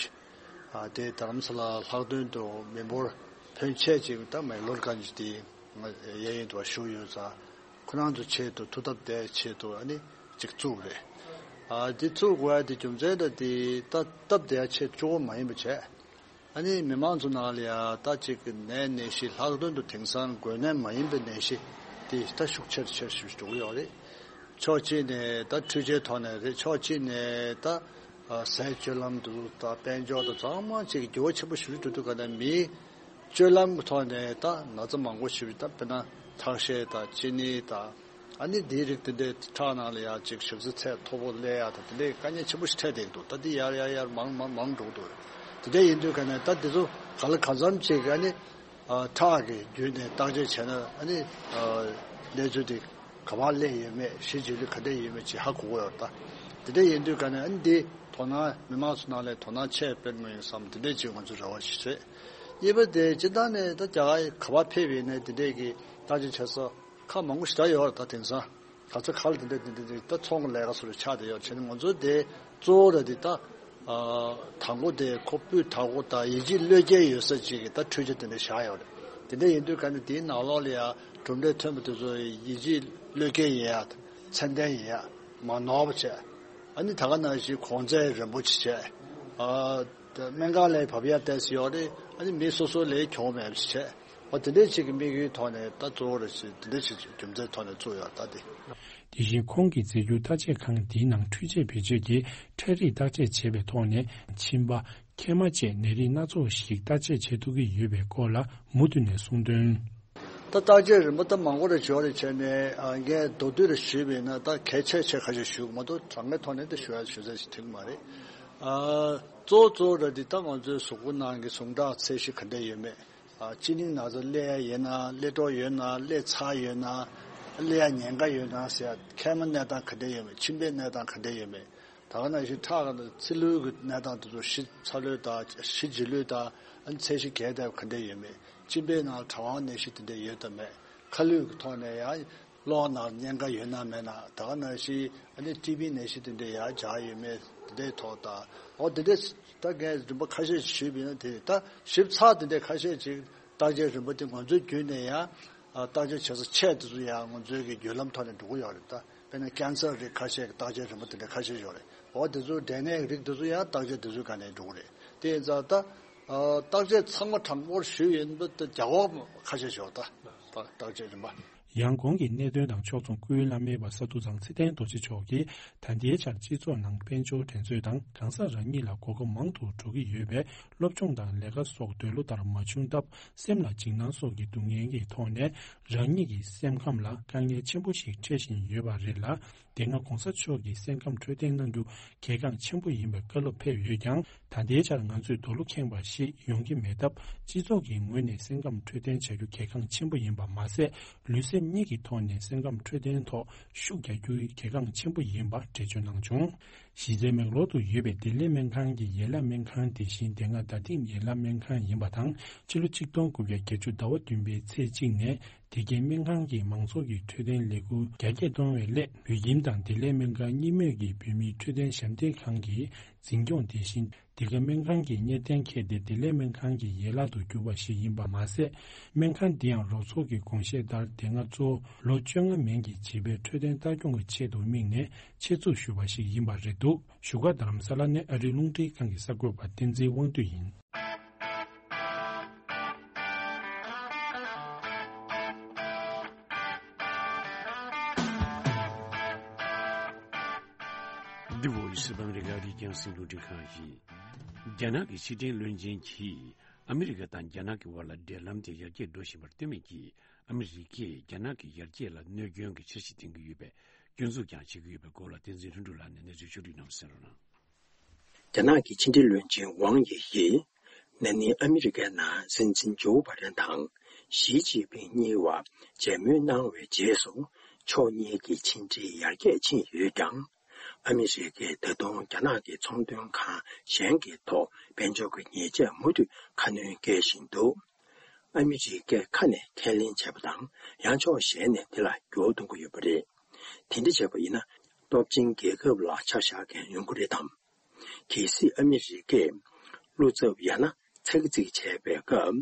ཨ་དེ་རྡ་རམ་ས་ལ་ལྷག་དོན་དུ་མི་འབོར་ཕོན་ཆེ་ཅིག་ད་མེག་ལོར་གྷན་ཇི་དེ་ང་གཡས་གཡོན་དུ་བཞུགས་ཡོད་ཙང་། ཁོ་རང་ཚོ་ཆེད་དུ་ཐུགས་སྟབས་བདེ་ཆེད་དུ་ཨ་ནི་ཅིག་བཙུགས་རེད། ཨ་འདི་བཙུགས་དགོས་ཡ་དེ་རྒྱུ་མཚན་ད་དེ་ད་སྟབས་བདེ་ཡ་ཆེད་གཅིག་པོ་མ་ཡིན་པ་བྱས། ཨ་ནི་མི་མང་ཚོ་ནང་ལ་ཡ་ད་ཅིག་ནད་ནད་གཞི་ལྷག་དོན་དུ་དེང་སང་འགོས་ནད་མ་ཡིན་པའི་ནད་གཞི་དེ་ད་ཤུགས་ཆེར་ཆེར་ཞིག་འགྲོ་གི་ཡོད་རེད། ཕྱོགས་གཅིག་ནས་ད་འཕྲུལ་ཆས་ཐོག་ནས་རེད། ཕྱོགས་གཅིག་ནས་ད་ཨ་ཟས་སྤྱོད་ལམ་དུ་ད་དཔལ་འབྱོར་དང་ཚང་མ་ཅིག་འགྱུར་བ་ཆེན་པོ་ཞིག་འགྲོ་དུས་ག་ནས་མིའི་སྤྱོད་ལམ་གྱི་ཐོག་ནས་ད་ན་ཚ་མང་པོ་ཞིག་ད་དཔེར་ན་ཁྲག་ཤེད་དང་གཅིན་སྙི་དང་། ཨ་ནི་འདིའི་རིགས་དེ་འདྲའི་ཁྲག་ནང་ལ་ཡང་ཅིག་ཞབས་ཚད་མཐོ་པོ་སླེབས་ཡག་དང་དེ་འདྲའི་དཀའ་ངལ་ཆེན་པོ་ཞིག་འཕྲད་བསྡད་འདུག་ད་འདི་ཡར་ཡར་ཡར་མང་མང་མང་འགྲོ་གི་འདུག་དེ་འདྲ་ཡིན་དུས་ག་ནས་ད་འདི་ཚོ་ག་ལ་གང་འཚམ་ཅིག་ཨ་ནི་ཨ་ཁྲག་གི་བརྒྱུད་ནས་བརྟག་དཔྱད་བྱས་ན་ཨ་ནི་ཨ་གནས་ཚུལ་དེ་ག་པར་སླེབས་ཡོད་མེད། གཞི་བྱེད་ལུགས་ག་འདྲ་ཡོད་མེད་ཅིག་ཧ་གོ་གི་ཡོད་རེད། ད་དེ་འདྲ་ཡིན་དུས་ག་ནས་ཨ་ནི་འདི་དོ་སྣང་མི་མང་ཚོ་ནང་ལ་དོ་སྣང་ཆེ་སྤེལ་དགོས་ཡིན་བསམ། དེ་འདྲ་ཅིག་ང་ཚོ་རེ་བ་ཞིག་རེད། གཉིས་པ་དེ་སྤྱིར་བཏང་ནས་ད་རྒྱ་གར་ག་པར་ཕེབས་ཡིན་ནའི་དེ་འདྲས་ཀྱི་བརྟག་དཔྱད་བྱེད་ས་ཁག་མང་པོ་ཞེ་དྲག་ཡོད་རེད། ད་དེང་སང་ག་ཚོད་ག་ལ་དེ་འདྲ་དེ་འདྲ་དེ་ད་ཚོང་གི་ལས་ཀ་སོགས་ལ་ཆགས་བསྡད་ཡོད་བྱས་ནས། ང་ཚོ་དེ་གཙོ་བོ་ར་དེ་ད་ཨ་དང་པོ་དེ་ཁོ་སྤུས་དག་པོ་དང་ཡིད་ཆེས་བློས་འགེལ་ཡོད་ས་ཅིག་གི་ད་འཕྲུལ་ཆས་དེ་འདྲ་བཞག་ཡོད་རེད། དེ་འདྲ་ཡིན་དུས་ག་ནས་དེའི་ནང་ལོགས་ལ་ཡང་གྲུབ་འབྲས་ཐོན་པ་དེ་ཚོ་ཡིད་ཆེས་བློས་འགེལ་ཡིན་ཡ། ཚད་ལྡན་ཡིན་ཡ། མ་ནོར་བ་བྱས། ཨ་ནི་ད་ག་ནང་བཞིན་གོང་ཚད་རན་པོ་ཅིག་བྱས། ཨ་སྨན་ཁང་ལ་བབས་ཡ་ཏོག་ཙམ་ཡོད་རེད། ཨ་ནི་མི་སོ་སོ་ལ་གྱོང་མེད་པ་ཅིག་བྱས། འོ་དེ་འདྲའི་ཅིག་གི་དམིགས་ཡུལ་ཐོག་ནས་ད་གཙོ་བོ་རེད་ཅེས་དེ་འདྲའི་ཅིག་རྒྱུ་མཚན་ཐོག་ནས་བཙུགས་ཡོད་ད་དེ། དེ་བཞིན་ཁོང་གིས་རྫས་འགྱུར་བརྟག་དཔྱད་ཁང་འདིའི་ནང་འཕྲུལ་ཆས་བེད་སྤྱོད་ཀྱིས་ཁྲག་རིགས་བརྟག་དཔྱད་བྱེད་པའི་ཐོག་ནས་མཆིན་པ། མཁལ་མ་བཅས་ནད་རིགས་སྣ་ཚོགས་ཤིག་བརྟག་དཔྱད་བྱེད་ཐུབ་ཀྱི་ཡོད་པའི་སྐོར་ལ་མུ་མཐུད་ནས་གསུངས་དོན། ད་བརྟག་དཔྱད་རིམ་པ་ད་མང་པོ་རེ་འབྱོར་རེ་བྱས་ནས་ཨ་ངས་མདོར་བསྡུས་རེ་ཞུས་པ་ཡིན་ན་ད་གལ་ཆེ་ཆེ་ཁ་ཤས་ཞུ་གི་མ་གཏོགས་དྲང་གནས་ཐོག་ནས་ད་ཞུ་ཡ་ཞུ་ས་ཞིག་ཐོན་གི་མ་རེད། ཨ་གཙོ་བོ་གཙོ་བོ་ར་འདི་ད་ང་ཚོའི་གཟུགས་པོ་ནང་གི་ཟུངས་ཁྲག་ཚད་གཞི་ག་འདྲ་ཡོད་མེད། ཨ་གཅིན་སྙི་ན་ཚ་སླེབས་ཡ་ཡིན་ན། སླེབས་གྲབས་ཡོད་ན། སླེབས་ཚར་ཡོད་ན། སླེབས་ཡ་ཉེན་ཁ་ཡོད་ན་ཟེར་ཡ། མཁལ་མ་གནས་སྟངས་ག་འདྲ་ཡོད་མེད། མཆིན་པའི་གནས་སྟངས་ག་འདྲ་ཡོད་མེད། ད་ག་ནང་བཞིན་ཁྲག་གི་ཚིལ་ལུའི་གི་གནས་སྟངས་དེ་ཚོ་ཞིབ་ཚ་ལོས་དང་ཞི་ལྗི་ལོས་དང་། ཨ་ནི་ཚད་གཞི་གས་དེ་ག་འདྲ་ཡོད་མེད། མཆིན་པའི་ནང་གྲང་བ་ནད་གཞི་དེ་འདྲ་ཡོད་དམ་མེད། ཁ་ལུད་ཀྱི་ཐོག་ནས་ཡང་གློ་ནང་གཉན་ཁ་ཡོད་ན་མེད་ན། ད་ག་ནང་བཞིན་ཨ་ནི་ཊི་བི་ནད་གཞི་དེ་འདྲ་ཡང་འཇགས་ཡོད་མེད། དེ་འདྲའི་ཐོག་དང་། འོ་དེ་འདྲ་ད་ངས་རིམ་པ་ཁ་ཤས་ཤིག་ཞུས་པ་ཡིན་ན། དེ་ད་ཞིབ་ཚགས་དེ་འདྲ་ཁ་ཤས་ཅིག་ བརྟག་དཔྱད་རིམ་པ་དེ་ང་ཚོའི་བརྒྱུད་ནས་ཡང་བརྟག་དཔྱད་བྱེད་ས་ཆེ་དེ་ཚོ་ཡང་ང་ཚོའི་གི་བརྒྱུད་ལམ་ཐོག་ནས་འགྲོ་གི་ཡོད་རེད། ད་དཔེར་ན་ཀན་སར་རིགས་ཁ་ཤས་ཀྱི་བརྟག་དཔྱད་རིམ་པ་དེ་འདྲ་ཁ་ཤས་ཡོད་རེད། འོ་དེ་ཚོ་འབྲས་ནད་རིགས་དེ་ཚོ་ཡང་བརྟག་དཔྱད་དེ་ཚོའི་སྒང་ནས་འགྲོ་གི་རེད། དེ་ཡིན་ཙང་ད་བརྟག་དཔྱད་ཚང་མ་དྲང་པོར་ཞུས་ཡིན་པ་ད་རྒྱ་གར་ཁ་ཤས་ཤོག་ད་བརྟག་དཔྱད་རིམ་པ། ཡང་གོང་གི་གནད་དོན་དང་ཕྱོགས་མཚུངས་སྐུའི་བླ་མེད་པ་ས་འདུ་ཚང་ཚེ་བརྟན་རྡོ་རྗེ་མཆོག་གིས་ད་ལྟའི་ཆར་སྤྱི་ཚོགས་ནང་དཔལ་འབྱོར་འགྲན་རྩོད་དང་གང་ཟག་རང་ཉིད་ལ་གོ་སྐབས་མང་དུ་འགྲོ་གི་ཡོད་པས། སློབ་སྦྱོང་དང་ལས་ཀ་སོགས་འདོད་བློ་ལྟར་མ་བྱུང་སྟབས། སེམས་ལ་འཇིགས་སྣང་སོགས་ཀྱི་སྡུག་བསྔལ་གྱི་ཐོག་ནས་རང་ཉིད་ཀྱི་སེམས་ཁམས་ལ་དཀའ་ངལ་ཆེན་པོ་ཞིག་འཕྲད་བཞིན་ཡོད་པ་རེད་ལ། དེ་སྔ་གོང་ས་མཆོག་གིས་སེམས་ཁམས་འཕྲོད་བསྟེན་གནང་རྒྱུ་གལ་འགངས་ཆེན་པོ་ཡིན་པའི་བཀའ་སློབ་ཕེབས་ཡོད་ཀྱང་། ད་ལྟའི་ཆར་ང་ཚོས་རྡོ་ལུ་ཁེངས་པ་ཞིག་ཡོང་གི་མེད་སྟབས། སྤྱི་ཚོགས་ཀྱི་ངོས་ནས་སེམས་ཁམས་འཕྲོད་བསྟེན་བྱ་རྒྱུ་གལ་འགངས་ཆེན་པོ་ཡིན་པ་མ་ཟད། ལུས་སེམས་གཉིས་ཀྱི་ཐོག་ནས་སེམས་ཁམས་འཕྲོད་བསྟེན་ཐོག་ཤུགས་རྒྱག་རྒྱུ་གལ་འགངས་ཆེན་པོ་ཡིན་པ་འགྲེལ་བརྗོད་གནང་བྱུང་། གཞིས་རྩེ་མེག་ལོར་དུ་ཡོད་པའི་བདེ་ལེགས་སྨན་ཁང་གི་ཡན་ལག་སྨན་ཁང་དེ་བཞིན་དེ་སྔ་རྡ་སྟེང་ཡན་ལག་སྨན་ཁང་ཡིན་པ་དང་། ཕྱི་ལོ་ཆིག་སྟོང་དགུ་བརྒྱ་བརྒྱད་ཅུ་ཟླ་བ་བདུན་པའི་ཚེས་གཅིག་ནས་དེ་གའི་སྨན་ཁང་གིས་མང་ཚོགས་ཀྱི་འཕྲོད་བསྟེན་ལས་འགུལ་རྒྱ་སྐྱེད་གཏོང་བའི་སླད། བོད་ཁྱིམ་དང་བདེ་ལེགས་སྨན་ཁང་གཉིས་མོས་ཀྱིས་བོད་མིའི་འཕྲོད་བསྟེན་ཞབས་འདེགས་ཁང་གི་འཛིན་སྐྱོང་དེ་བཞིན། འདི་ག་སྨན་ཁང་གི་གཉེར་གཏན་འཁེལ་ཏེ་བདེ་ལེགས་སྨན་ཁང་གི་ཡན་ལག་ཏུ་གྱུར་པ་ཞིག་ཡིན་པ་མ་ཟད། སྨན་ཁང་འདི་ཡང་རོགས་ཚོགས་ཀྱི་དགོངས་བཞེད་ལྟར་དེ་སྔ་གཙོ་བོ་ལོ་བཅོ་ལྔ་མན་གྱི་བྱིས་པའི་འཕྲོད་བསྟེན་ལྟ་སྐྱོང་གི་ཆེད་དུ་དམིགས་ནས་ཆེད་འཛུགས་ཞུས་པ་ཞིག་ཡིན་པ་རེད་འདུག་བཞུགས་སྒར་རྡ་རམ་ས་ལ་ནས་ཨ་རིའི་རླུང་འཕྲིན་ཁང་གི་གསར་འགོད་པ་བསྟན་འཛིན་དབང་འདུས་ཡིན། འདི་བོད་ཡིག་སི་བང་རི་ག་རི་ཀྱང་སྲིད་འཛིན་ཁྲིམས་ཁང་ཡིན། རྒྱ་ནག་གི་ཕྱི་འབྲེལ་བློན་ཆེན་གྱིས་ཨ་མི་རི་ཀ་དང་རྒྱ་ནག་གི་དབར་ལ་འབྲེལ་ལམ་དེ་ཡར་རྒྱས་འགྲོ་བཞིན་པར་བསྟུན་མིན་གྱིས། ཨ་མི་རི་ཀས་རྒྱ་ནག་གི་ཡར་རྒྱས་ལ་གནོད་སྐྱོན་གྱི་འཆར་གཞི་འདིང་གི་ཡོད་པའི་སྐྱོན་འཛུགས་ཀྱང་བྱེད་ཀྱི་ཡོད་པའི་སྐོར་ལ་བསྟན་འཛིན་ལྷུན་གྲུབ་ལགས་ནས་གནས་ཚུལ་ཕྱོགས་བསྒྲིགས་གནང་བ་གསན་རོགས་གནང་། རྒྱ་ནག་གི་ཕྱི་འབྲེལ་བློན་ཆེན་ཝང་ཡི་ཡིས་ན་ནིང་ཨ་མི་རི་ཀའི་ནང་སྲིད་འཛིན་ཇོ་བྷ་དན་དང་ཞི་ཅིན་ཕིང་གཉིས་བར་མཇལ་མོལ་གནང་བའི་རྗེས་སུ། ཕྱོགས་གཉིས་ཀྱི་ཕྱི་འབྲེལ་ཡར་རྒྱས་ཕྱིན་ཡོད་ཀྱང་། ཨ་མི་རི་ཀས་ད་དུང་རྒྱ་ནག་གི་ཚོང་དོན་ཁང་གཞན་གྱི་ཐོག་དཔལ་འབྱོར་གྱི་ཉེས་ཆད་མུ་མཐུད་ཁ་སྣོན་བཀལ་བཞིན་འདུག་ཨ་མི་རི་ཀས་ཁ་ནས་ཁས་ལེན་བྱས་པ་དང་། ཡང་ཕྱོགས་གཞན་ནས་དེ་ལ་འགྱུར་བ་གཏོང་གི་ཡོད་པ་རེད། དེ་འདྲ་བྱས་པ་ཡིན་ན། སྟོབས་ཆེན་རྒྱལ་ཁབ་ལ་ཆ་བཞག་མཁན་ཡོང་གི་རེད་དམ། གལ་སྲིད་ཨ་མི་རི་ཀས་བློ་འཚབ་ཡང་ན་ཚིག་རྩིས་བྱས་པའི་སྐབས།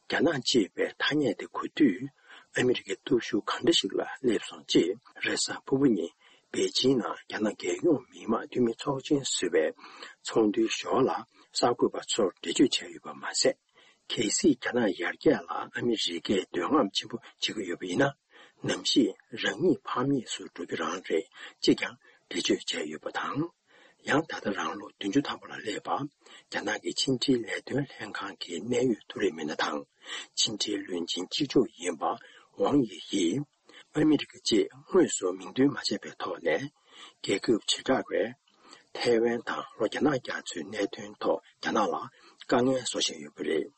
རྒྱ་ནག་ཅེས་པའི་ཐ་སྙད་དེ་གོ་དུས། ཨ་མི་རི་ཀའི་སྟོབས་ཤུགས་གང་འདྲ་ཞིག་ལ་སླེབས་སོང་ཅེས། རེས་གཟའ་ཕུར་བུ་ཉིན་པེ་ཅིང་ནང་རྒྱ་ནག་རྒྱལ་ཡོངས་མི་དམངས་འཐུས་མི་ཚོགས་ཆེན་ཟུར་པའི་ཚོགས་འདུའི་ཞོར་ལ་གསར་འགོད་པ་ཚོར་འགྲེལ་བརྗོད་བྱས་ཡོད་པ་མ་ཟད། གལ་སྲིད་རྒྱ་ནག་ཡར་རྒྱས་ལ་ཨ་མི་རི་ཀས་འདོད་རྔམ་ཆེན་པོ་བྱེད་ཀྱི་ཡོད་པ་ཡིན་ན། ནམ་ཞིག་རང་ཉིད་ཕམ་ཉེས་སུ་འགྲོ་རྒྱུ་རང་རེད་ཅེས་ཀྱང་འགྲེལ་བརྗོད་བྱས་ཡོད་པ་དང་། ཡང་ད་ལྟ་རང་ལོ་བདུན་ཅུ་ཐམ་པ་ལ་སླེབས་པ། རྒྱ་ནག་གི་ཕྱི་འབྲེལ་ལས་དོན་ལྷན་ཁང་གི་གནད་ཡོད་ཐུགས་རེ་མི་སྣ་དང་། ཕྱི་འབྲེལ་བློན་ཆེན་གཅིག་ལྕོགས་ཡིན་པ་ཝང་ཡི་ཡིས། ཨ་མི་རི་ཀ་ཅེས་དངོས་སུ་མིང་འདོན་མ་བྱས་པའི་ཐོག་ནས། རྒྱལ་ཁབ་བྱེ་བྲག་པས་ཐའེ་ཝན་དང་ལྷོ་རྒྱ་ནག་རྒྱ་མཚོའི་གནད་དོན་ཐོག་རྒྱ་ནག་ལ་དཀའ་ངལ་བཟོ་བཞིན་ཡོད་པ་རེད།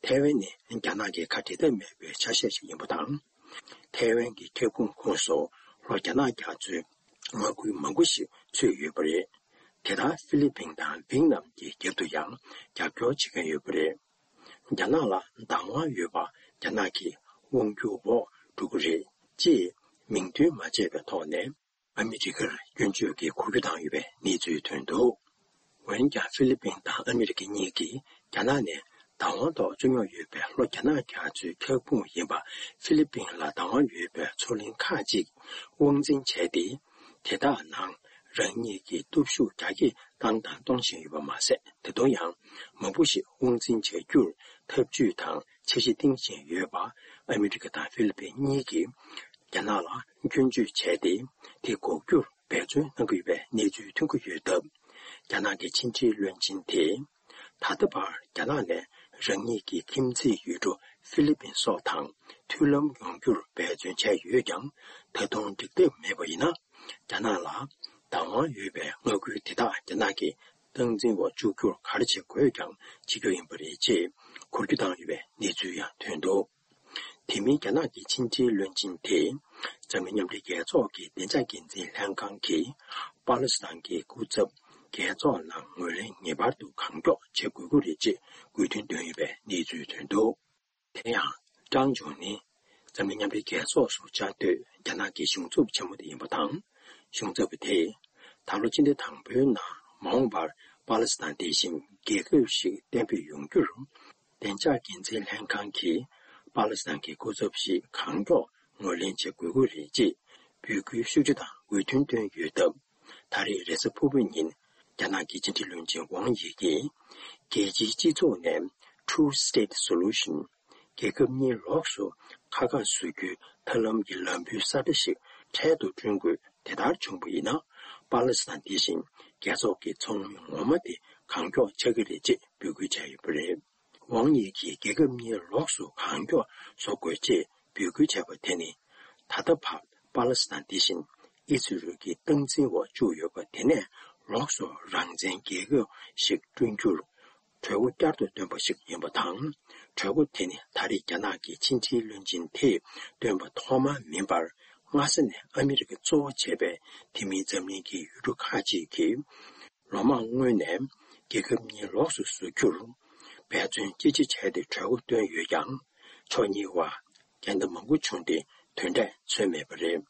ཐའེ་ཝན་ནི་རྒྱ་ནག་གི་ཁ་འབྲལ་ཐབས་མེད་པའི་ཆ་ཤས་ཤིག་ཡིན་པ་དང་། ཐའེ་ཝན་གྱི་ཁྱབ་ཁོངས་ཁོངས་སུ་ལྷོ་རྒྱ་ནག་རྒྱ་མཚོའི་མངའ་ཁུལ་མང་པོ་ཞིག་ཚུད་ཡོད་པ་རེད། དེ་ལྟར་ཧྥི་ལི་པིན་དང་ཝིན་ནམ་གྱི་རྒྱབ་ཏུ་ཡང་རྒྱབ་སྐྱོར་བྱེད་མཁན་ཡོད་པ་རེད། རྒྱ་ནག་ལ་བདག་དབང་ཡོད་པ་རྒྱ་ནག་གི་དབང་སྒྱུར་འོག་འགྲོ་གི་རེད་ཅེས་མིང་འདོན་མ་བྱས་པའི་ཐོག་ནས། ཨ་མི་རི་ཀར་སྐྱོན་བརྗོད་ཀྱི་འགུལ་སྐྱོད་བཏང་ཡོད་པའི་གནས་ཚུལ་ཐོན་འདུག་འོན་ཀྱང་ཧྥི་ལི་པིན་དང་ཨ་མི་རི་ཀ་གཉིས་ཀྱིས་རྒྱ་ནག་ནས་བདག་དབང་ཐོག་བཅོས་མྱོང་ཡོད་པའི་ལྷོ་རྒྱ་ནག་རྒྱ་མཚོའི་ཁྱབ་ཁོངས་ཡིན་པ། ཧྥི་ལི་པིན་ལ་བདག་དབང་ཡོད་པའི་མཚོ་གླིང་ཁག་ཅིག་དབང་འཛིན་བྱས་ཏེ། དེ་དག་ནང་རང་ཉིད་ཀྱི་སྟོབས་ཤུགས་རྒྱ་སྐྱེད་བཏང་དང་གཏོང་བཞིན་ཡོད་པ་མ་ཟད། ད་དུང་ཡང་མང་པོ་ཞིག་དབང་འཛིན་བྱ་རྒྱུར་ཐབས་ཇུས་དང་འཆར་གཞི་བཏིང་བཞིན་ཡོད་པ། ཨ་མི་རི་ཀ་དང་ཧྥི་ལི་པིན་གཉིས་ཀྱིས་རྒྱ་ནག་ལ་སྐྱོན་བརྗོད་བྱས་ཏེ། དེ་འགོག་རྒྱུར་འབད་བརྩོན་གནང་གི་ཡོད་པའི་གནས་ཚུལ་ཐོན་གྱི་ཡོད་སྟབས། རྒྱ་ནག་གི་ཕྱི་འབྲེལ་བློན་ཆེན་དེས། ད་ལྟ་བར་རྒྱ་ནག་ནས་རང་ཉིད་ཀྱི་ཁྱིམ་མཚེས་ཡུལ་གྲུ་ཧྥི་ལི་པིན་སོགས་དང་མཐུན་ལམ་ཡོང་རྒྱུར་འབད་བརྩོན་བྱས་ཡོད་ཀྱང་། ད་དུང་འགྲིག་ཐབས་མེད་པ་ཡིན་ན། རྒྱ་ནག་ལ་བདག་དབང་ཡོད་པའི་མངའ་ཁུལ་དེ་དག་རྒྱ་ནག་གི་སྟངས་འཛིན་འོག་བཅུག་རྒྱུར་ག་རེ་བྱེད་དགོས་ཀྱང་བྱེད་རྒྱུ་ཡིན་པ་རེད་ཅེས་འགུལ་སྐྱོད་བཏང་ཡོད་པའི་གནས་ཚུལ་ཡང་ཐོན་འདུག་དེ་མིན་རྒྱ་ནག་གི་ཕྱི་འབྲེལ་བློན་ཆེན་དེས། འཛམ་གླིང་མཉམ་འབྲེལ་རྒྱལ་ཚོགས་ཀྱི་བདེ་འཇགས་འགན་འཛིན་ལྷན་ཁང་གིས་པ་ལི་སི་ཐན་གྱི་སྐུ་ཚབ་རྒྱལ་ཚོགས་ནང་ངོས་ལེན་ངེས་པར་དུ་གང་མགྱོགས་བྱེད་དགོས་ཀྱི་རེད་ཅེས་དགོས་འདུན་བཏོན་ཡོད་པའི་གནས་ཚུལ་ཐོན་འདུག་དེ་ཡང་ཀྲང་ཇུང་ནི་འཛམ་གླིང་མཉམ་འབྲེལ་རྒྱལ་ཚོགས་སུ་བཅའ་སྡོད་རྒྱ་ནག་གི་གཞུང་ཚབ་ཆེན་མོ་དེ་ཡིན་པ་དང་། གཞུང་ཚབ་པ་དེས་ད་ལོ་སྤྱི་ཟླ་དང་པོའི་ནང་མ་འོངས་པར་པ་ལི་སི་ཐན་དེ་བཞིན་རྒྱལ་ཁབ་ཞིག་གཏན་འབེབས་ཡོང་རྒྱུར། བདེ་འཇགས་འགན་འཛིན་ལྷན་ཁང་གིས་པ་ལི་སི་ཐན་གྱི་སྐུ་ཚབ་ཞིག་གང་མགྱོགས་ངོས་ལེན་བྱེད་དགོས་ཀྱི་རེད་ཅེས་འབོད་སྐུལ་ཤུགས་ཆེ་དང་འོས་མཐུན་བཏོན་ཡོད་སྟབས། ད་རེས་རེས་གཟའ་ཕུར་བུའི་ཉིན་རྒྱ་ནག་གི་ཕྱི་འབྲེལ་བློན་ཆེན་ཝང་ཡི་གིས་རྒྱལ་སྤྱིའི་སྤྱི་ཚོགས་ནས་Two State Solution། རྒྱལ་ཁབ་གཉིས་ལོགས་སུ་ཁ་ཁ་བཟོ་རྒྱུའི་ཐབས་ལམ་གྱི་ལམ་བུའི་ས་བཀྲ་ཞིག་འཕྲལ་དུ་བསྐྲུན་དགོས། དེ་ལྟར་བྱུང་བ་ཡིན་ན། པ་ལི་སི་ཐན་འདི་བཞིན་རྒྱལ་ཚོགས་ཀྱི་ཚོགས་མི་ངོ་མ་དེ་གང་མགྱོགས་ཆགས་ཀྱི་རེད་ཅེས་འབོད་སྐུལ་བྱས་ཡོད་པ་རེད། ཝང་ཡི་གིས་རྒྱལ་ཁབ་གཉིས་ལོགས་སུ་གང་མགྱོགས་བཟོ་དགོས་ཅེས་འབོད་སྐུལ་བྱས་པ་དེ་ནི། ད་ལྟ་བར་པ་ལི་སི་ཐན་འདི་བཞིན་ཨི་སི་རེལ་གྱི་སྟངས་འཛིན་འོག་བཅུག་ཡོད་པ་དེ་ནས་ལོགས་སུ་རང་བཙན་རྒྱལ་ཁབ་ཞིག་བསྐྲུན་རྒྱུར། གྲོས་འགོ་བསྐྱར་དུ་བཏོན་པ་ཞིག་ཡིན་པ་དང་། གྲོས་འགོ་དེ་ནི་ད་རེས་རྒྱ་ནག་གི་ཕྱི་འབྲེལ་བློན་ཆེན་དེས་བཏོན་པ་ཐོག་མ་མིན་པར། སྔ་ས་ནས་ཨ་མི་རི་ཀ་གཙོ་བོ་བྱས་པའི་དེ་མིན་འཛམ་གླིང་གི་ཡུལ་གྲུ་ཁག་ཅིག་གིས་ལོ་མང་སྔོན་ནས་རྒྱལ་ཁབ་གཉིས་ལོགས་སུ་བཟོ་རྒྱུར་འབད་བརྩོན་ཅི་ཆེ་བྱས་ཏེ་གྲོས་འགོ་བཏོན་ཡོད་ཀྱང་། ཕྱོགས་གཉིས་བར་འགལ་ཟླ་མང་པོ་བྱུང་སྟེ་དོན་འབྲས་ཐོན་མེད་པ་རེད།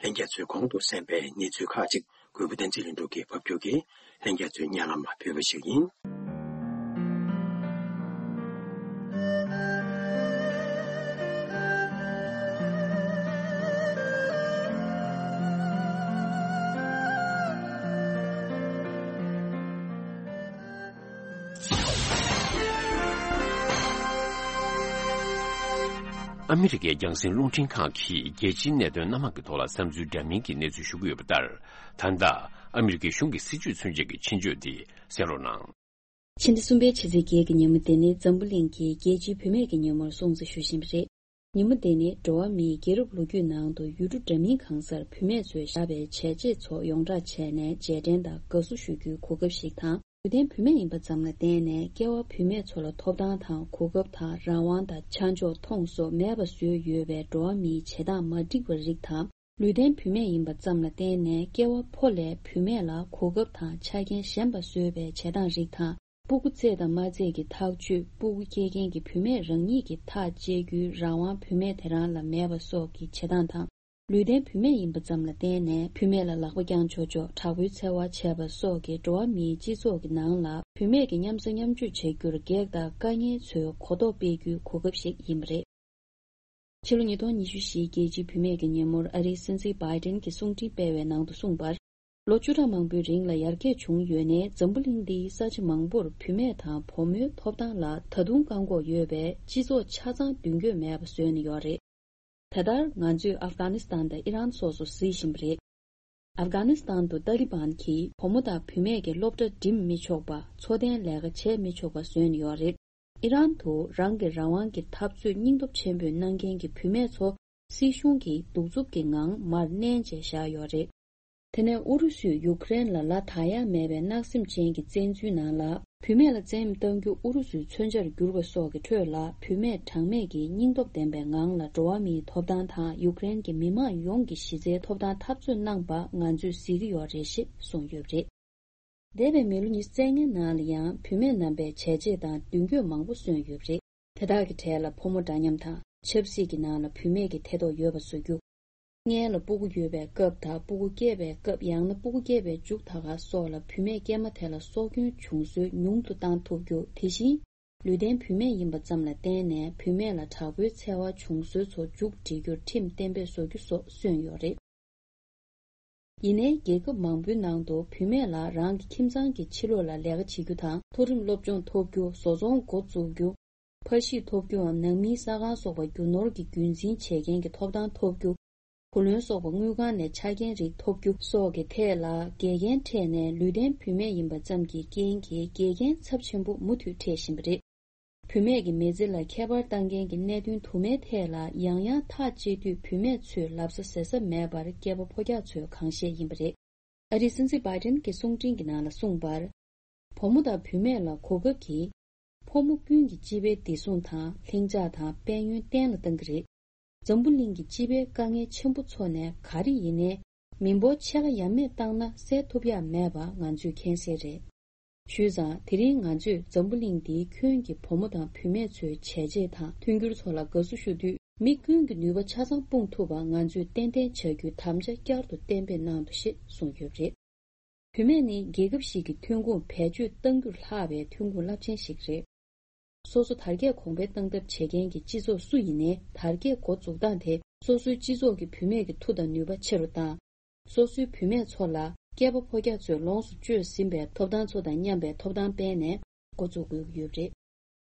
ལྷན་རྒྱས་ཚོས་གོང་དུ་གསན་པའི་གནས་ཚུལ་ཁག་ཅིག་གུས་པ་བསྟན་འཛིན་ལྷུན་གྲུབ་ཀྱིས་ཕབ་སྒྱུར་གྱིས་ལྷན་རྒྱས་ཚོའི་སྙན་ལམ་ལ་ཕུལ་བ་ཞིག་ཡིན། ཨ་མི་རི་ཀའི་རྒྱང་སྲིང་རླུང་འཕྲིན་ཁང་གིས་རྒྱལ་སྤྱིའི་གནད་དོན་སྣ་མང་གི་ཐོག་ལ་བསམ་ཚུལ་འདྲ་མིན་གྱི་གནས་ཚུལ་ཞུ་གི་ཡོད་པ་ལྟར། ད་ལྟ་ཨ་མི་རི་ཀའི་གཞུང་གི་སྲིད་བྱུས་མཚོན་བྱེད་ཀྱི་ཆེད་བརྗོད་འདི་གསན་རོགས་གནང་། ཕྱི་ཟླ་གསུམ་པའི་ཕྱི་ཚེས་བརྒྱད་ཀྱི་ཉིན་མོ་དེ་ནི་འཛམ་བུ་གླིང་གི་རྒྱལ་སྤྱིའི་བུད་མེད་ཀྱི་ཉིན་མོར་སྲུང་བརྩི་ཞུ་བཞིན་པ་རེད། ཉིན་མོ་དེ་ནི་འགྲོ་བ་མིའི་རྒྱལ་རབས་ལོ་རྒྱུས་ནང་དུ་ཡུལ་གྲུ་འདྲ་མིན་གང་སར་བུད་མེད་ཚོས་བཞག་པའི་བྱས་རྗེས་ཚོ་ཡོངས་བསྒྲགས་བྱས་ནས་རྗེས་དྲན་དང་དགའ་བསུ་ཞུ་རྒྱུའི་གོ་སྐབས་ཤིག་དང་། ལུས་ལྡན་བུད་མེད་ཡིན་པ་ཙམ་ལ་བརྟེན་ནས་སྐྱེ་བ་བུད་མེད་ཚོ་ལ་ཐོབ་ཐང་དང་གོ་སྐབས་དང་རང་དབང་དང་ཆ་འཇོག་མཐོང་སོགས་མེད་པ་བཟོས་ཡོད་པའི་འགྲོ་བ་མིའི་བྱེད་སྟངས་མ་འགྲིག་པ་རིགས་དང་། ལུས་ལྡན་བུད་མེད་ཡིན་པ་ཙམ་ལ་བརྟེན་ནས་སྐྱེ་བ་ཕོ་ལས་བུད་མེད་ལ་གོ་སྐབས་དང་ཆ་རྐྱེན་ཞན་པ་བཟོས་པའི་བྱེད་སྟངས་རིགས་དང་། སྤུ་གུ་བཙས་དང་མ་བཙས་ཀྱི་ཐག་གཅོད། སྤུ་གུ་སྐྱེ་མཁན་གྱི་བུད་མེད་རང་ཉིད་ཀྱིས་ཐག་བཅད་རྒྱུའི་རང་དབང་བུད་མེད་དེ་རང་ལ་མེད་པ་སོགས་ཀྱི་བྱེད་སྟངས་དང་། ལུས་ལྡན་བུད་མེད་ཡིན་པ་ཙམ་ལ་བརྟེན་ནས་བུད་མེད་ལ་ལག་པ་བརྐྱངས་ཆོག་ཆོག་དྲག་པོའི་འཚེ་བ་བྱས་པ་སོགས་ཀྱི་འགྲོ་བ་མིའི་སྤྱི་ཚོགས་ཀྱི་ནང་ལ་བུད་མེད་ཀྱི་མཉམ་ཟ་མཉམ་སྤྱོད་བྱེད་རྒྱུར་གེགས་དང་དཀའ་ངལ་ཚོའི་གོ་རྟོགས་སྤེལ་རྒྱུའི་གོ་སྐབས་ཤིག་ཡིན་པ་རེད། ཕྱི་ལོ་ཉིས་སྟོང་ཉི་ཤུ་བཞིའི་རྒྱལ་སྤྱིའི་བུད་མེད་ཀྱི་ཉིན་མོར་ཨ་རིའི་སྲིད་འཛིན་བྷའི་ཏིན་གྱིས་གསུང་འཕྲིན་སྤེལ་བའི་ནང་དུ་གསུངས་པར། ལོ་བཅུ་ཕྲག་མང་པོའི་རིང་ལ་ཡར་རྒྱས་བྱུང་ཡོད་ནའི་འཛམ་བུ་གླིང་འདིའི་ས་ཆ་མང་པོར་བུད་མེད་དང་བུ་མོའི་ཐོབ་ཐང་ལ་ད་དུང་བཀག་འགོག་ཡོད་པས་སྤྱི་ཚོགས་ཆ་ཚང་མདུན་སྐྱོད་མེད་པ་བཟོས་ནས་ཡོད་རེད། ད་ལྟར་ང་ཚོས་ཨབ་གྷ་ནི་སི་ཐན་དང་ཨི་རན་སོགས་སུ་གཟིགས་བཞིན་པ་རེད། ཨབ་གྷ་ནི་སི་ཐན་དུ་ཏཱ་ལི་བན་གྱིས་བུ་མོ་དང་བུད་མེད་ཀྱི་སློབ་གྲྭ་འགྲིམ་མི་ཆོག་པ། འཚོ་རྟེན་ལས་ཀ་བྱེད་མི་ཆོག་པ་བཟོས་ནས་ཡོད་རེད། ཨི་རན་དུ་རང་གི་རང་དབང་གི་འཐབ་རྩོད་སྙིང་སྟོབས་ཆེན་པོས་གནང་མཁན་གྱི་བུད་མེད་ཚོ་སྲིད་གཞུང་གིས་གདུག་རྩུབ་ཀྱི་ངང་མར་མནན་བྱས་བཞག་ཡོད་རེད། དེ་ནས་ཨུ་རུ་སུས་ཡུཀ་རེན་ལ་ལ་དག་ཡ་མེད་པའི་བརྣག་སེམས་ཅན་གྱི་བཙན་འཛུལ་ནང་ལ། བུད་མེད་ལ་བཙན་གཡེམ་གཏང་རྒྱུ་ཨུ་རུ་སུའི་མཚོན་ཆར་གྱུར་པ་སོགས་ཀྱི་ཁྲོད་ལ། བུད་མེད་གྲངས་མེད་ཀྱིས་སྙིང་སྟོབས་ལྡན་པའི་ངང་ལ་འགྲོ་བ་མིའི་ཐོབ་ཐང་དང་ཡུཀ་རེན་གྱི་མི་མང་ཡོངས་ཀྱི་གཞི་རྩའི་ཐོབ་ཐང་འཐབ་རྩོད་གནང་པ་ང་ཚོས་གཟིགས་ཀྱི་ཡོད་རེད་ཞེས་གསུངས་ཡོད་པ་རེད། འདས་པའི་མི་ལོ་ཉི་ཤུ་རྩ་ལྔའི་ནང་ལ་ཡང་བུད་མེད་རྣམ་པས་བྱས་རྗེས་དང་མདུན་སྐྱོད་མང་པོ་སོན་ཡོད་པ་རེད། དེ་དག་གི་གྲས་ལ་ཕོ་མོ་འདྲ་མཉམ་དང་། ཆབ་སྲིད་ཀྱི་ནང་ལ་བུད་མེད་ཀྱི་ཐེ་གཏོགས་ཡོད་པ་བཟོ་རྒྱུ། སྔོན་ལ་སྤུ་གུ་ཡོད་པའི་སྐབས་དང་། སྤུ་གུ་སྐྱེས་པའི་སྐབས། ཡང་ན་སྤུ་གུ་སྐྱེས་པའི་མཇུག་ད་ག་སོགས་ལ་བུད་མེད་སྐྱེས་མ་དེ་ལ་སྲོག་སྐྱོན་བྱུང་སྲོལ་ཉུང་དུ་བཏང་ཐུབ་རྒྱུ། དེ་བཞིན། ལུས་ལྡན་བུད་མེད་ཡིན་པ་ཙམ་ལ་བརྟེན་ནས་བུད་མེད་ལ་དྲག་པོའི་འཚེ་བ་བྱུང་སྲོལ་ཚོ་མཇུག་སྒྲིལ་རྒྱུར་ཁྲིམས་གཏན་འབེབས་བཟོ་རྒྱུ་སོགས་སོན་ཡོད་རེད། ཡིན་ནའི་རྒྱལ་ཁབ་མང་པོའི་ནང་དུ་བུད་མེད་ལ་རང་གི་ཁྱིམ་ཚང་གི་ཕྱི་ལོགས་ལ་ལས་ཀ་བྱེད་རྒྱུ་དང་། མཐོ་རིམ་སློབ་སྦྱོང་ཐོབ་རྒྱུ། བཟོ་ཚོང་འགོ་འཛུགས་རྒྱུ། ཕ་གཞིས་ཐོབ་རྒྱུའམ་ནང་མིའི་ས་ཁང་སོགས་པ་རྒྱུ་ནོར་གྱི་རྒྱུན་འཛིན་བྱེད་མཁན་གྱི་ཐོབ་ཐང་ཐོབ་རྒྱུ། བུ་ལོན་སོགས་པ་དངུལ་ཁང་ནས་ཆ་རྐྱེན་རིགས་ཐོབ་རྒྱུ་སོགས་ཀྱི་ཐད་ལ་འགལ་རྐྱེན་འཕྲད་ནས། ལུས་ལྡན་བུད་མེད་ཡིན་པ་ཙམ་གྱི་རྐྱེན་གྱིས་འགལ་རྐྱེན་ཚབས་ཆེན་པོ་མུ་མཐུད་འཕྲད་བཞིན་པ་རེད། བུད་མེད་ཀྱི་མི་ཚེ་ལ་ཁྱད་པར་བཏང་མཁན་གྱི་གནད་དོན་དུ་མའི་ཐད་ལ་ཡང་ཡང་ཐག་བཅད་དུས། བུད་མེད་ཚོས་ལབ་ས་ཟེར་ས་མེད་པར་སྐྱེས་པ་ཕོ་རྒྱག་ཚོས་གང་བཤད་ཡིན་པ་རེད། ཨ་རིའི་སྲིད་འཛིན་བྷའི་ཏིན་གྱི་གསུང་འཕྲིན་གྱི་ནང་ལ་གསུངས་པར། བུ་མོ་དང་བུད་མེད་ལ་གོ་སྐབས་ཀྱིས། ཕོ་མོ་ཀུན་གྱི་སྤྱི་པའི་བདེ་སྲུང་དང་། ལྷིང་འཇགས་དང་དཔལ་ཡོན་བརྟན་ལ་བཏང་གི་རེད། འཛམ་བུ་གླིང་གི་སྤྱི་པའི་དཀའ་ངལ་ཆེན་པོ་ཚོ་ནས་ག་རེ་ཡིན་ནའི། མི་འབོར་ཕྱེད་ཀ་ཡ་མེད་བཏང་ན་སེལ་ཐུབ་ཡ་མེད་པ་ང་ཚོས་མཁྱེན་གསལ་རེད། བྱས་ཙང་དེ་རིང་ང་ཚོས་འཛམ་བུ་གླིང་འདིའི་ཁྱོན་གྱི་བུ་མོ་དང་བུད་མེད་ཚོའི་བྱས་རྗེས་དང་མཐུན་འགྱུར་ཚོ་ལ་དགའ་བསུ་ཞུ་དུས། མི་ཀུན་གྱི་ནུས་པ་ཆ་ཚང་སྤུངས་ཐུབ་པ་ང་ཚོས་ཏན་ཏན་བྱ་རྒྱུའི་དམ་བཅའ་བསྐྱར་དུ་གཏན་འབེབས་གནང་འདུག་ཞེས་གསུངས་ཡོད་པ་རེད། བུད་མེད་ནི་རྒྱལ་ཁབ་ཞིག་གི་ཐོན་ཁུངས་བེད་སྤྱོད་གཏང་རྒྱུར་ལྷག་པའི་ཐོན་ཁུངས་རླབས་ཆེན་ཞིག་རེད། སོ་སོ་དར་རྒྱས་གོང་འཕེལ་གཏང་ཐབས་བྱེད་མཁན་གྱི་སྤྱི་ཚོགས་སུ་ཡིན་ནའི་དར་རྒྱས་འགོ་འཛུགས་སྟངས་དེ་སོ་སོའི་སྤྱི་ཚོགས་ཀྱི་བུད་མེད་ཀྱི་མཐུ་དང་ནུས་པ་ཆེ་རུ་བཏང་། སོ་སོའི་བུད་མེད་ཚོ་ལ་སྐྱེས་པ་ཕོ་སྐྱ་ཚོས་ལོངས་སུ་སྤྱོད་ཟིན་པའི་ཐོབ་ཐང་ཚོ་དང་མཉམ་པའི་ཐོབ་ཐང་སྤེལ་ནས་འགོ་འཛུགས་དགོས་ཀྱི་ཡོད་པ་རེད།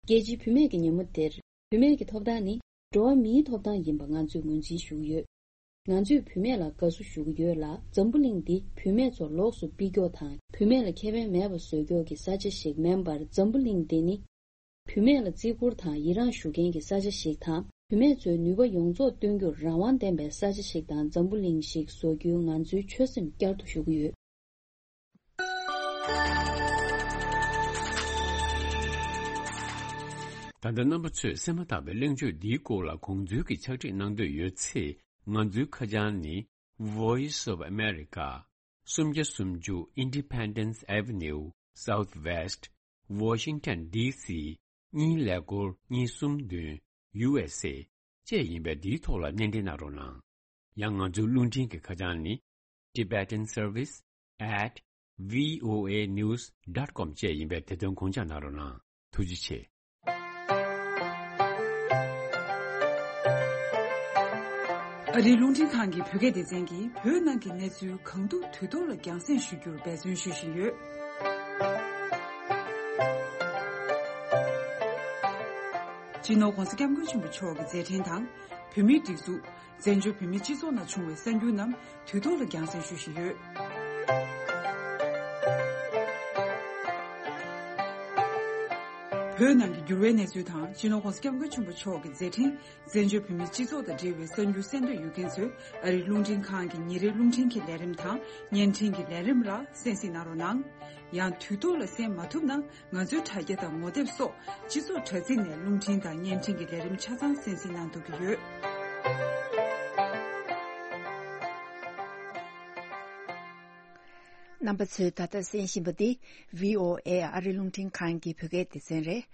རྒྱལ་སྤྱིའི་བུད་མེད་ཀྱི་ཉིན་མོ་འདིར་བུད་མེད་ཀྱི་ཐོབ་ཐང་ནི་འགྲོ་བ་མིའི་ཐོབ་ཐང་ཡིན་པ་ང་ཚོས་ངོས་འཛིན་ཞུ་གི་ཡོད། ང་ཚོས་བུད་མེད་ལ་དགའ་བསུ་ཞུ་གི་ཡོད་ལ། འཛམ་བུ་གླིང་འདི་བུད་མེད་ཚོ་ལོགས་སུ་ཕུད་རྒྱུ་དང་བུད་མེད་ལ་ཁེ་ཕན་མེད་པ་བཟོ་རྒྱུ་གི་ས་ཆ་ཞིག་མིན་པར། འཛམ་བུ་གླིང་འདི་ནི་བུད་མེད་ལ་བརྩི་བཀུར་དང་ཡི་རངས་ཞུ་མཁན་གྱི་ས་ཆ་ཞིག་དང་། བུད་མེད་ཚོའི་ནུས་པ་ཡོངས་རྫོགས་སྟོན་རྒྱུར་རང་དབང་ལྡན་པའི་ས་ཆ་ཞིག་དང་འཛམ་བུ་གླིང་ཞིག་བཟོ་རྒྱུའི་ང་ཚོའི་ཆོད་སེམས་བསྐྱར་དུ་ཞུ་གི་ཡོད། ད་ལྟ་རྣམ་པ་ཚོས་གསན་མ་ཐག་པའི་གླེང་བརྗོད་འདིའི་སྐོར་ལ་དགོངས་ཚུལ་གྱི་ཕྱག་བྲིས་གནང་འདོད་ཡོད་ཚེ། ང་ཚོའི་ཁ་བྱང་ནི། Voice of America། སུམ་བརྒྱ་སུམ་ཅུ་Independence Avenue Southwest Washington D C གཉིས་ཀླད་ཀོར་གཉིས་གསུམ་བདུན། U S A བཅས་ཡིན་པས། འདིའི་ཐོག་ལ་སྣེ་འདྲེན་གནང་རོགས་གནང་། ཡང་ང་ཚོའི་རླུང་འཕྲིན་གྱི་ཁ་བྱང་ནི། Tibetan Service at V O A news dot com བཅས་ཡིན་པས། དེ་དོན་དགོངས་འཇགས་གནང་རོགས་གནང་། ཐུགས་རྗེ་ཆེ། ཨ་རིའི་རླུང་འཕྲིན་ཁང་གི་བོད་སྐད་སྡེ་ཚན་གྱིས་བོད་ནང་གི་གནས་ཚུལ་གང་ཐུབ་དུས་ཐོག་ལ་རྒྱང་སྲིང་ཞུ་རྒྱུར་འབད་བརྩོན་ཞུ་བཞིན་ཡོད། སྤྱི་ནོར་༧གོང་ས་༧སྐྱབས་མགོན་ཆེན་པོ་མཆོག་གི་མཛད་འཕྲིན་དང་། བོད་མིའི་སྒྲིག་འཛུགས། བཙན་བྱོལ་བོད་མིའི་སྤྱི་ཚོགས་ནང་བྱུང་བའི་གསར་འགྱུར་རྣམས་དུས་ཐོག་ལ་རྒྱང་སྲིང་ཞུ་བཞིན་ཡོད། བོད་ནང་གི་འགྱུར་བའི་གནས་ཚུལ་དང་། སྤྱི་ནོར་༧གོང་ས་༧སྐྱབས་མགོན་ཆེན་པོ་མཆོག་གི་མཛད་འཕྲིན། བཙན་བྱོལ་བོད་མིའི་སྤྱི་ཚོགས་དང་འབྲེལ་བའི་གསར་འགྱུར་གསན་འདོད་ཡོད་མཁན་ཚོས་ཨ་རིའི་རླུང་འཕྲིན་ཁང་གི་ཉིན་རེའི་རླུང་འཕྲིན་གྱི་ལས་རིམ་དང་བརྙན་འཕྲིན་གྱི་ལས་རིམ་ལ་གསན་གཟིགས་གནང་རོགས་གནང་། ཡང་དུས་ཐོག་ལ་གསན་མ་ཐུབ་ན། ང་ཚོའི་དྲ་རྒྱ་དང་ངོ་དེབ་སོགས་སྤྱི་ཚོགས་དྲ་ཚིགས་ནས་རླུང་འཕྲིན་དང་བརྙན་འཕྲིན་གྱི་ལས་རིམ་ཆ་ཚང་གསན་གཟིགས་གནང་ཐུབ་ཀྱི་ཡོད། རྣམ་པ་ཚོས་ད་ལྟ་གསན་བཞིན་པ་འདི་V O A ཨ་རི་རླུང་འཕྲིན་ཁང་གི་བོད་སྐད་སྡེ་ཚན་རེད།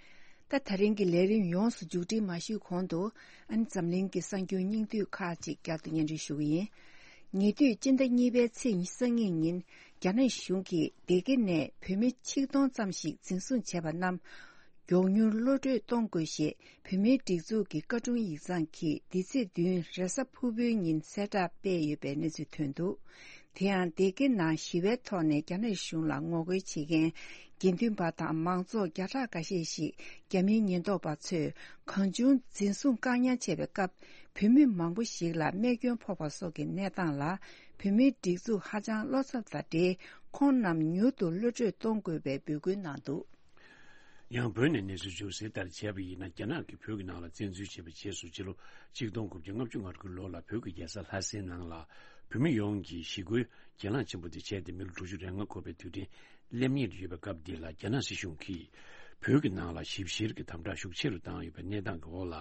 ད་ད་རིང་གི་ལས་རིམ་ཡོངས་སུ་མཇུག་སྒྲིལ་མ་ཞུས་གོང་དུ། ཨ་ནི་འཛམ་གླིང་གི་གསར་འགྱུར་སྙིང་བསྡུས་ཁག་ཅིག་བསྐྱར་དུ་སྙན་སྒྲོན་ཞུ་གི་ཡིན། ཉེ་དུས་སྤྱི་ཟླ་གཉིས་པའི་ཚེས་སང་ཉིན། རྒྱ་ནག་གཞུང་གིས་སྡེ་དགེ་ནས་བོད་མི་ཆིག་སྟོང་ཙམ་ཞིག་འཛིན་བཟུང་བྱས་པ་རྣམས། མགྱོགས་མྱུར་གློད་གྲོལ་གཏོང་དགོས་ཞེས་བོད་མིའི་སྒྲིག་འཛུགས་ཀྱི་བཀའ་དྲུང་ཡིག་ཚང་གིས་འདི་ཚེས་བདུན་རེས་གཟའ་ཕུར་བུའི་ཉིན་གསལ་བསྒྲགས་སྤེལ་ཡོད་པའི་གནས་ཚུལ་ཐོན་འདུག་དེ་ཡང་སྡེ་དགེ་ནང་ཞི་བའི་ཐོག་ནས་རྒྱ་ནག་གཞུང་ལ་ངོ་རྒོལ་བྱེད་མཁན་དགེ་འདུན་པ་དང་མང་ཚོགས་བརྒྱ་ཕྲག་འགའ་ཤས་ཤིག་རྒྱ་མིའི་ཉེན་རྟོག་པ་ཚོས་གང་བྱུང་འཛིན་བཟུང་བཀག་ཉར་བྱས་པའི་སྐབས། བོད་མི་མང་པོ་ཞིག་ལ་རྨས་སྐྱོན་ཕོག་པ་སོགས་ཀྱི་གནས་སྟངས་ལ། བོད་མིའི་སྒྲིག་འཛུགས་ཧ་ཅང་བློ་འཚབ་དང་འབྲེལ། ཁོང་རྣམས་མྱུར་དུ་གློད་གྲོལ་གཏོང་དགོས་པའི་འབོད་སྐུལ་གནང་འདུག་ཡང་བོད་ནས་གནས་ཚུལ་བརྗོད་གསལ་ལྟར་བྱས་པ་ཡིན་ན། རྒྱ་ནག་གིས་བོད་ཀྱི་ནང་ལ་བཙན་འཛུལ་བྱས་པའི་རྗེས་སུ། ཕྱི་ལོ་ཆིག་སྟོང་དགུ་བརྒྱ་ལྔ་བཅུ་ང་དགུ་ལོ་ལ་བོད་ཀྱི་རྒྱལ་ས་ལྷ་སའི་ནང་ལ་བོད་མི་ཡོངས་ཀྱི་ཞི་རྒོལ་གྱེན་ལངས་ཆེན་པོ་དེ་བྱས་ཏེ། མི་ལོ་དྲུག་ཅུ་རེ་ལྔ་འཁོར་བའི་དུས་དྲན་སླེབས་ཉེར་ཡོད་པའི་སྐབས་འདི་ལ། རྒྱ་ནག་སྲིད་གཞུང་གིས་བོད་ཀྱི་ནང་ལ་ཞིབ་བཤེར་གྱི་དམ་དྲག་ཤུགས་ཆེ་རུ་བཏང་ཡོད་པའི་གནས་སྟངས་ཀྱི་འོག་ལ།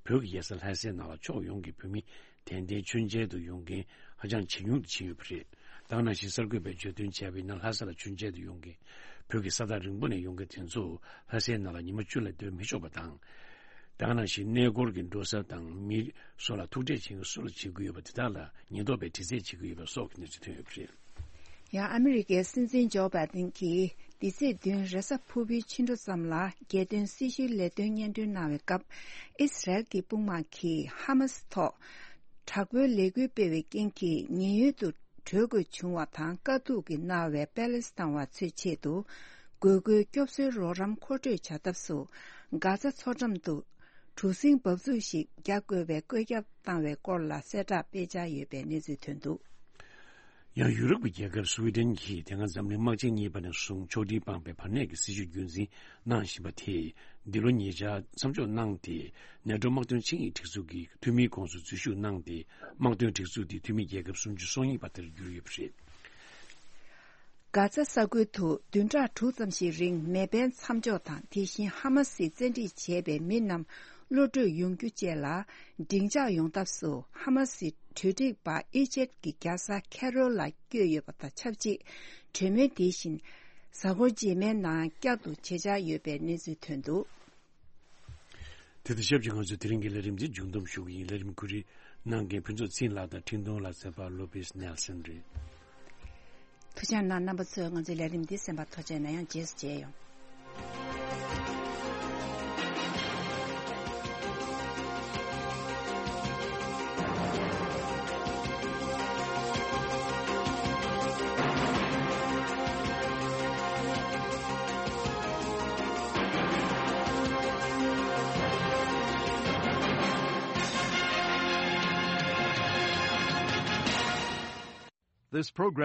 བོད་ཀྱི་རྒྱལ་ས་ལྷ་སའི་ནང་ལ་ཕྱོགས་ཡོངས་ཀྱི་བོད་མི་དད་ལྡན་མཆོད་མཇལ་དུ་ཡོང་མཁན་ཧ་ཅང་ཇེ་ཉུང་དུ་ཕྱིན་ཡོད་པ་རེད། ད་ག་ནང་བཞིན་གསར་འགོད་པས་བརྗོད་དོན་བྱས་པ་ཡིན་ན། ལྷ་ས་ལ་མཆོད་མཇལ་དུ་ཡོང་མཁན་བོད་ཀྱི་ས་ཐག་རིང་པོ་ནས་ཡོང་མཁན་དེ་ཚོ་ལྷ་སའི་ནང་ལ་ཉི་མ་བཅུ་ལས་སྡོད་མི་ཆོག་པ་དང་། ད་ག་ནང་བཞིན་གནས་སྐོར་གྱི་འགྲོ་ས་དང་། མི་སུ་ལ་ཐུག་འཕྲད་བྱེད་མཁན་སུ་ལ་བྱེད་ཀྱི་ཡོད་པ་དེ་དག་ལ་ཉེན་རྟོག་པས་དྲི་རྩད་བྱེད་ཀྱི་ཡོད་པ་སོགས་ཀྱི་གནས་ཚུལ་ཐོན་ཡོད་པ་རེད། ཡང་ཨ་མི་རི་ཀའི་སྲིད་འཛིན་ཇོ་བྷའི་ཏིན་གྱིས་འདི་ཚེས་བདུན་རེས་གཟའ་ཕུར་བུའི་ཕྱི་དྲོ་ཙམ་ལ་རྒྱལ་དོན་སྲི་ཞུའི་ལས་དོན་སྙན་སྒྲོན་གནང་བའི་སྐབས། ཨིས་རལ་གྱི་དཔུང་དམག་གིས་ཧ་མ་སི་ཐོག་དྲག་པོའི་ལས་འགུལ་སྤེལ་བའི་རྐྱེན་གྱིས་ཉེན་གཡོལ་དུ་བྲོས་དགོས་བྱུང་བ་དང་། དཀའ་སྡུག་གིས་མནར་བའི་པེ་ལེ་སི་ཐན་བ་ཚོའི་ཆེད་དུ་དགོས་མཁོའི་སྐྱོབ་གསོའི་རོགས་རམ་མཁོ་སྤྲོད་བྱ་ཐབས་སུ། གྷ་ཛ་མཚོ་འགྲམ་དུ་གྲུ་གཟིངས་འབབ་ཚུགས་ཤིག་རྒྱག་དགོས་པའི་བཀོད་ཁྱབ་བཏང་བའི་སྐོར་ལ་གསལ་བསྒྲགས་སྤེལ་འཆར་ཡོད་པའི་གནས་ཚུལ་ཐོན་འདུག་ཡང་ཡུ་རོབ་ཀྱི་རྒྱལ་ཁབ་སུའེ་ཏེན་གྱིས་དེ་སྔ་འཛམ་གླིང་དམག་ཆེན་གཉིས་པ་ནས་བཟུང་ཕྱོགས་སྒྲིལ་སྤངས་པའི་བར་གནས་ཀྱི་སྲིད་བྱུས་རྒྱུན་འཛིན་གནང་བཞིན་པ་དེས། འདི་ལོ་ཉེ་ཆར་མཚམས་འཇོག་གནང་སྟེ། ནེ་ཊོ་དམག་དོན་ཆིངས་ཡིག་སྒྲིག་འཛུགས་ཀྱི་འཐུས་མིའི་ཁོངས་སུ་འཛུལ་ཞུགས་གནང་སྟེ། དམག་དོན་སྒྲིག་འཛུགས་དེའི་འཐུས་མི་རྒྱལ་ཁབ་སུམ་ཅུ་སོ་གཉིས་པ་དེར་གྱུར་ཡོད་པ་རེད། གྷ་ཛ་ས་ཁུལ་དུ་བདུན་ཕྲག་དྲུག་ཙམ་ཞིག་རིང་མེ་འཕེན་མཚམས་འཇོག་དང་། དེ་བཞིན་ཧ་མ་སིས་བཙན་ཁྲིད་བྱས་པའི་མི་རྣམས་གློད་གྲོལ་ཡོང་རྒྱུ་བཅས་ལ་སྡིངས་ཆ་ཡོང་ཐབས་སུ། ཧ་མ་སིའི་གྲོས་སྒྲིག་པ་ཨི་ཇེབ་ཀྱི་རྒྱལ་ས་ཁེ་རོལ་ལ་བསྐྱོད་ཡོད་པ་དང་ཆབས་ཅིག་གྲོས་མོལ་དེ་བཞིན་གཟའ་འཁོར་རྗེས་མའི་ནང་བསྐྱར་དུ་བྱེད་འཆར་ཡོད་པའི་གནས་ཚུལ་ཐོན་འདུག་དེ་དང་ཆབས་ཅིག་ང་ཚོས་དེ་རིང་གི་ལས་རིམ་འདི་མཇུག་བསྡོམས་ཞུ་གི་ཡིན། ལས་རིམ་གོ་སྒྲིག་གནང་མཁན་ཕུན་ཚོགས་ཚེ་རིང་ལགས་དང་འཕྲིན་གཏོང་ལག་རྩལ་པ་ལོ་པིས་ནེལ་སན་རེད། ཐུགས་རྗེ་གནང་། རྣམ་པ་ཚོས་ང་ཚོའི་ལས་རིམ་འདི་གསན་པར་ཐུགས་རྗེ་གནང་། ཡང་རྗེས་སུ་མཇལ་ཡོང་། This program